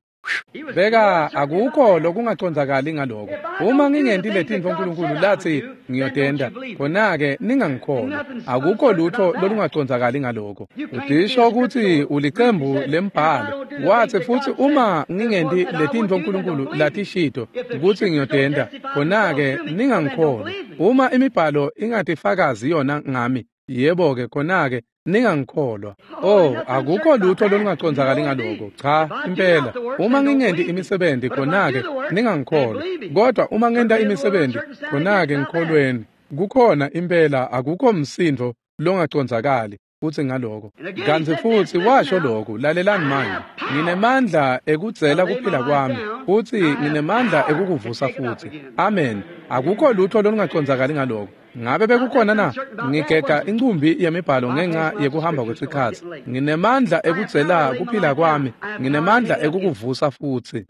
Speaker 1: Beka akukho lokungacondzakali ngaloko. Uma ngingenti letintfo uNkulunkulu lathi ngiyotenda, khona-ke ningangikholwa. Akukho lutho lolungacondzakali ngaloko. Udisho ukuthi ulicembu lembhalo. Wathi futhi uma ngingenti letintfo uNkulunkulu latishito ukuthi ngiyotenda, khona-ke ningangikholwa. Uma imibhalo ingatifakazi yona ngami, Yebo-ke khona-ke ningangikholwa. Oh, akukho lutho lolungacondzakali ngaloko. Cha, impela. Uma ngingenti imisebenti khona-ke ningangikholwa. Kodwa uma ngenta imisebenti khona-ke ngikholweni. Kukhona impela akukho msindvo longacondzakali futsi ngaloko. Kantsi futsi washo lokhu, lalelani manje. Nginemandla ekudzela kuphila kwami, futsi nginemandla ekukuvusa futsi. Amen. Akukho lutho lolungacondzakali ngaloko. Ngabe bekukhona na? Ngigega incumbi yemibhalo ngenxa yekuhamba kwesikhatsi. Nginemandla ekudzela kuphila kwami, nginemandla ekukuvusa futsi.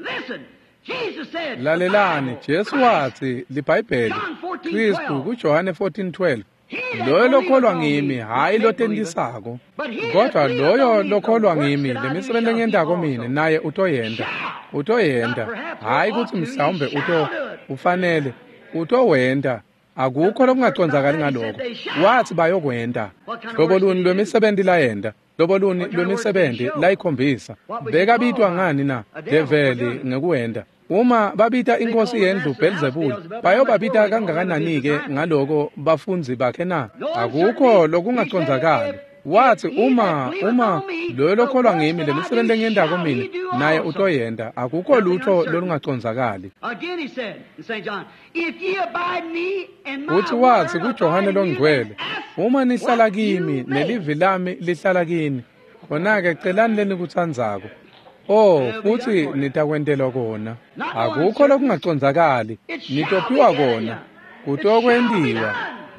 Speaker 1: Lalelani, Jesu watsi liBhayibheli, Kristu kuJohane fourteen twelve, loyo lokholwa ngimi, hhayi lotentisako, kodwa loyo lokholwa ngimi, lemisebenti lengiyentako mine, naye utoyenta. Utoyenta, hhayi kutsi mhlawumbe uto, ufanele, utowenta. Akukho lokungacondzakali ngaloko. Watsi bayokwenta. Hlobo luni lwemisebenti layenta, hlobo luni lwemisebenti layikhombisa. Bekabitwa ngani na? Develi ngekuwenta. Uma babita inkosi yendlu Belzebul, bayobabita kangakanani-ke ngaloko bafundzi bakhe na? Akukho lokungacondzakali. Watsi uma uma loyo lokholwa ngimi, lemisebenti lengiyentako mine, naye utoyenta. Akukho lutho lolungacondzakali. Uthi watsi kuJohane loNgcwele, uma nihlala kimi nelivi lami lihlala kini, khona-ke celani lenikutsandzako. Oh, futsi nitakwentelwa kona. Akukho lokungacondzakali, nitophiwa kona. Kutokwentiwa.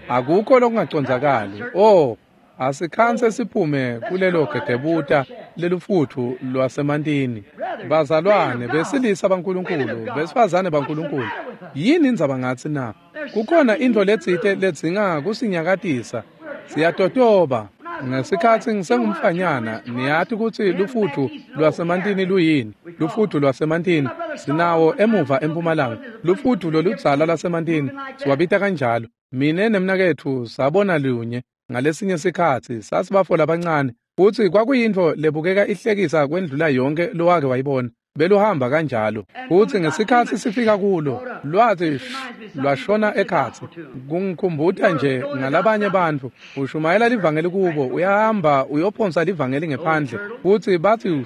Speaker 1: Akukho lokungacondzakali. Oh, asikhanse siphume kulelo gegebuta lelufutfu lwasemantini. Bazalwane, besilisa baNkulunkulu, besifazane baNkulunkulu, yini indzaba ngatsi na? Kukhona intfo letsite ledzinga kusinyakatisa. Siyatotoba. Ngesikhatsi ngisengumfanyana, niyati kutsi lufutfu lwasemantini luyini? Lufutfu lwasemantini sinawo emuva empumalanga. Lufutfu loludzala lwasemantini siwabita kanjalo. Mine nemnaketfu sabona lunye ngalesinye sikhatsi, sasibafo labancane, futsi kwakuyintfo lebukeka ihlekisa kwendlula yonke lowake wayibona. Beluhamba kanjalo. Futsi ngesikhatsi sifika kulo, lwatsi lwashona ekhatsi. Kungikhumbuta nje ngalabanye bantfu, ushumayela livangeli kubo, uyahamba uyophonsa livangeli ngephandle, futsi batsi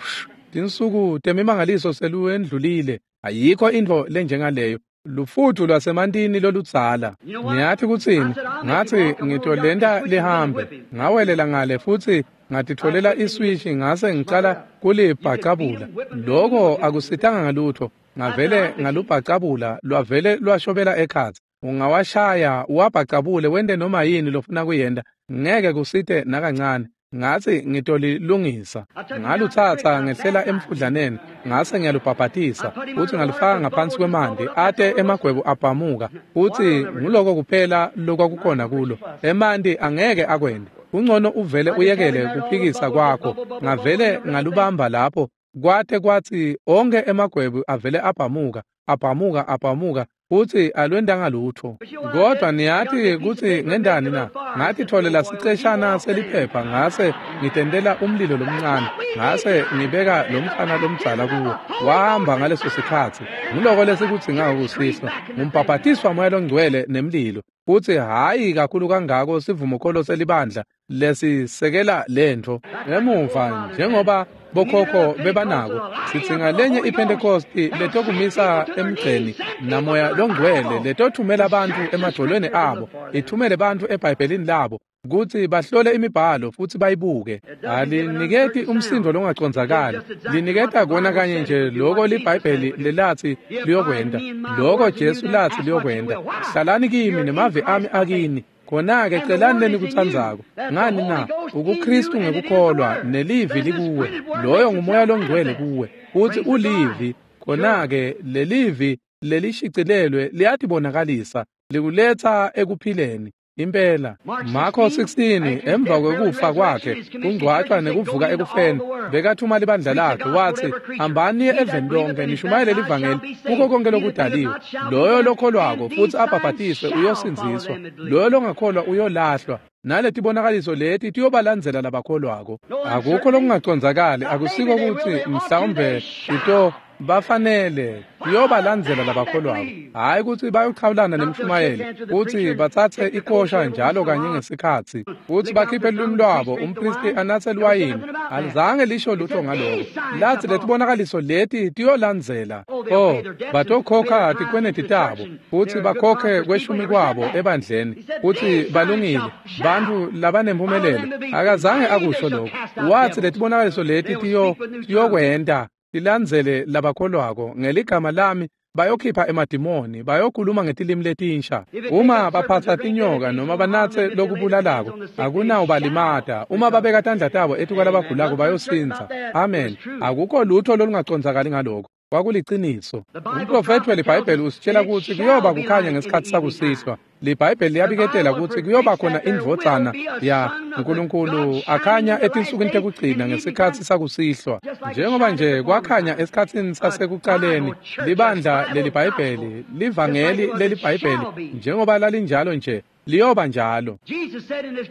Speaker 1: tinsuku temimangaliso seluendlulile. Ayikho intfo lenjengaleyo. Lufutfu lwasemantini loludzala. Ngiyathi kutsini? Ngatsi ngitolenta lihambe. Ngawelela ngale futsi ngatitfolela iswishi ngase ngicala kulibhacabula. Loko akusitanga ngalutho. Ngavele ngalubhacabula lwavele lwashobela ekhatsi. Ungawashaya uwabhacabule wente noma yini lofuna kuyenta, ngeke kusite nakancane. Ngatsi ngitolilungisa. Ngalutsatsa ngehlela emfudlaneni, ngase ngiyalubhabhatisa, futsi ngalufaka ngaphansi kwemanti ate emagwebu abhamuka, futsi nguloko kuphela lokwakukhona kulo. Emanti angeke akwente. Kungcono uvele uyekele kuphikisa kwakho. Ngavele ngalubamba lapho, kwate kwatsi onke emagwebu avele abhamuka, abhamuka, abhamuka, futsi alwentanga lutho. Kodwa niyati kutsi ngendani na? Ngatitfolela siceshana seliphepha ngase ngitentela umlilo lomncane, ngase ngibeka lomfana lomdzala kuwo. Wahamba ngaleso sikhatsi. Nguloko lesikudzingako kusihlwa, ngumbhabhatiswa Moya loNgcwele nemlilo. Futsi hhayi kakhulu kangako sivumokholo selibandla lesisekela lentfo. Emuva njengoba bokhokho bebanako, sidzinga lenye iPhentekosti letokumisa emgceni naMoya loNgcwele letothumela bantfu emadvolweni abo, ithumele bantfu eBhayibhelini labo kutsi bahlole imibhalo futsi bayibuke. Aliniketi umsindvo longacondzakali, liniketa kona kanye nje loko liBhayibheli lelatsi liyokwenta, loko Jesu latsi liyokwenta. Hlalani kimi nemavi ami akini. Khona-ke celani lenikutsandzako. Ngani na? UkuKristu ngekukholwa nelivi likuwe. Loyo nguMoya loNgcwele kuwe, futsi ulivi. Khona-ke lelivi lelishicilelwe liyatibonakalisa, likuletsa ekuphileni. Impela. Marko sixteen, emva kwekufa kwakhe, kungcwatshwa nekuvuka ekufeni, bekathuma libandla lakhe, watsi, hambani eveni lonke nishumayele livangeli kuko konke lokudaliwe. Loyo lokholwako futsi abhabhatiswe uyosindziswa, loyo longakholwa uyolahlwa. Naletibonakaliso leti tiyobalandzela labakholwako. Akukho lokungacondzakali, akusiko kutsi mhlawumbe ito Bafanele kuyobalandzela labakholwako, hhayi kutsi bayochawulana nemshumayeli, kutsi batsatse ikosha njalo kanye ngesikhatsi, kutsi bakhiphe lulwimi lwabo, umphristi anatse liwayini. Alizange lisho lutho ngaloko. Latsi letibonakaliso leti tiyolandzela. Oh, batokhokha tikweneti tabo, kutsi bakhokhe kweshumi kwabo ebandleni, kutsi balungile, bantfu labanempumelelo. Akazange akusho lokho. Watsi letibonakaliso leti tiyo tiyokwenta tilandzele labakholwako ngeligama lami, bayokhipha emadimoni, bayokhuluma ngetilimi letinsha. Uma baphatsa tinyoka noma banatse lokubulalako, akunawubalimata. Uma babeka tandla tabo etikwalabagulako bayosindza. Amen. Akukho lutho lolungacondzakali ngaloko. Kwakuliciniso. Umprofethi weliBhayibheli usitshela kutsi kuyoba kukhanya ngesikhatsi sakusihlwa. LiBhayibheli liyabiketela kutsi kuyoba khona indvodzana ya Nkulunkulu akhanya etinsukwini tekugcina ngesikhatsi sakusihlwa. Njengoba nje kwakhanya esikhatsini sasekucaleni, libandla leliBhayibheli, livangeli leliBhayibheli, njengoba lalinjalo nje, liyoba njalo.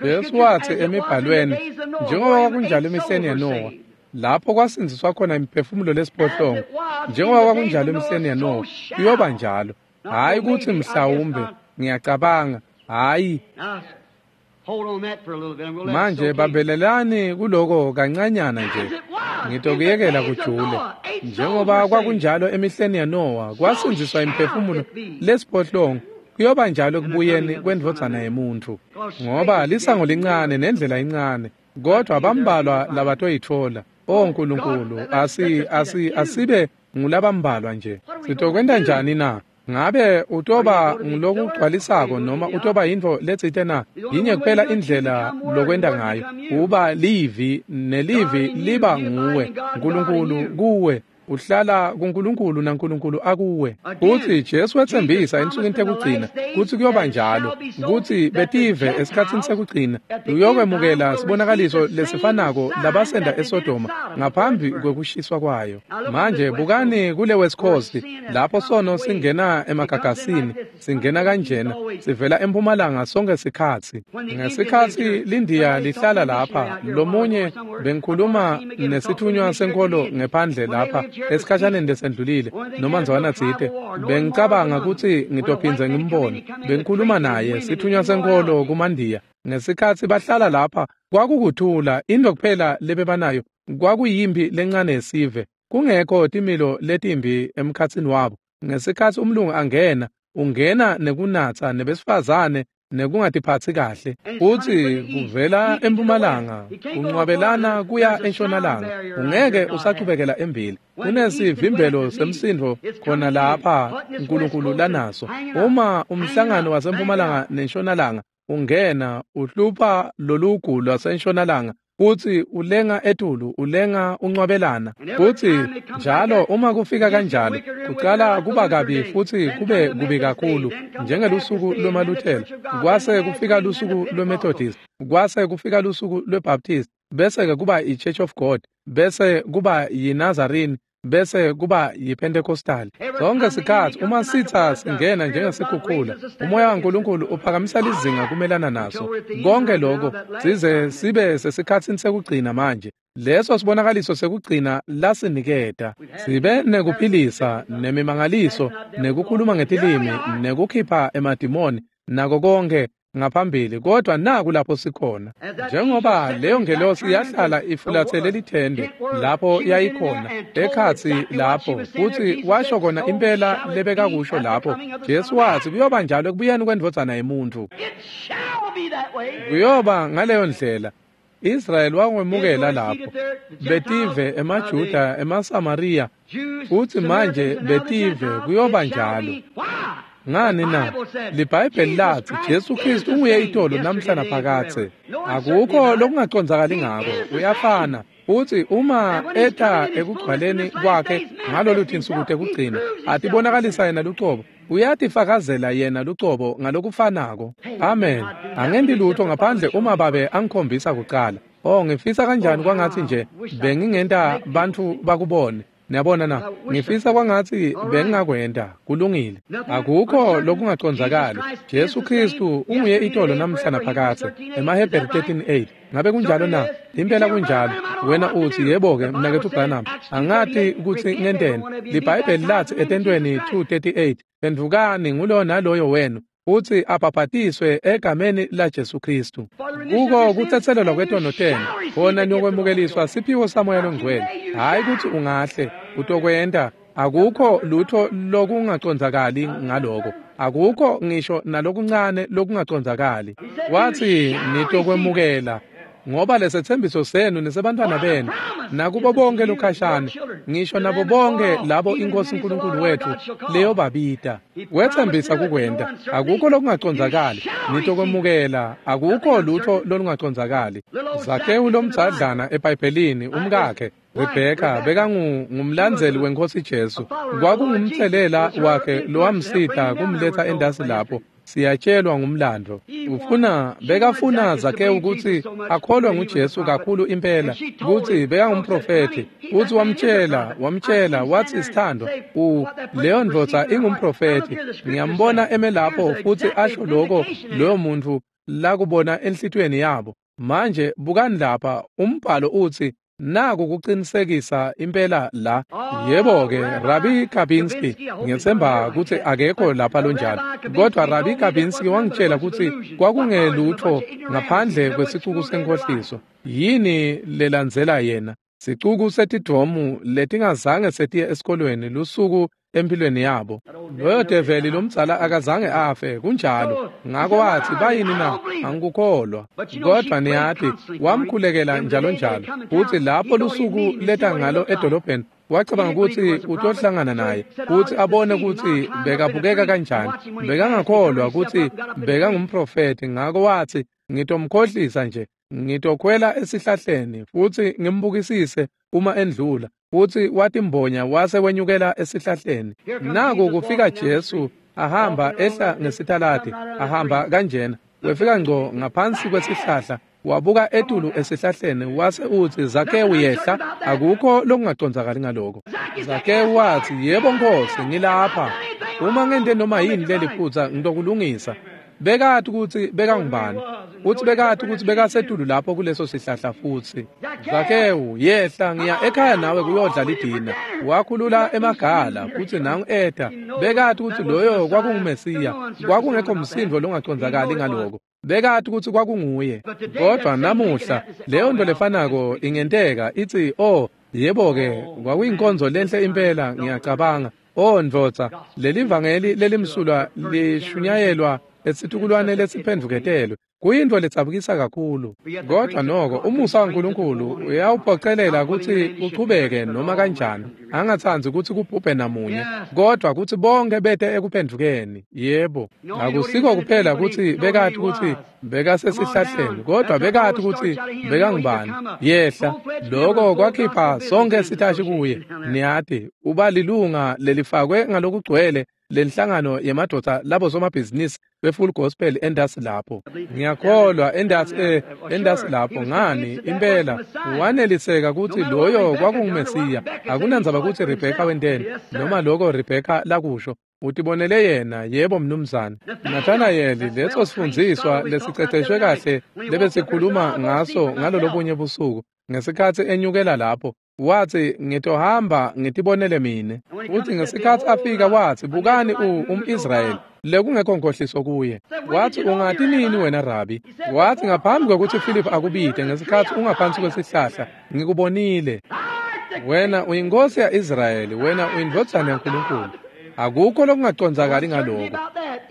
Speaker 1: Jesu watsi emibhalweni, njengoba kwakunjalo emihleni yaNowa, lapho kwasindziswa khona imiphefumulo lesiphohlongo, njengoba kwakunjalo emihleni yaNowa, kuyoba njalo. Hhayi kutsi mhlawumbe, ngiyacabanga, hhayi. Manje bambelelani kuloko kancanyana nje, ngitokuyekela kujule. Njengoba kwakunjalo emihleni yaNowa, kwasindziswa imiphefumulo lesiphohlongo, kuyoba njalo ekubuyeni kwendvodzana yemuntfu. Ngoba lisango lincane nendlela incane, kodwa bambalwa labatoyitfola. O Nkulunkulu, asi asi asibe ngulabambalwa nje. Sitokwenta njani na? Ngabe utoba ngulokugcwalisako noma utoba yintfo letsite na? Yinye kuphela indlela lokwenta ngayo, uba livi, nelivi liba nguwe, Nkulunkulu kuwe. Uhlala kuNkulunkulu naNkulunkulu akuwe. Kutsi Jesu wetsembisa ensukwini tekugcina kutsi kuyoba njalo, kutsi betive esikhatsini sekugcina uyokwemukela sibonakaliso lesifanako labasenda eSodoma ngaphambi kwekushiswa kwayo. Manje bukani kule West Coast, lapho sono singena emagagasini, singena kanjena, sivela empumalanga sonke sikhatsi. Ngesikhatsi liNdiya lihlala lapha, lomunye bengikhuluma nesithunywa senkolo ngephandle lapha esikhashaneni lesendlulile, noma ndzwana tsite, bengicabanga kutsi ngitophindze ngimbone. Bengikhuluma naye sithunywa senkolo kumandiya. Ngesikhatsi bahlala lapha kwakukuthula, intfo kuphela lebebanayo kwakuyimpi lencane yesive, kungekho timilo letimbi emkhatsini wabo. Ngesikhatsi umlungu angena, ungena nekunatsa nebesifazane nekungatiphatsi kahle, futsi kuvela empumalanga kunqwabelana kuya entshonalanga, ungeke usachubekela embili. Kunesivimbelo semsindvo khona lapha Nkulunkulu lanaso. Uma umhlangano wasempumalanga nentshonalanga ungena, uhlupha lolugu lwasentshonalanga, futsi ulenga etulu, ulenga unqwabelana. Futsi njalo uma kufika kanjalo, kucala kuba kabi futsi kube kubi kakhulu, njengelusuku lwemaLuthela, kwase kufika lusuku lweMethodist, kwase kufika lusuku lweBaptist, bese-ke kuba i-Church of God, bese kuba yiNazarene, bese kuba yiPentecostal. Sonke sikhatsi uma sitha singena njengesikhukhula, umoya waNkulunkulu uphakamisa lizinga kumelana naso. Konke lokho size sibe sesikhatsini sekugcina manje. Leso sibonakaliso sekugcina lasiniketa. Sibe nekuphilisa, nemimangaliso, nekukhuluma ngetilimi, nekukhipha emadimoni, nako konke ngaphambili, kodwa naku lapho sikhona. Njengoba leyo ngelosi yahlala ifulathele lithende lapho yayikhona ekhatsi lapho, futsi washo kona impela lebekakusho lapho. Jesu watsi kuyoba njalo ekubuyeni kwendvodzana yemuntfu. Kuyoba ngaleyo ndlela. Israyeli wakwemukela lapho, betive, emaJuda, emaSamariya, futsi manje betive kuyoba njalo. Ngani na? LiBhayibheli latsi Jesu Kristu unguye itolo namhla naphakadze. Akukho lokungacondzakali ngako, uyafana. Futsi uma eta ekugcwaleni kwakhe ngalolu tinsuku tekugcina, atibonakalisa yena lucobo, uyatifakazela yena lucobo ngalokufanako. Amen. Angenti lutho ngaphandle uma Babe angikhombisa kucala. Oh, ngifisa kanjani kwangatsi nje bengingenta bantfu bakubone. Niyabona na? Ngifisa kwangatsi bengingakwenta. Kulungile. Akukho lokungacondzakali. Jesu Kristu unguye itolo namhla naphakadze. EmaHebheru thirteen eight. Ngabe kunjalo na? Impela kunjalo. Wena uthi yebo-ke mnaketfu Branham, angati kutsi ngenteni. LiBhayibheli lathi etentweni two thirty-eight, phendvukani ngulowo naloyo wenu futsi abhabhatiswe egameni laJesu Kristu. Kuko kutsetselelwa kwetono tenu, khona niyokwemukeliswa siphiwo saMoya loNgcwele. Hhayi kutsi ungahle utokwenta, akukho lutho lokungacondzakali ngaloko. Akukho ngisho nalokuncane lokungacondzakali. Wathi nitokwemukela ngoba lesethembiso senu nesebantwana benu nakubo bonke lokhashane, ngisho nabo bonke labo iNkosi uNkulunkulu wethu leyobabita. Wethembisa kukwenta, akukho lokungacondzakali. Nitokwemukela, akukho lutho lolungacondzakali. Zakewu lomdzadlana eBhayibhelini, umkakhe Rebheka bekangumlandzeli wenkosi Jesu. Kwakungumtselela wakhe lowamsita kumletha endasi lapho. Siyatshelwa ngumlando. Ufuna bekafuna Zakewu ukuthi akholwe nguJesu kakhulu impela ukuthi bekangumprofethi. Uthi wamtshela wamtshela wathi sithandwa u leyo ndvodza ingumprofethi, ngiyambona eme lapho futhi asho lokho loyo muntu lakubona enhlitiyweni yabo. Manje bukani lapha, umbhalo uthi naku kuqinisekisa impela la. Yebo-ke, Rabbi Kabinski, ngiyethemba ukuthi akekho lapha lonjalo, kodwa Rabbi Kabinski wangitshela ukuthi kwakungelutho ngaphandle kwesicuku senkohliso. Yini lelandzela yena? Sicuku setidomu letingazange setiye esikolweni lusuku empilweni yabo. Loyo develi lomdzala akazange afe, kunjalo. Ngako wathi bayini na? Angikukholwa. Kodwa niyati, wamkhulekela njalo njalo. Futhi lapho lusuku leta ngalo edolobheni, wacabanga ukuthi utohlangana naye, ukuthi abone ukuthi bekabukeka kanjani. Bekangakholwa ukuthi bekangumprofethi, ngako wathi ngitomkhohlisa nje, ngitokhwela esihlahleni futhi ngimbukisise uma endlula. Futhi watimbonya wase wenyukela esihlahleni. Naku kufika Jesu ahamba ehla ngesitaladi, ahamba kanjena. Wefika ngco ngaphansi kwesihlahla, wabuka etulu esihlahleni wase uthi Zakewu yehla. Akukho lokungacondzakali ngaloko. Zakewu wathi yebo Nkosi, ngilapha. Uma ngente noma yini leliphutsa ngitokulungisa. Bekati ukuthi bekangubani, futhi bekati ukuthi bekasetulu lapho kuleso sihlahla futhi. Zakewu yehla, ngiya ekhaya nawe kuyodla lidina. Wakhulula emagala futhi nangu eta. Bekati ukuthi loyo kwakunguMesiya, kwakungekho msindo longacondzakali ngaloko. Bekati ukuthi kwakunguye. Kodwa namuhla leyo nto lefanako ingenteka ithi oh yebo-ke, kwakuyinkonzo lenhle impela ngiyacabanga. Oh ndvodza, leli vangeli lelimsulwa lishunyayelwa esitukulwane lesiphendvuketelwe. Kuyinto letsabukisa kakhulu. Kodwa noko umusa waNkulunkulu uyawuphocelela ukuthi uchubeke noma kanjani. Angatsandzi ukuthi kubhubhe namunye, kodwa ukuthi bonke bete ekuphendvukeni. Yebo, akusiko kuphela ukuthi bekati ukuthi bekasesihlahleni, kodwa bekati ukuthi bekangubani. Yehla, lokho kwakhipha sonke sitashi kuye. Niyati, uba lilunga lelifakwe ngalokugcwele lenhlangano yemadoda labo somabhizinisi be-Full Gospel endasi lapho. Ngiyakholwa endasi eh endasi lapho ngani impela waneliseka ukuthi loyo kwakunguMesiya. Akunandzaba ukuthi Rebheka wenteni noma lokho Rebheka lakusho, utibonele yena. Yebo mnumzane. Nathanayeli, leso sifundziswa lesiceceshwe kahle lebesikhuluma ngaso ngalolobunye busuku ngesikhatsi enyukela lapho, wathi ngitohamba ngitibonele mine. Futhi ngesikhatsi afika wathi bukani um-Israyeli lekungekho nkohliso kuye. Wathi ungati nini wena Rabi? Wathi ngaphambi kwekuthi Philip akubite ngesikhatsi ungaphansi kwesihlahla ngikubonile. Wena uyinkosi ya-Israyeli, wena uyindvodzana yaNkulunkulu. Akukho lokungacondzakali ngaloko.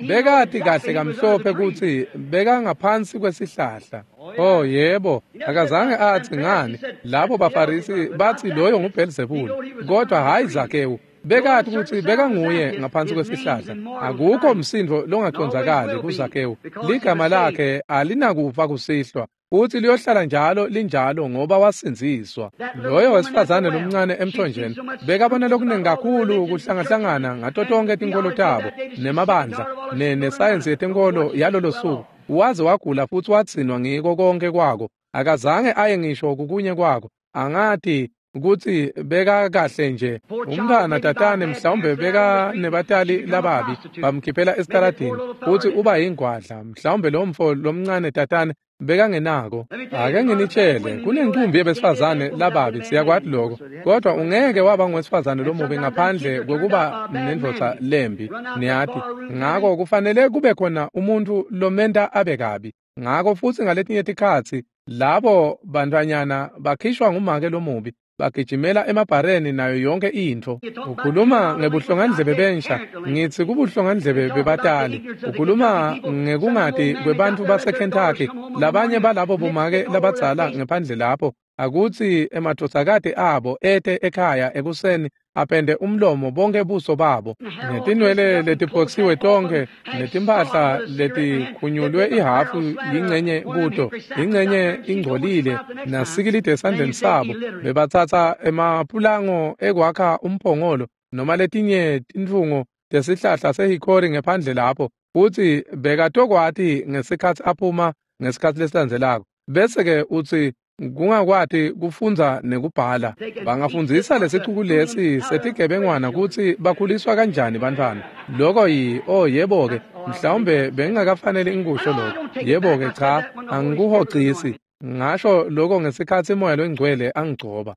Speaker 1: Bekati kahle kamhlophe kutsi bekangaphansi kwesihlahla. Oh yebo, akazange athi ngani labo baFarisi bathi loyo nguBhelzebule, kodwa hayi Zakewu. Bekati kutsi bekanguye ngaphansi kwesihlahla. Akukho msindo longacondzakali kuZakewu. Ligama lakhe alinakufa kusihlwa, futhi liyohlala njalo linjalo ngoba wasindziswa. Loyo wesifazane lomncane emthonjeni bekabona lokuningi kakhulu kuhlangahlangana ngato tonke tinkolo tabo nemabandla nesayensi yetenkolo yalolo suku. Waze wagula futhi watsinwa ngiko konke kwako. Akazange aye ngisho kukunye kwako. Angati ukuthi beka kahle nje umntwana tatane, mhlawumbe beka nebatali lababi bamkhiphela esitaladini futhi uba yingwadla. Mhlawumbe lo mfo lomncane tatane Bekangenako. Ake nginitshele, kunenkumbi yebesifazane lababi, siyakwati lokho. Kodwa ungeke waba ngowesifazane lomubi ngaphandle kwekuba nendvodza lembi, niyati. Ngako kufanele kube khona umuntu lomenta abe kabi. Ngako futsi ngaletinye tikhatsi labo bantfwanyana bakhishwa ngumake lomubi, bagijimela emabhareni nayo yonke intfo. Ukhuluma ngebuhlongandlebe bensha, ngitsi kubuhlongandlebe bebatali. Ukhuluma ngekungati kwebantfu baseKentucky, labanye balabo bomake labadzala ngephandle lapho, akutsi emadvodzakati abo ete ekhaya ekuseni apende umlomo bonke buso babo, netinwele letiphotsiwe tonkhe, netimphahla letikhunyulwe ihhafu yingcenye kuto, ingcenye ingcolile, nasikilide esandleni sabo. Bebatsatsa emapulango ekwakha umphongolo noma letinye tintfungo tesihlahla sehikhori ngephandle lapho, futsi bekatokwati ngesikhatsi aphuma ngesikhatsi lesilandzelako. Bese-ke utsi kungakwati kufundza nekubhala. Bangafundzisa lesicuku lesi setigebengwana kutsi bakhuliswa kanjani bantfwana. Loko yi, oh yebo-ke, mhlawumbe bengingakafanele ngikusho lokho. Yebo-ke, cha, angikuhocisi. Ngasho lokho ngesikhatsi Moya loNgcwele angigcoba.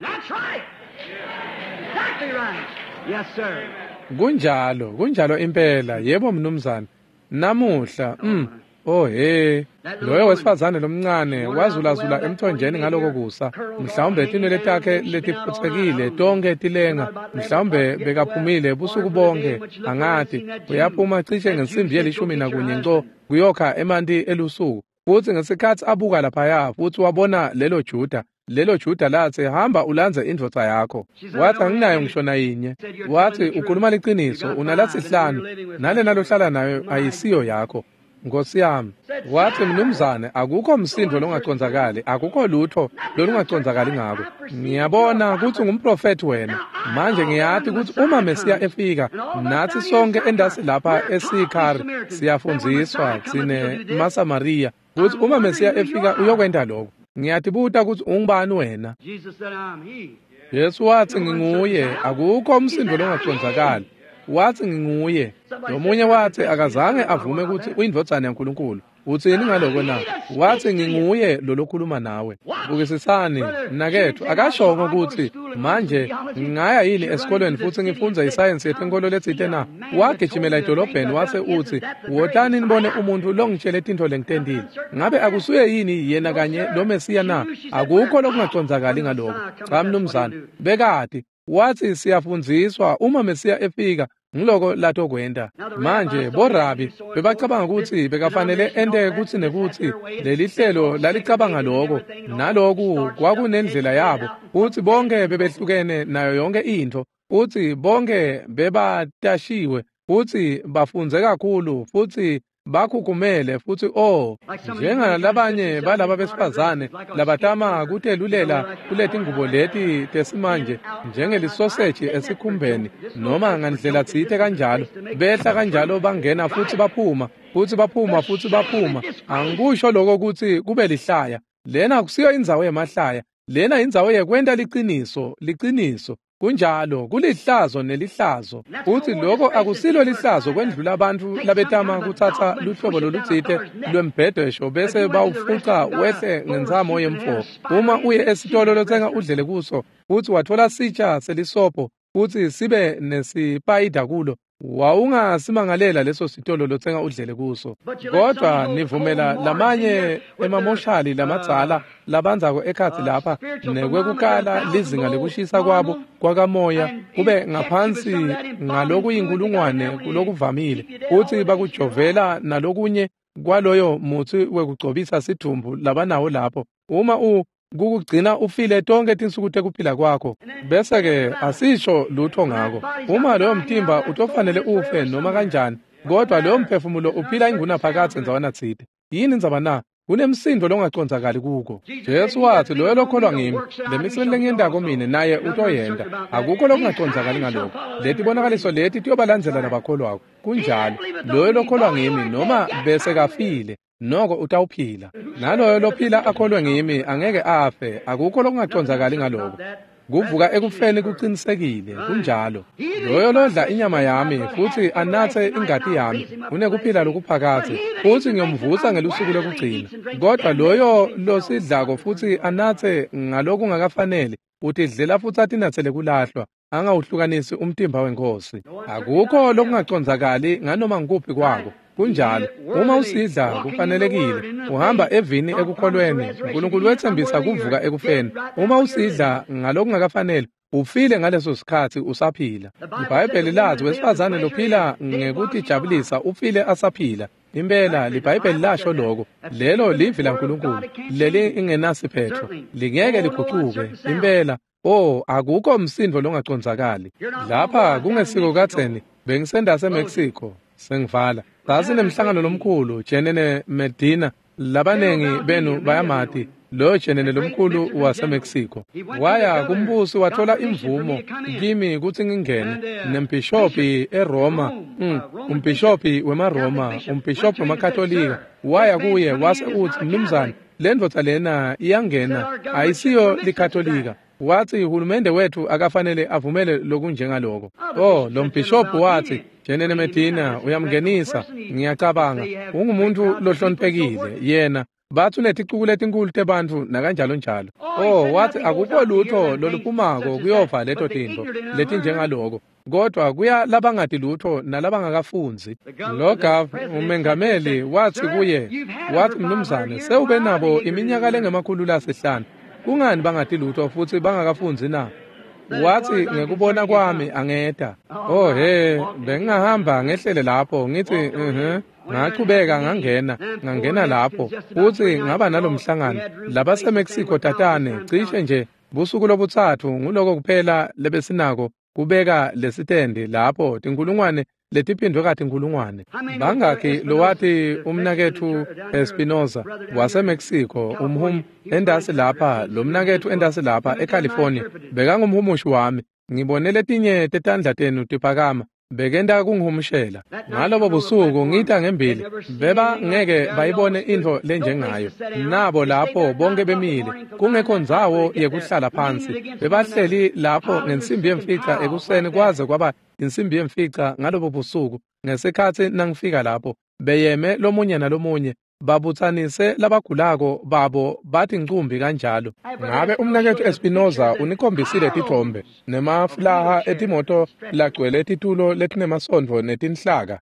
Speaker 1: Kunjalo, kunjalo impela. Yebo mnumzane. Namuhla, mm. Oh he, loyo wesifazane lomncane wazulazula emthonjeni ngaloko kusa. Mhlawumbe tinwele takhe letiphutsekile tonke tilenga, mhlawumbe bekaphumile busuku bonke, angati. Uyaphuma cishe ngensimbi yelishumi nakunye nco kuyokha emanti elusuku. Futsi ngesikhatsi abuka laphaya futsi wabona lelo Juda, lelo Juda latsi, hamba ulandze indvodza yakho. Wathi anginayo ngisho nayinye. Wathi ukhuluma liciniso, unalasihlanu, nalena lohlala nayo ayisiyo yakho. Nkosi yami. Wathi mnumzane, akukho msindo longacondzakali, akukho lutho lolungacondzakali ngako. Ngiyabona kutsi ungumprofethi wena. Manje ngiyati kutsi uma Mesiya efika, natsi sonke endasi lapha eSikhari siyafundziswa tsine maSamariya kutsi uma Mesiya efika uyokwenta lokho. Ngiyatibuta kutsi ungubani wena? Jesu watsi nginguye, akukho umsindo longacondzakali. Wathi nginguye. Lomunye wathi akazange avume kutsi uyindvodzana yaNkulunkulu. Utsini ngaloko na? Wathi nginguye lolokhuluma nawe. Bukisisani mnaketfu, akashongo kutsi manje ngingaya yini esikolweni futsi ngifundze isayensi yetenkolo letsite na? Wagijimela edolobheni wase utsi, wotani nibone umuntu longitshele tintfo lengitentile. Ngabe akusuye yini yena kanye lo Mesiya na? Akukho lokungacondzakali ngaloko. Cha mnumzane, bekati. Wathi siyafundziswa uma Mesiya efika ngiloko latokwenta. Manje borabi bebacabanga kutsi bekafanele ente kutsi nekutsi lelihlelo lalicabanga loko, naloku kwakunendlela yabo, kutsi bonke bebehlukene nayo yonke intfo, kutsi bonke bebatashiwe, futsi bafundze kakhulu, futsi bakhukhumele, futsi oh njengalabanye balaba besifazane labatama kutelulela kuletingubo leti tesimanje njengelisoseji esikhumbeni noma ngandlela tsite kanjalo, behla kanjalo bangena futsi baphuma, futsi baphuma futsi baphuma. Angikusho lokho kutsi kube lihlaya. Lena akusiyo indzawo yemahlaya, lena indzawo yekwenta liciniso, liciniso. Kunjalo, kulihlazo nelihlazo. Futsi lokho akusilo lihlazo kwendlula abantu labetama kutsatsa luhlobo lolutsite lwembhedesho bese bawufuca wehle ngentsamo yemfo. Uma uye esitolo lotsenga udlele kuso, futsi watfola sitsha selisobho futsi sibe nesipayida kulo, wawungasimangalela leso sitolo lotsenga udlele kuso. Kodwa nivumela lamanye emamoshali lamadzala labandzako ekhatsi lapha nekwekukala lizinga lekushisa kwabo kwakamoya kube ngaphansi ngalokuyinkulungwane kulokuvamile, futsi bakujovela nalokunye kwaloyo mutsi wekugcobisa sidvumbu labanawo lapho. Uma u kukugcina ufile tonke tinsuku tekuphila kwakho, bese-ke asisho lutho ngako. Uma loyo mtimba utofanele ufe noma kanjani, kodwa loyo mphefumulo uphila ingunaphakadze ndzawana tsite. Yini indzaba na? Kunemsindo longacondzakali kuko. Jesu wathi loyo lokholwa ngimi, lemisebenti lengiyentako mine naye utoyenta. Akukho lokungacondzakali ngaloko. Letibonakaliso leti tiyobalandzela labakholwako. Kunjalo, loyo lokholwa ngimi noma bese kafile, noko utawuphila. Naloyo lophila akholwe ngimi angeke afe. Akukho lokungacondzakali ngaloko. Kuvuka ekufeni kucinisekile, kunjalo. Loyo lodla inyama yami futhi anathe ingati yami unekuphila lokuphakadze, futhi ngiyomvusa ngelusuku lokugcina. Kodwa loyo losidlako futhi anathe ngalokungakafanele utidlela futhi atinathele kulahlwa, angawuhlukanisi umtimba weNkhosi. Akukho lokungacondzakali nganoma ngikuphi kwako. Kunjalo, uma usidla kufanelekile, uhamba evini ekukholweni. uNkulunkulu wetsembisa kuvuka ekufeni. Uma usidla ngalokungakafanele, ufile ngaleso sikhatsi usaphila. IBhayibheli lathi wesifazane lophila ngekutijabulisa ufile asaphila. Impela liBhayibheli lasho lokho. Lelo livi laNkulunkulu leli ingenasiphetho, lingeke ligucuke. Impela, oh, akukho msindo longacondzakali. Lapha kungesiko kadzeni bengisendase eMexico, sengivala. Sasinemhlangano lomkhulu Jenene Medina, labanengi benu bayamati lo Jenene lomkhulu waseMexico. Waya kumbusi wathola imvumo kimi kutsi ngingene nembhishobhi eRoma, mm, umbhishobhi wemaRoma, umbhishobhi wemaKatolika. Waya kuye wase utsi, mnumzane, le ndvodza lena iyangena, ayisiyo liKatolika. Wathi uhulumende wethu akafanele avumele lokunjengaloko. Oh, lo mbhishobhi wathi, Jenene Medina uyamngenisa, ngiyacabanga ungumuntu lohloniphekile yena. Bathi uneticuku letinkulu tebantfu nakanjalo njalo. Oh, wathi akukho lutho loluphumako kuyova leto tintfo letinjengaloko, kodwa kuya labangati lutho nalabangakafundzi. Lo gav umengameli wathi kuye, wathi mnumzane, sewube nabo iminyaka lengemakhulu lasihlanu, kungani bangati lutho futhi bangakafundzi na? Wathi ngekubona kwami angeta. Oh he, bengingahamba ngehlele lapho ngithi mhm. Ngachubeka ngangena, ngangena lapho futhi ngaba nalomhlangano labaseMexico tatane cishe nje busuku lobutsatfu nguloko kuphela lebesinako kubeka lesitendi lapho tinkulungwane letiphindwe katinkulungwane. Bangakhi lowati umnaketfu Espinoza waseMexico umhum endasi lapha, lo mnaketfu endasi lapha eCalifornia bekangumhumushi wami. Ngibone letinye tetandla tenu tiphakama, bekenta kungihumushela. Ngalobo busuku ngita ngembili, beba ngeke bayibone intfo lenjengayo. Nabo lapho bonke bemile, kungekho ndzawo yekuhlala phansi. Bebahleli lapho ngensimbi yemfica ekuseni kwaze kwaba insimbi yemfica ngalobo busuku. Ngesikhatsi nangifika lapho, beyeme lomunye nalomunye, babutsanise labagulako babo bathi ncumbi kanjalo. Ngabe umnaketfu Espinoza unikhombisile titfombe nemafulaha etimoto lagcwele titulo letinemasondvo netinhlaka.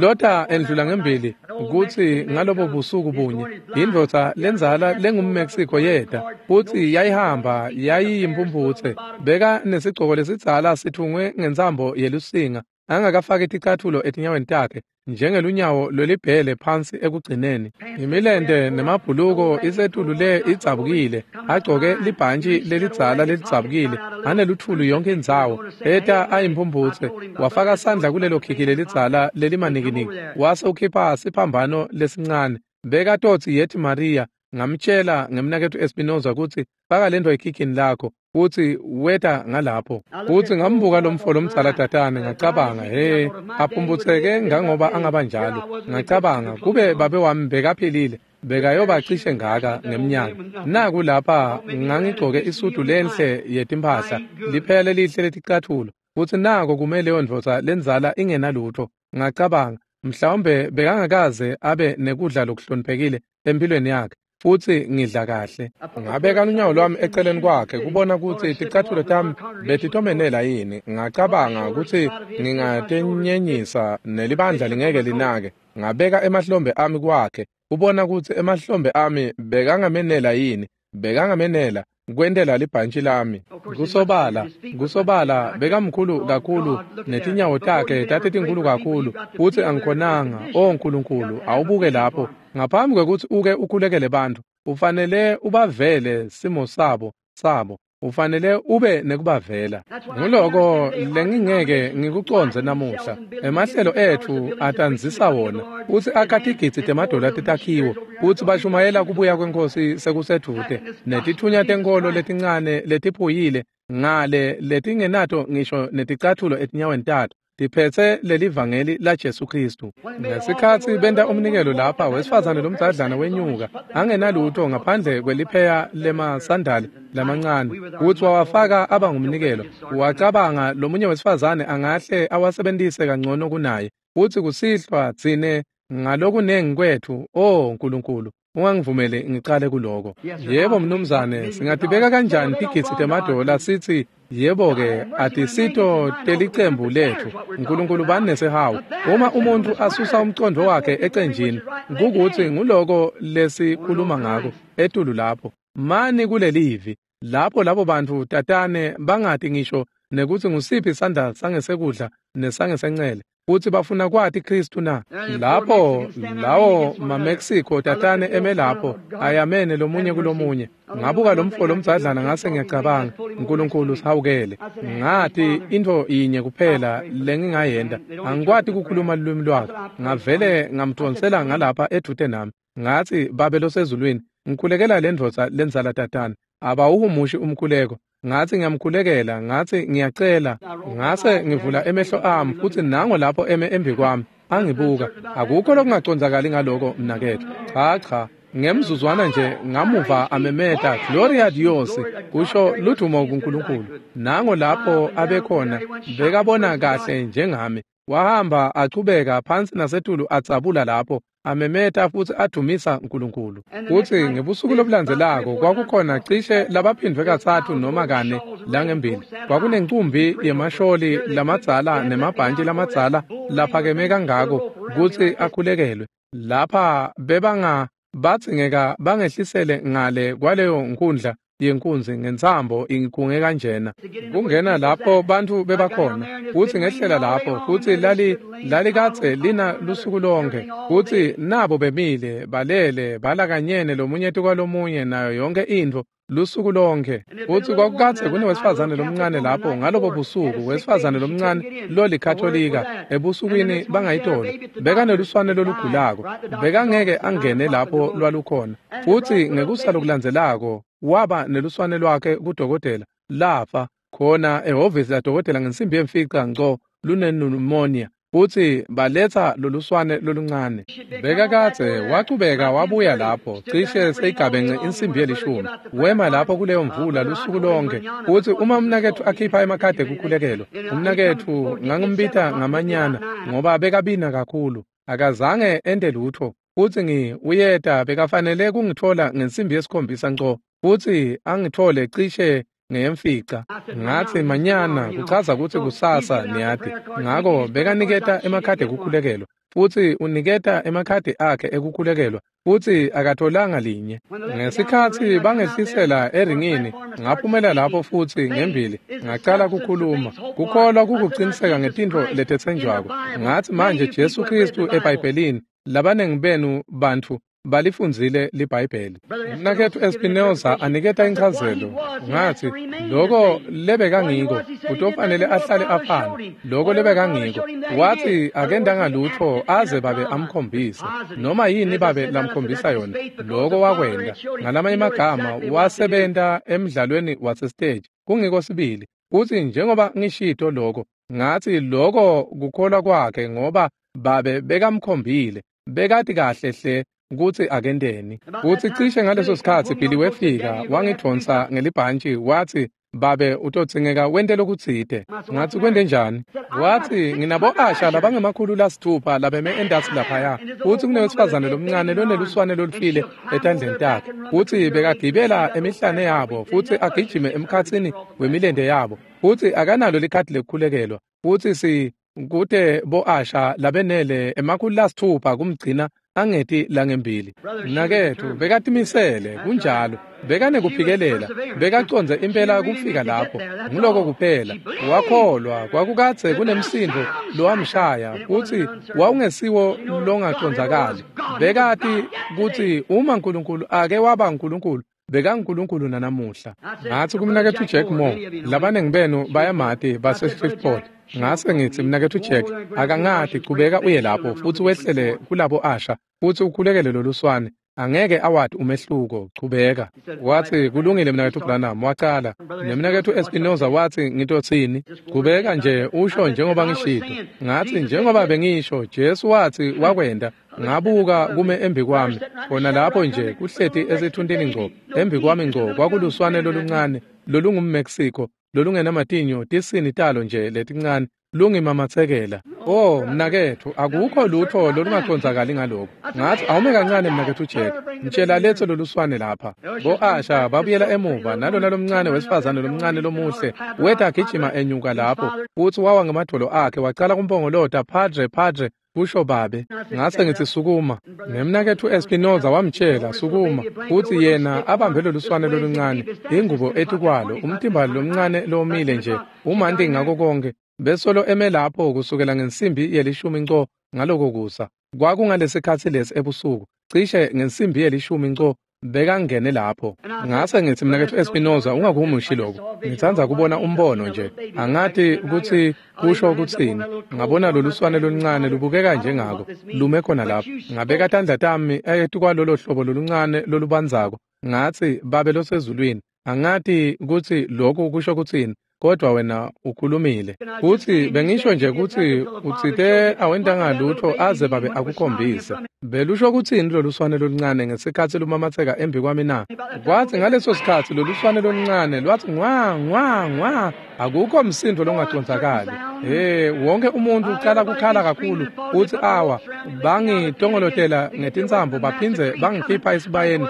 Speaker 1: Lota endlula ngembili kutsi ngalobo busuku bunye indvodza lendzala lengumMexico yeta futsi yayihamba yayiyimphumphutse, beka nesigcoko lesidzala sithungwe ngentsambo yelusinga, angakafaki ticatfulo etinyaweni takhe njengelunyawo lwelibhele phansi ekugcineni. Imilente nemabhuluko isetulu le idzabukile, agcoke libhantshi lelidzala lelidzabukile, aneluthulu yonke indzawo, eta ayimphumputse. Wafaka sandla kulelo khikhi lelidzala lelimanikiniki, wase ukhipha siphambano lesincane. Bekatotsi yethi Maria. Ngamtshela ngemnaketfu Espinoza kutsi faka lento ekhikhini lakho, futhi weta ngalapho. Futhi ngambuka lomfo lomdzala tatane, ngacabanga, he, aphumputseke ngangoba angaba njalo. Ngacabanga, kube babe wami bekaphilile, bekayoba cishe ngaka ngemnyaka. Naku lapha ngangigcoke isudu lenhle yetimphahla, liphele lihle leticathulo, futhi nako kume leyo ndvodza lendzala ingenalutho. Ngacabanga, mhlawumbe bekangakaze abe nekudla lokuhloniphekile empilweni yakhe, futhi ngidla kahle. Ngabeka lunyawo lwami eceleni kwakhe kubona kutsi ticatfulo tami betitomenela yini. Ngacabanga kutsi ngingatenyenyisa nelibandla lingeke linake. Ngabeka emahlombe ami kwakhe kubona kutsi emahlombe ami bekangamenela yini, bekangamenela kwentela libhantshi lami. Kusobala, kusobala bekamkhulu kakhulu netinyawo takhe tatitinkulu kakhulu, futsi angikhonanga. Oh Nkulunkulu, awubuke lapho. Ngaphambi kwekutsi uke ukhulekele bantfu, ufanele ubavele simo sabo sabo, ufanele ube nekubavela. Nguloko lengingeke ngikucondze namuhla. Emahlelo etfu atanzisa wona, futsi akha tigidzi temadola tetakhiwo, futsi bashumayela kubuya kweNkhosi sekusedvute, netitfunya tenkholo letincane letiphuyile ngale letingenato ngisho neticatfulo etinyaweni tato. Tiphetse lelivangeli la Jesu Kristu. Ngesikhatsi benta umnikelo lapha, wesifazane lomdzadlana wenyuka angenalutho ngaphandle kwelipheya lemasandali lamancane, kutsi wawafaka aba ngumnikelo. Wacabanga lomunye wesifazane angahle awasebentise kangcono kunaye. Futsi kusihlwa tsine ngalokunengi kwetfu, oh Nkulunkulu, ungangivumeli ngicale kuloko. Yebo mnumzane, singatibeka kanjani tigidzi temadola sithi yebo-ke atisito telicembu letfu. Nkulunkulu bani nesihawu. Uma umuntfu asusa umcondvo wakhe ecenjini, kukutsi nguloko lesikhuluma ngako etulu lapho. Mani kulelivi lapho labo bantfu tatane bangati ngisho nekutsi ngusiphi sandla sangesekudla nesangesencele, futsi bafuna kwati Kristu na. Lapho lawo maMexico tatane eme lapho ayamene lomunye kulomunye. Ngabuka lomfo lomdzadlana ngase ngiyacabanga, Nkulunkulu sihawukele. Ngathi intfo yinye kuphela lengingayenta, angikwati kukhuluma lulwimi lwakhe. Ngavele ngamdvonsela ngalapha edvute nami. Ngathi, Babe losezulwini, ngikhulekela lendvodza lendzala tatane. Abawuhumushi umkhuleko. Ngathi ngiyamkhulekela, ngathi ngiyacela. Ngase ngivula emehlo ami futsi nango lapho eme embi kwami angibuka. Akukho lokungacondzakali ngaloko mnaketfu. Cha cha, ngemzuzwana nje ngamuva amemeta Gloria Dios, kusho ludumo kuNkulunkulu. Nango lapho abekhona, bekabona kahle njengami. Wahamba achubeka phansi nasetulu adzabula lapho amemeta futsi adumisa uNkulunkulu. Futsi ngebusuku lobulandzelako kwakukhona cishe labaphindvwe katsatfu noma kane langembili. Kwakunencumbi yemasholi lamadzala nemabhantshi lamadzala laphakeme kangako kutsi akhulekelwe. Lapha bebanga badzingeka bangehlisele ngale kwaleyo nkundla yenkunzi ngentsambo ingikhunge kanjena. Kungena lapho bantfu bebakhona, futsi ngehlela lapho, futsi lali lalikadze lina lusuku lonke, futsi nabo bemile balele balakanyene lomunye tukwalomunye nayo yonke intfo lusuku lonke. Futsi kwakukadze kunewesifazane lomncane lapho ngalobo busuku, wesifazane lomncane lolikatolika ebusukwini bangayitolo, bekaneluswane lolugulako, bekangeke angene lapho lwalukhona. Futsi ngekusa lokulandzelako waba neluswane lwakhe kudokotela, lafa khona ehhovisi ladokotela ngensimbi yemfica ngco lunenimonia. Futsi baletsa loluswane loluncane. Bekakadze wachubeka wabuya lapho cishe seyigabence insimbi yelishumi. Wema lapho kuleyo mvula lusuku lonke. Futsi uma umnaketfu akhipha emakhadi ekukhulekelwa, umnaketfu ngangimbita ngamanyana ngoba bekabina kakhulu, akazange ente lutfo. Futsi ngi uyeta bekafanele kungitfola ngensimbi yesikhombisa ngco, futsi angitfole cishe ngeyemfica. Ngathi manyana kuchaza kutsi kusasa niyati. Ngako bekaniketa emakhadi ekukhulekelwa, futsi uniketa emakhadi akhe ekukhulekelwa, futsi akatholanga linye. Ngesikhatsi bangehlisela eringini, ngaphumela lapho futsi ngembili ngacala kukhuluma. Kukholwa kukuciniseka ngetintfo letetsenjwako. Ngathi manje Jesu Kristu eBhayibhelini, labanengi benu bantfu balifundzile liBhayibheli. Mnaketfu Espinoza aniketa inchazelo. Ngathi loko lebekangiko utofanele ahlale afana. Loko lebekangiko. Wathi akendanga lutfo aze babe amkhombise. Noma yini babe lamkhombisa yona, loko wakwenda. Ngalamanye amagama wasebenta emdlalweni wasestage. Kungiko sibili. Futsi njengoba ngishito loko, ngathi loko kukholwa kwakhe ngoba babe bekamkhombile. Bekati kahle hle kutsi akenteni. Futsi cishe ngaleso sikhatsi Billy wefika wangidvonsa ngelibhantshi wathi, Babe utodzingeka wente lokutsite. Ngathi kwente njani? Wathi nginabo asha labangemakhulu lasithupha labeme endatsi laphaya. Futsi kunewesifazane lomncane loneluswane lolufile etandleni takhe. Futsi bekagibela emihlane yabo futsi agijime emkhatsini wemilente yabo. Futsi akanalo likhadi lekukhulekelwa. Futsi si kute bo asha labenele emakhulu lasithupha kumgcina angeti langembili. Mnaketfu bekatimisele kunjalo, bekanekuphikelela, bekacondze impela kufika lapho. Nguloko kuphela. Wakholwa kwakukadze kunemsindo lowamshaya futsi wawungesiwo longacondzakali. Bekati kutsi uma uNkulunkulu ake waba uNkulunkulu, bekaNkulunkulu nanamuhla. Ngathi kumnaketfu Jack Moore, labanengi benu bayamati base-Shreveport. Ngase ngithi mnaketfu Jack, akangati, chubeka uye lapho futsi wehlele kulabo asha futsi ukhulekele loluswane. Angeke awati umehluko, chubeka. Wathi kulungile mnaketfu Branham, wacala. Nemnaketfu Espinoza wathi ngitotsini? Chubeka nje usho njengoba ngishito. Ngathi njengoba bengisho, Jesu wathi wakwenda. Ngabuka kume embi kwami, khona lapho nje kuhleti esithuntini ngco, embi kwami ngco kwakuluswane loluncane lolungumMexico, lolungenamatinyo, tisini talo nje letincane, lungimamathekela. Oh mnaketfu, akukho lutho lolungacondzakali ngaloko. Ngathi awume kancane mnaketfu Jack, mtshela letho loluswane lapha. Bo-Asha babuyela emuva nalona lomncane wesifazane lomncane lomuhle weta agijima enyuka lapho, futhi wawa ngemadolo akhe wacala kumpongolota, Padre, Padre, kusho babe. Ngase ngithi sukuma. Nemnaketfu Espinoza wamtshela sukuma, futhi yena abambe loluswane loluncane, ingubo etukwalo, umtimba lomncane lomile nje, umanti ngako konke. Besolo eme lapho kusukela ngensimbi yelishumi nco ngaloko kusa. Kwakungalesikhatsi lesi ebusuku, cishe ngensimbi yelishumi nco bekangene lapho. Ngase ngithi mnaketfu Espinoza, ungakumushi lokho. Ngitsandza kubona umbono nje. Angati kutsi kusho kutsini. Ngabona loluswane loluncane lubukeka njengako, lume khona lapho. Ngabeka tandla tami etukwalolo hlobo loluncane lolubandzako. Ngathi babe losezulwini, angati kutsi lokhu kusho kutsini, kodwa wena ukhulumile. Kuthi bengisho nje kutsi utsite awentanga lutho aze babe akukhombise. Belusho kutsini loluswane loluncane ngesikhatsi lumamatheka embi kwami na? Kwathi ngaleso sikhatsi loluswane loluncane lwathi ngwa ngwa ngwa, akukho msindo longacondzakali. Hey, wonke umuntu ucala kukhala kakhulu uthi awa, bangitongolotela ngetintsambo baphindze bangikhipha esibayeni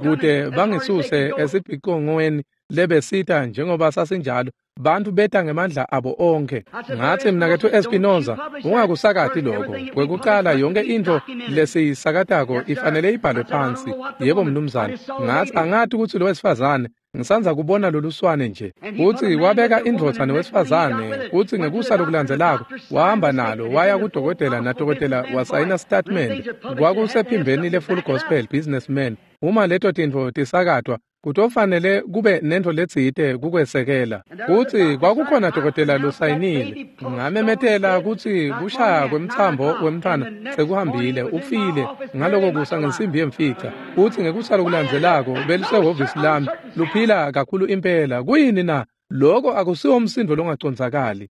Speaker 1: kude bangisuse esibhicongweni lebesita njengoba sasinjalo. Bantu beta ngemandla abo onke. Ngathi mnaketfu Espinoza, ungakusakati lokho. Kwekucala yonke into lesiyisakatako ifanele ibhalwe phansi. Yebo mnumzane. Ngathi angati kutsi lo wesifazane ngisanza kubona loluswane nje. Uthi wabeka indvodza nowesifazane, uthi ngekusa lokulandzelako wahamba nalo waya kudokotela, nadokotela wasayina statement. Kwakusephimbeni le-Full Gospel Businessman. Uma leto tintfo tisakatwa, kutofanele kube nento letsite kukwesekela. Uthi kwakukhona dokotela losayinile. Ngamemetela kutsi kushaya kwemtsambo wemntfwana sekuhambile, ufile ngaloko kusa ngensimbi yemfica. Uthi ngekusa lokulandzelako belisehhovisi lami luphila kakhulu impela. Kuyini na? Lokho akusiwo umsindo longacondzakali.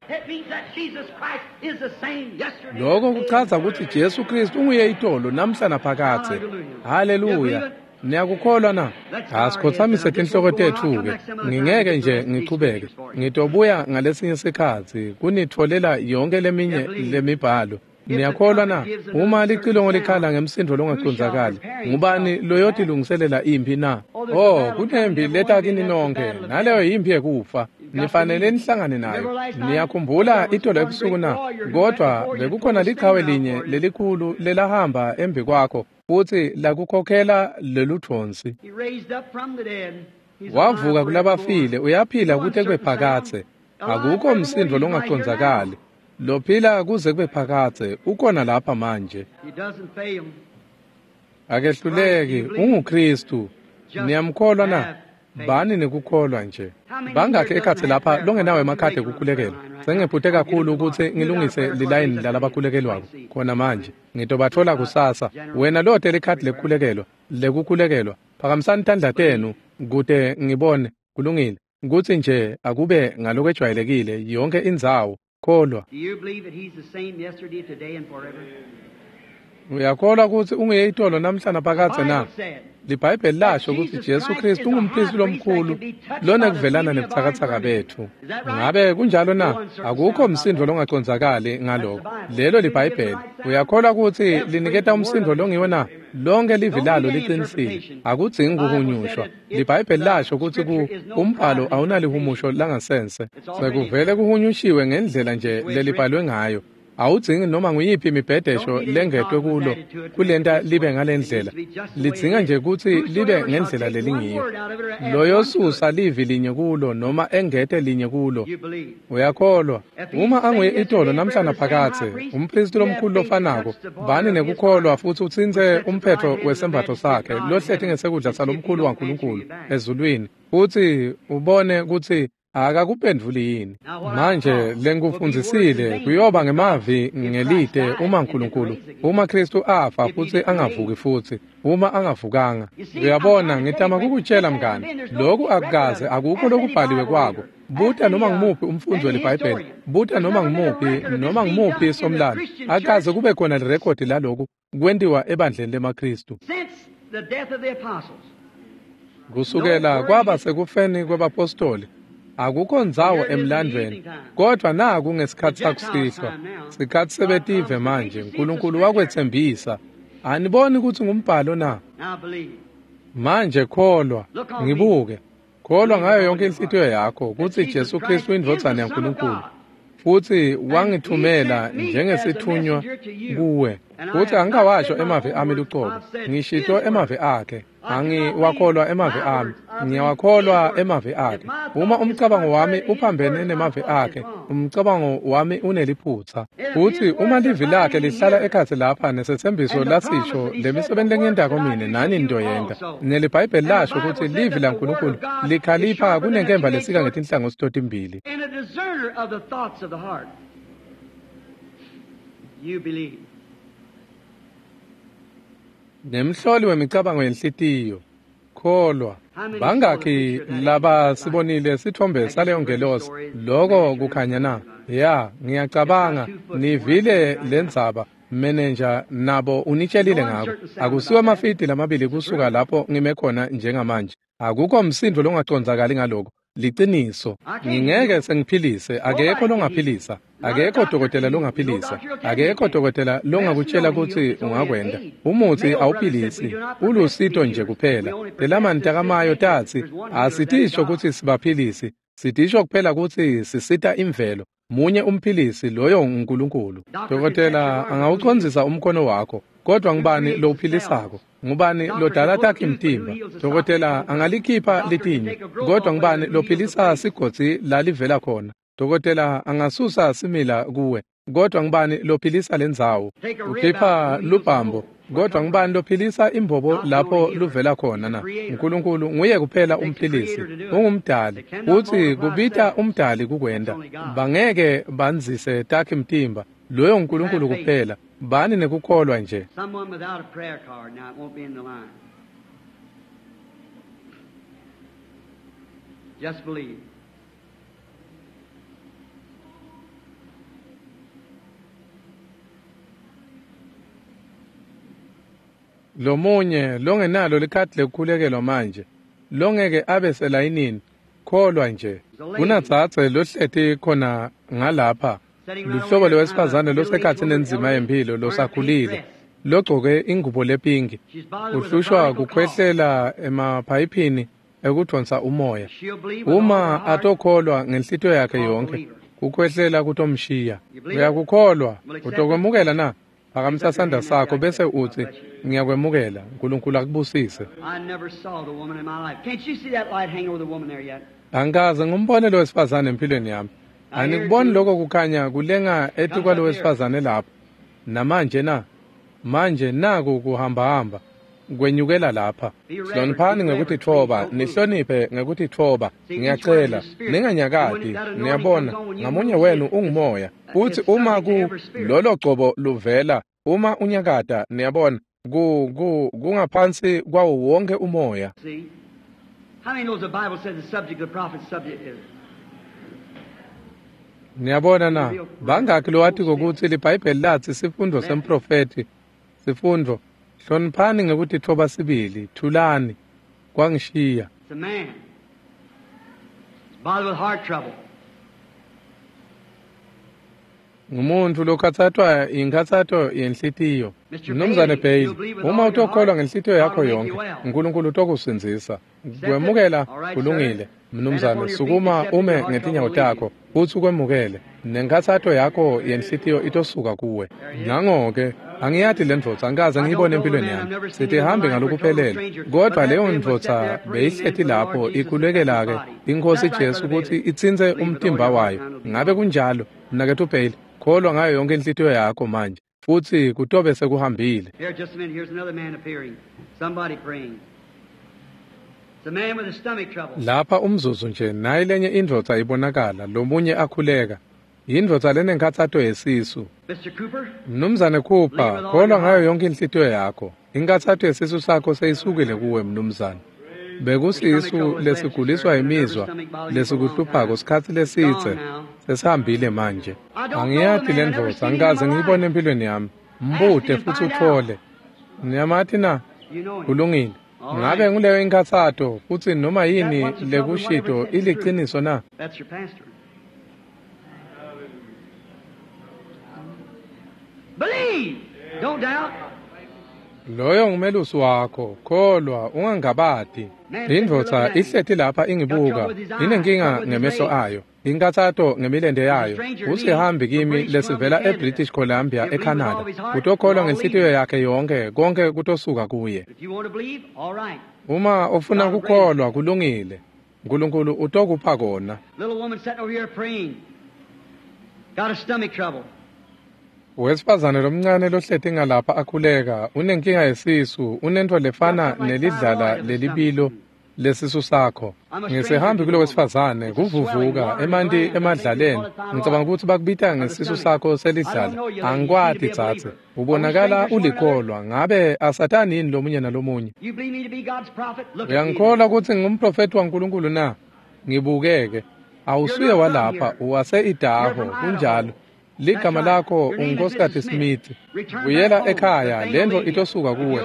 Speaker 1: Lokho kuchaza kutsi Jesu Kristu unguye itolo namhla naphakadze. Haleluya. Niyakukholwa na? Asikhothamise tinhloko tetfu-ke. Ngingeke nje ngichubeke. Ngitobuya ngalesinye sikhatsi kunitfolela yonke leminye lemibhalo. Niyakholwa na? Uma licilongo likhala ngemsindo longacondzakali, ngubani loyotilungiselela imphi na? Oh, kunempi leta kini nonke, naleyo yimpi yekufa. Nifanele nihlangane nayo. Niyakhumbula itolo ebusuku na? Kodwa bekukhona liqhawe linye lelikhulu lelahamba embi kwakho, futhi lakukhokhela leludvonsi. Wavuka kulabafile, uyaphila kute kube phakadze. Akukho msindo longacondzakali. Lophila kuze kube phakadze, ukhona lapha manje. Akehluleki, unguKristu. Niyamkholwa na? Bani nekukholwa nje. Bangakhi ekhatsi lapha longenawo emakhadi ekukhulekelwa? Sengiphute kakhulu kutsi ngilungise lilayini lalabakhulekelwako khona manje. Ngitobatfola kusasa. Wena lote likhadi lekukhulekelwa, lekukhulekelwa, phakamisani tandla tenu kute ngibone. Kulungile. Kutsi nje akube ngalokwejwayelekile yonke indzawo. Kholwa. Uyakholwa kutsi unguye itolo namhla naphakadze na? LiBhayibheli lasho kutsi Jesu Kristu ungumpristi lomkhulu lonekuvelana nebutsakatsaka betfu. Ngabe kunjalo na? Akukho msindo longacondzakali ngaloko. Lelo liBhayibheli. Uyakholwa kutsi liniketa umsindo longiwo na? Lonke livi lalo liqinisile. Akudzingi kuhunyushwa. LiBhayibheli lasho kutsi ku umbhalo awunalihumusho langasense. Sekuvele kuhunyushiwe ngendlela nje lelibhalwe ngayo. Awudzingi noma nguyiphi imibhedesho lengetwe kulo kulenta libe ngalendlela. Lidzinga nje kutsi libe ngendlela lelingiyo. Loyosusa livi linye kulo noma engete linye kulo. Uyakholwa? Uma anguye itolo namhla naphakadze, umpristi lomkhulu lofanako, bani nekukholwa futhi utsintse umphetho wesembatfo sakhe lohleti ngesekudla salomkhulu waNkulunkulu ezulwini, futhi ubone kutsi Akakuphendvuli yini? Manje lengikufundzisile kuyoba ngemavi ngelite uma Nkulunkulu, uma Kristu afa futsi angavuki futsi, uma angavukanga. Uyabona, ngitama kukutshela mngani, lokhu akukaze akukho lokubhaliwe kwako. Buta noma ngumuphi umfundzi weliBhayibheli, buta noma ngumuphi noma ngumuphi somlando, akaze kube khona lirekhodi laloku kwentiwa ebandleni lemaKristu. Kusukela kwaba sekufeni kwebapostoli, akukho ndzawo emlandvweni, kodwa naku ngesikhatsi sakusihlwa, sikhatsi sebetive manje, Nkulunkulu wakwetsembisa. Aniboni kutsi ngumbhalo na? Manje kholwa, ngibuke. Kholwa ngayo yonke inhlitiyo yakho kutsi Jesu Kristu indvodzana yaNkulunkulu, futsi wangithumela njengesithunywa kuwe. Futsi angikawasho emavi ami lucobo, ngishito emavi akhe. Angiwakholwa emavi ami, ngiyawakholwa emavi akhe. Uma umcabango wami uphambene nemavi akhe, umcabango wami uneliphutsa. Futsi uma livi lakhe lihlala ekhatsi lapha nesetsembiso lasisho, lemisebenzi lengiyentako mine nani nitoyenta. NeliBhayibheli lasho kutsi livi laNkulunkulu likhalipha kunenkemba lesika ngetinhlangothi totimbili.
Speaker 2: And a discerner of the thoughts of the heart. You believe.
Speaker 1: Nemhloli wemicabango yenhlitiyo. Kholwa. Bangakhi laba sibonile sithombe saleyo ngelosi loko kukhanya na? Ya, ngiyacabanga nivile lendzaba manager nabo unitshelile ngako. Akusiwo amafidi lamabili kusuka lapho ngime khona njengamanje. Akukho msindo longacondzakali ngaloko. Liciniso, ngingeke sengiphilise, akekho longaphilisa, akekho dokotela longaphilisa, akekho dokotela longakutshela kutsi ungakwenta. Umuthi awuphilisi, ulusito nje kuphela. Telamani takamayo tatsi, asitisho kutsi sibaphilisi, sitisho kuphela kutsi sisita imvelo. Munye umphilisi, loyo nguNkulunkulu. Dokotela angawucondzisa umkhono wakho, kodwa ngubani lowuphilisako? Ngubani lodala takhe imtimba? Dokotela angalikhipha litinyo, kodwa ngubani lophilisa sigodzi lalivela khona? Dokotela angasusa simila kuwe, kodwa ngubani lophilisa lendzawo? Ukhipha lubhambo, kodwa ngubani lophilisa imbobo lapho luvela khona na? Nkulunkulu nguye kuphela umphilisi, ungumdali. Utsi kubita umdali kukwenta. Bangeke bandzise takhe mtimba, loyo nguNkulunkulu kuphela. Bani nekukholwa nje.
Speaker 2: Someone without a prayer card now, it won't be in the line. Just believe.
Speaker 1: Lomunye longenalo likhadi lekukhulekelwa manje, longeke abe selayinini, kholwa nje. Kunadzadze lohleti khona ngalapha, luhlobo lwesifazane losekhatsi nenzima yemphilo losakhulile, logcoke ingubo lepinki, uhlushwa kukhwehlela emaphayiphini ekudvonsa umoya. Uma atokholwa ngenhlitiyo yakhe yonke, kukhwehlela kutomshiya. Uyakukholwa, utokwemukela na? Phakamisa sandla sakho bese utsi, ngiyakwemukela. Nkulunkulu akubusise.
Speaker 2: I never saw the woman in my life. Can't you see that light hang over the woman there yet?
Speaker 1: Angikaze ngumbone lo wesifazane empilweni yami. Anikuboni lokho kukhanya kulenga etikwalo wesifazane lapho namanje na? Manje naku kuhambahamba kwenyukela lapha. Hloniphani ngekutitfoba, nihloniphe ngekutitfoba. Ngiyacela ninganyakati. Niyabona, ngamunye wenu ungumoya. Futsi uma ku lolo gcobo luvela, uma unyakata, niyabona, ku ku kungaphansi kwawo wonke umoya.
Speaker 2: See? How many knows the Bible says the subject of the prophet's subject is?
Speaker 1: Niyabona na, bangakhi lowatiko kutsi liBhayibheli latsi sifundo semprofethi, sifundo, hloniphani ngekutitfoba sibili, thulani, kwangishiya.
Speaker 2: It's a man. He's bothered with heart trouble.
Speaker 1: Ngumuntu lokhatsatwa inkhatsato yenhlitiyo. Mnumzane Bailey, uma utokholwa ngenhlitiyo yakho yonke, Nkulunkulu utokusindzisa. Kwemukela kulungile. Mnumzane, sukuma ume ngetinyawo takho futsi ukwemukele. Nenkhatsato yakho yenhlitiyo itosuka kuwe. Nango-ke, angiyati le ndvodza, angikaze ngiyibone empilweni yami. Sitihambe ngalokuphelele, kodwa leyo ndvodza beyihleti lapho ikhulekela-ke iNkhosi Jesu kutsi itsintse umtimba wayo. Ngabe kunjalo, mnaketfu Bailey? Kholwa ngayo yonke inhlitiyo yakho manje, futsi kutobe sekuhambile.
Speaker 2: Here, just a minute, here's another man appearing. Somebody praying.
Speaker 1: Lapha umzuzu nje nayi lenye indvodza ibonakala, lomunye akhuleka. Yindvodza lenenkhatsato yesisu. Mnumzane Cooper, kholwa ngayo yonke inhlitiyo yakho. Inkhatsato yesisu sakho seyisukile kuwe mnumzane. Bekusisu lesiguliswa imizwa lesikuhluphako sikhatsi lesidze sesihambile manje. Angiyati le ndvodza, angikaze ngiyibone empilweni yami. Mbute futsi utfole. Niyamati na? Kulungile. Ngabe nguleyo inkhatsato futsi noma yini lekushito iliciniso na? Loyo ngumelusi wakho, kholwa ungangabati. Indvodza ihleti lapha ingibuka, inenkinga ngemehlo ayo, inkhatsato ngemilente yayo. Usihambi kimi lesivela eBritish Columbia eCanada. Utokholwa ngenhlitiyo yakhe yonke, konke kutosuka kuye. Uma ufuna kukholwa kulungile, Nkulunkulu utokupha kona. Wesifazane lomncane lohleti ngalapha akhuleka, unenkinga yesisu, unento lefana nelidlala lelibilo lesisu sakho. Ngisihambi kulo wesifazane, kuvuvuka emanti emadlaleni. Ngicabanga ukuthi bakubita ngesisu sakho selidlala. Angikwati dzadze. Ubonakala ulikholwa. Ngabe asatani yini lomunye nalomunye? Uyangikholwa ukuthi ngingumprofeti waNkulunkulu na? Ngibukeke. Awusuye walapha, uwase-Idaho, kunjalo. Ligama lakho unguNkosikazi Smith. Buyela ekhaya, lento itosuka kuwe.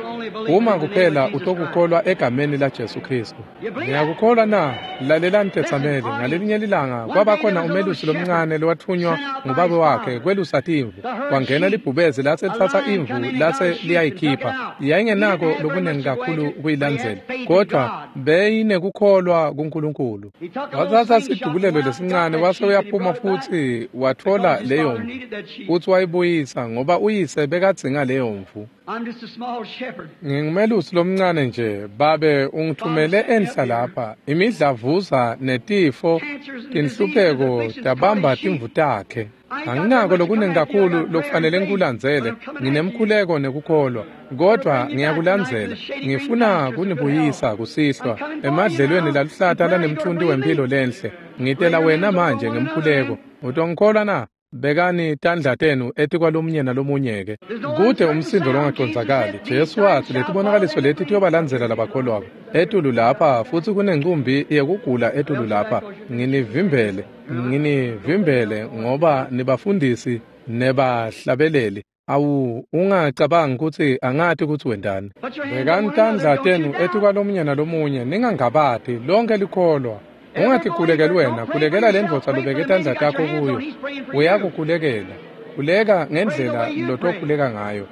Speaker 1: Uma kuphela utokukholwa egameni la Jesu Kristu. Ngiyakukholwa na? Lalelani tetsameli, ngalelinye lilanga kwabakhona umelusi lomncane lowathunywa ngubaba wakhe kwelusa timvu. Kwangena libhubezi lase lithatha imvu lase liyayikhipha. Yayingenako lokunengi kakhulu kuyilandzela, kodwa beyinekukholwa kuNkulunkulu. Wathatha sidubulelo lesincane wase uyaphuma futsi watfola leyo mvu. Futsi wayibuyisa ngoba uyise bekadzinga leyo mvu. Ngingumelusi lomncane nje, babe ungithumele enhla lapha. Imidlavuza netifo, tinhlupheko tabamba timvu takhe. Anginako lokunengi kakhulu lokufanele ngikulandzele. Nginemkhuleko nekukholwa, kodwa ngiyakulandzela. Ngifuna kunibuyisa kusihlwa emadlelweni laluhlata lanemthunti wempilo lenhle. Ngitela wena manje ngemkhuleko. Utongikholwa na? Bekani tandla tenu etikwalomunye nalomunye-ke. Kude umsindo longacondzakali. Jesu watsi letibonakaliso leti tiyobalandzela labakholwako. Etulu lapha futsi kunencumbi yekugula etulu lapha. Nginivimbele, nginivimbele ngoba nibafundisi nebahlabeleli. Awu, ungacabangi kutsi angati kutsi wendani. Bekani tandla tenu etikwalomunye nalomunye, ningangabati, lonke likholwa. Ungatikhulekeli wena, khulekela le ndvodza lobeke tandla takho kuyo. Uyakukhulekela. Khuleka ngendlela lotokhuleka ngayo.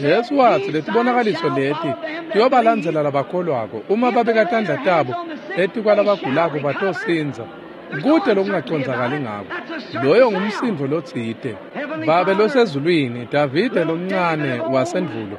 Speaker 1: Jesu watsi letibonakaliso leti tiyobalandzela labakholwako. Uma babeka tandla tabo etikwalabagulako batosindza. Kude lokungacondzakali ngako. Loyo ngumsindo lotsite. Babe losezulwini, Davide lomncane wasendvulo,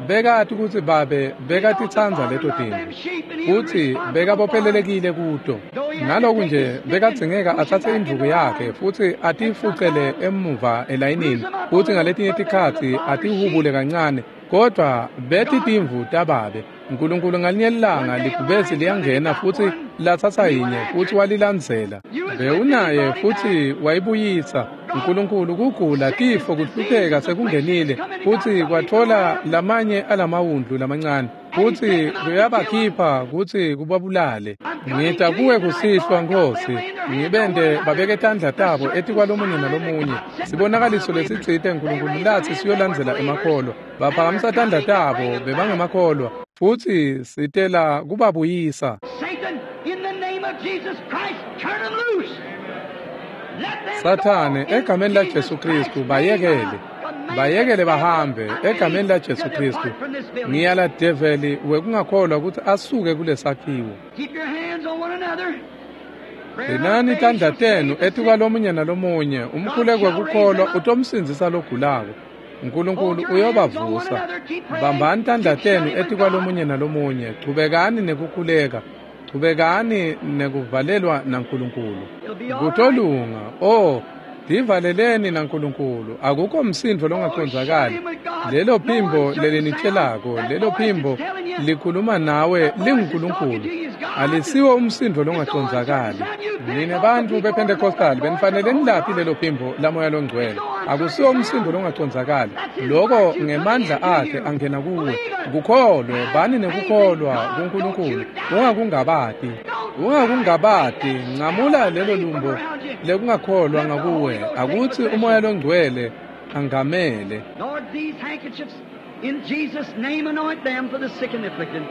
Speaker 1: bekati kutsi babe bekatitsandza leto tintfo futsi bekabophelelekile kuto. Naloku nje bekadzingeka atsatse indvuku yakhe futsi atifucele emuva elayinini, futsi ngaletinye tikhatsi atihubule kancane, kodwa beti timvu tababe. Nkulunkulu ngalinye lilanga libhubesi liyangena futsi latsatsa yinye futsi walilandzela. Bewunaye futsi wayibuyisa. Nkulunkulu kugula, tifo, kuhlupheka sekungenile futsi kwatfola lamanye alamawundlu lamancane futsi kuyabakhipha kutsi kubabulale. Ngita kuwe kusihlwa Nkhosi, ngibente babeke tandla tabo etikwalomunye nalomunye. Sibonakaliso lesitsite Nkulunkulu latsi siyolandzela emakholwa. Baphakamisa tandla tabo bebangemakholwa futsi sitela kubabuyisa. Sathane, egameni la Jesu Kristu, bayekele. Bayekele bahambe egameni la Jesu Kristu. Ngiyala develi wekungakholwa ukuthi asuke kulesakhiwo. Gcinani tandla tenu etikwalomunye nalomunye. Umkhuleko wekukholwa utomsindzisa logulako. Nkulunkulu uyobavusa. Bambani tandla tenu etikwalomunye nalomunye. Chubekani nekukhuleka. Chubekani nekuvalelwa naNkulunkulu. Kutolunga. Oh, Divaleleni naNkulunkulu, akukho msindvo longacondzakali. Lelo phimbo lelinitshelako, lelo phimbo likhuluma nawe linguNkulunkulu. Alisiwo umsindvo longacondzakali. Nine bantfu bePentecostal benifanele nilaphi lelo phimbo lamoya longcwele. Akusiwo umsindvo longacondzakali. Loko ngemandla akhe angena kuwe. Kukholwe, bani nekukholwa kuNkulunkulu. Ungakungabati. Ungakungabati, ncamula lelo lumbo lekungakholwa ngakuwe. Akutsi umoya longcwele angamele.
Speaker 2: Lord, these handkerchiefs, in Jesus' name, anoint them for the sick and afflicted.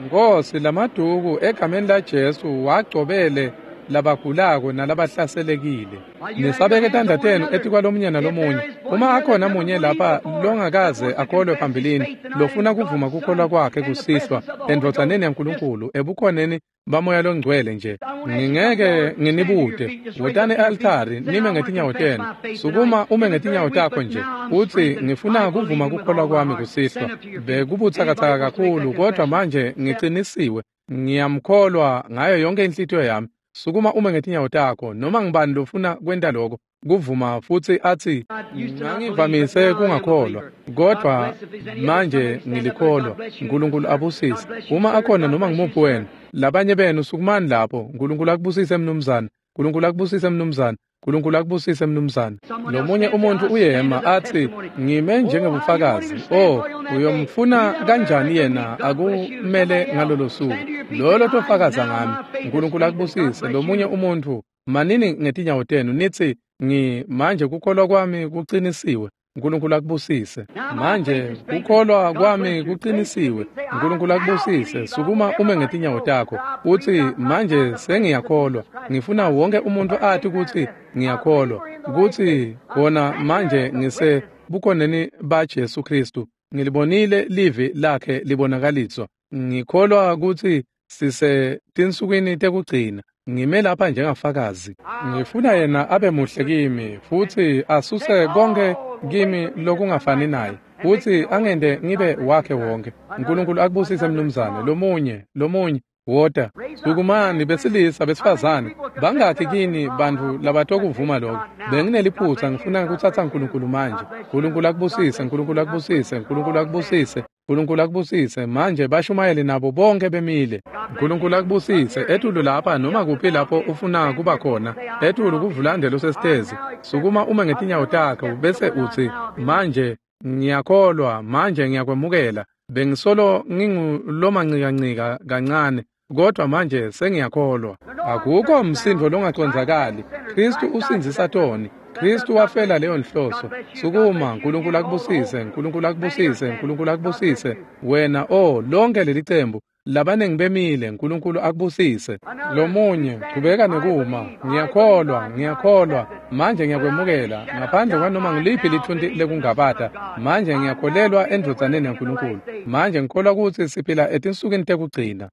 Speaker 1: Nkosi, lamaduku egameni la Jesu wagcobele labagulako nalabahlaselekile. Nisabeke tandla tenu etikwalomunye nalomunye. Uma akhona munye lapha longakaze akholwe phambilini, lofuna kuvuma kukholwa kwakhe kusihlwa endvodzaneni yaNkulunkulu ebukhoneni bamoya longcwele nje, ngingeke nginibute. Wotani e-altari nime ngetinyawo tenu. Sukuma ume ngetinyawo takho nje utsi, ngifuna kuvuma kukholwa kwami kusihlwa. Bekubutsakatsaka kakhulu, kodwa manje ngicinisiwe, ngiyamkholwa ngayo yonke inhlitiyo yami. Sukuma ume ngetinyawo takho. Noma ngibani lofuna kwenta lokho, kuvuma futsi atsi, ngangivamise kungakholwa, kodwa manje ngilikholwa. Nkulunkulu abusise. Uma akhona noma ngimuphi wena, labanye benu sukumani lapho. Nkulunkulu akubusise mnumzane. Nkulunkulu akubusise mnumzane. Nkulunkulu akubusise mnumzane. Lomunye umuntu uyema athi, ngime njengebufakazi. Oh, uyomfuna kanjani yena akumele ngalolo suku? Lolo tofakaza ngami. Nkulunkulu akubusise. Lomunye umuntu, manini ngetinyawo tenu nithi, ngi manje kukholwa kwami kuqinisiwe. Nkulunkulu akubusise. Manje kukholwa kwami kuqinisiwe. Nkulunkulu akubusise. Sukuma ume ngetinyawo takho uthi, manje sengiyakholwa. Ngifuna wonke umuntu athi ukuthi ngiyakholwa, ukuthi khona manje ngise bukhoneni ba Jesu Kristu. Ngilibonile livi lakhe libonakaliswa. Ngikholwa ukuthi sise tinsukwini tekugcina. Ngime lapha njengafakazi. Ngifuna yena abe muhle kimi futhi asuse konke kimi lokungafani naye, futhi angende ngibe wakhe wonke. Nkulunkulu akubusise mnumzane. Lomunye, lomunye, wota. Sukumani besilisa besifazane. Bangakhi kini bantu labatokuvuma lokho? Bengineliphutha, ngifuna ukuthatha uNkulunkulu manje. Nkulunkulu akubusise, Nkulunkulu akubusise, Nkulunkulu akubusise, Nkulunkulu akubusise. Manje bashumayele nabo bonke bemile. Nkulunkulu akubusise. Etulu lapha noma kuphi lapho ufuna kuba khona, etulu kuvulande losesitezi. Sukuma ume ngetinyawo takho bese uthi, manje ngiyakholwa, manje ngiyakwemukela. Bengisolo ngingulomancikancika kancane, kodwa manje sengiyakholwa. Akukho msindvo longacondzakali. Kristu usindzisa toni. Kristu wafela leyo nhloso. Sukuma, Nkulunkulu akubusise, Nkulunkulu akubusise, Nkulunkulu akubusise. Wena, oh, lonke leli cembu labanengi bemile. Nkulunkulu akubusise. Lomunye, chubeka nekuma. Ngiyakholwa, ngiyakholwa. Manje ngiyakwemukela ngaphandle kwanoma ngiliphi lithunti lekungabata. Manje ngiyakholelwa endvodzaneni yaNkulunkulu. Manje ngikholwa ukuthi siphila etinsukwini tekugcina.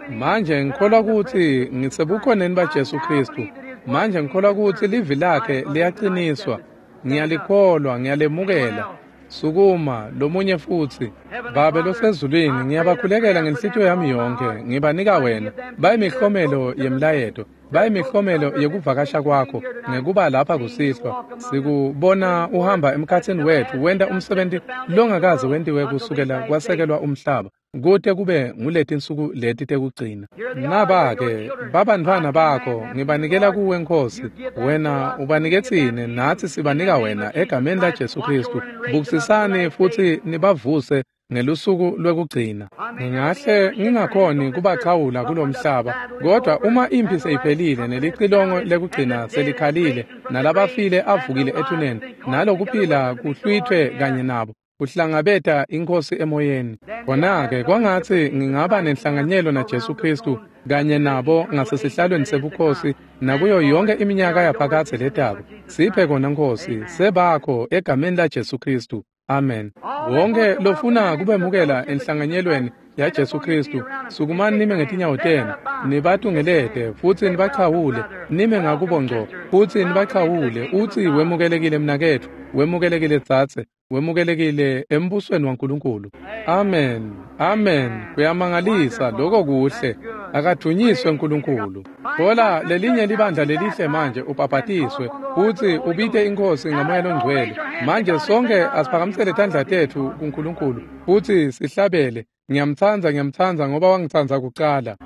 Speaker 1: Manje ngikholwa ukuthi ngisebukhoneni baJesu Kristu. Manje ngikholwa ukuthi livi lakhe liyaqiniswa. Ngiyalikholwa, ngiyalemukela. Sukuma, lomunye futhi. Babe losezulwini, ngiyabakhulekela ngenhlitiyo yami yonke. Ngibanika wena. Bayimihlomelo yemlayeto, bayimihlomelo yekuvakasha kwakho ngekuba lapha kusihlwa. Sikubona uhamba emkhatsini wethu wenta umsebenzi longakaze wentiwe kusukela kwasekelwa umhlaba, kute kube nguletinsuku leti tekugcina. Naba-ke babantfwana bakho, ngibanikela kuwe Nkosi. Wena ubanike tsine, natsi sibanika wena egameni la Jesu Kristu. Bukisisani futhi nibavuse ngelusuku lwekugcina. Ngingahle ngingakhoni kubachawula kulomhlaba, kodwa uma impi seyiphelile nelicilongo lekugcina selikhalile, nalabafile avukile ethuneni, nalokuphila kuhlwithwe kanye nabo, kuhlangabeta inkosi emoyeni. Khona-ke kwangatsi ngingaba nenhlanganyelo naJesu Kristu kanye nabo ngasesihlalweni sebukhosi nakuyo yonke iminyaka yaphakadze letako. Siphe kona Nkosi, sebakho egameni la Jesu Kristu. Amen. Wonke lofuna kubemukela enhlanganyelweni yaJesu Kristu, sukumani nime ngetinyawo tenu, nibatungelete futhi nibachawule, nime ngakubo ngco futhi nibachawule, uthi wemukelekile mnaketfu, wemukelekile dzadze. Wemukelekile embusweni waNkulunkulu. Amen, amen. Kuyamangalisa lokho kuhle. Akadunyiswe uNkulunkulu. Thola lelinye libandla lelihle manje ubhabhatiswe futhi ubite inkosi ngamoya longcwele. Manje sonke asiphakamisele tandla tethu kuNkulunkulu futhi sihlabele. Ngiyamthanda, ngiyamthanda ngoba wangithanda kuqala.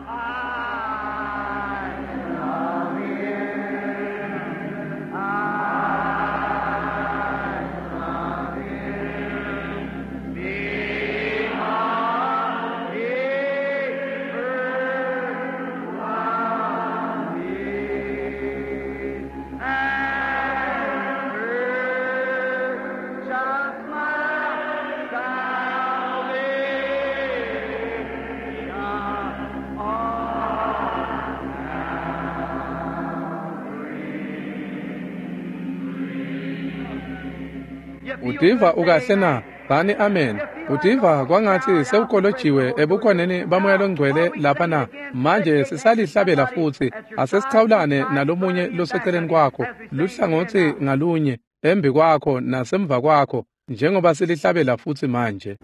Speaker 1: Utiva ukahle na? Bani amen. Utiva kwangathi sewukolojiwe ebukhoneni bamoya longcwele lapha na? Manje sisalihlabela futhi asesichawulane nalomunye loseceleni kwakho, luhlangothi ngalunye, embi kwakho nasemva kwakho, njengoba silihlabela futhi manje.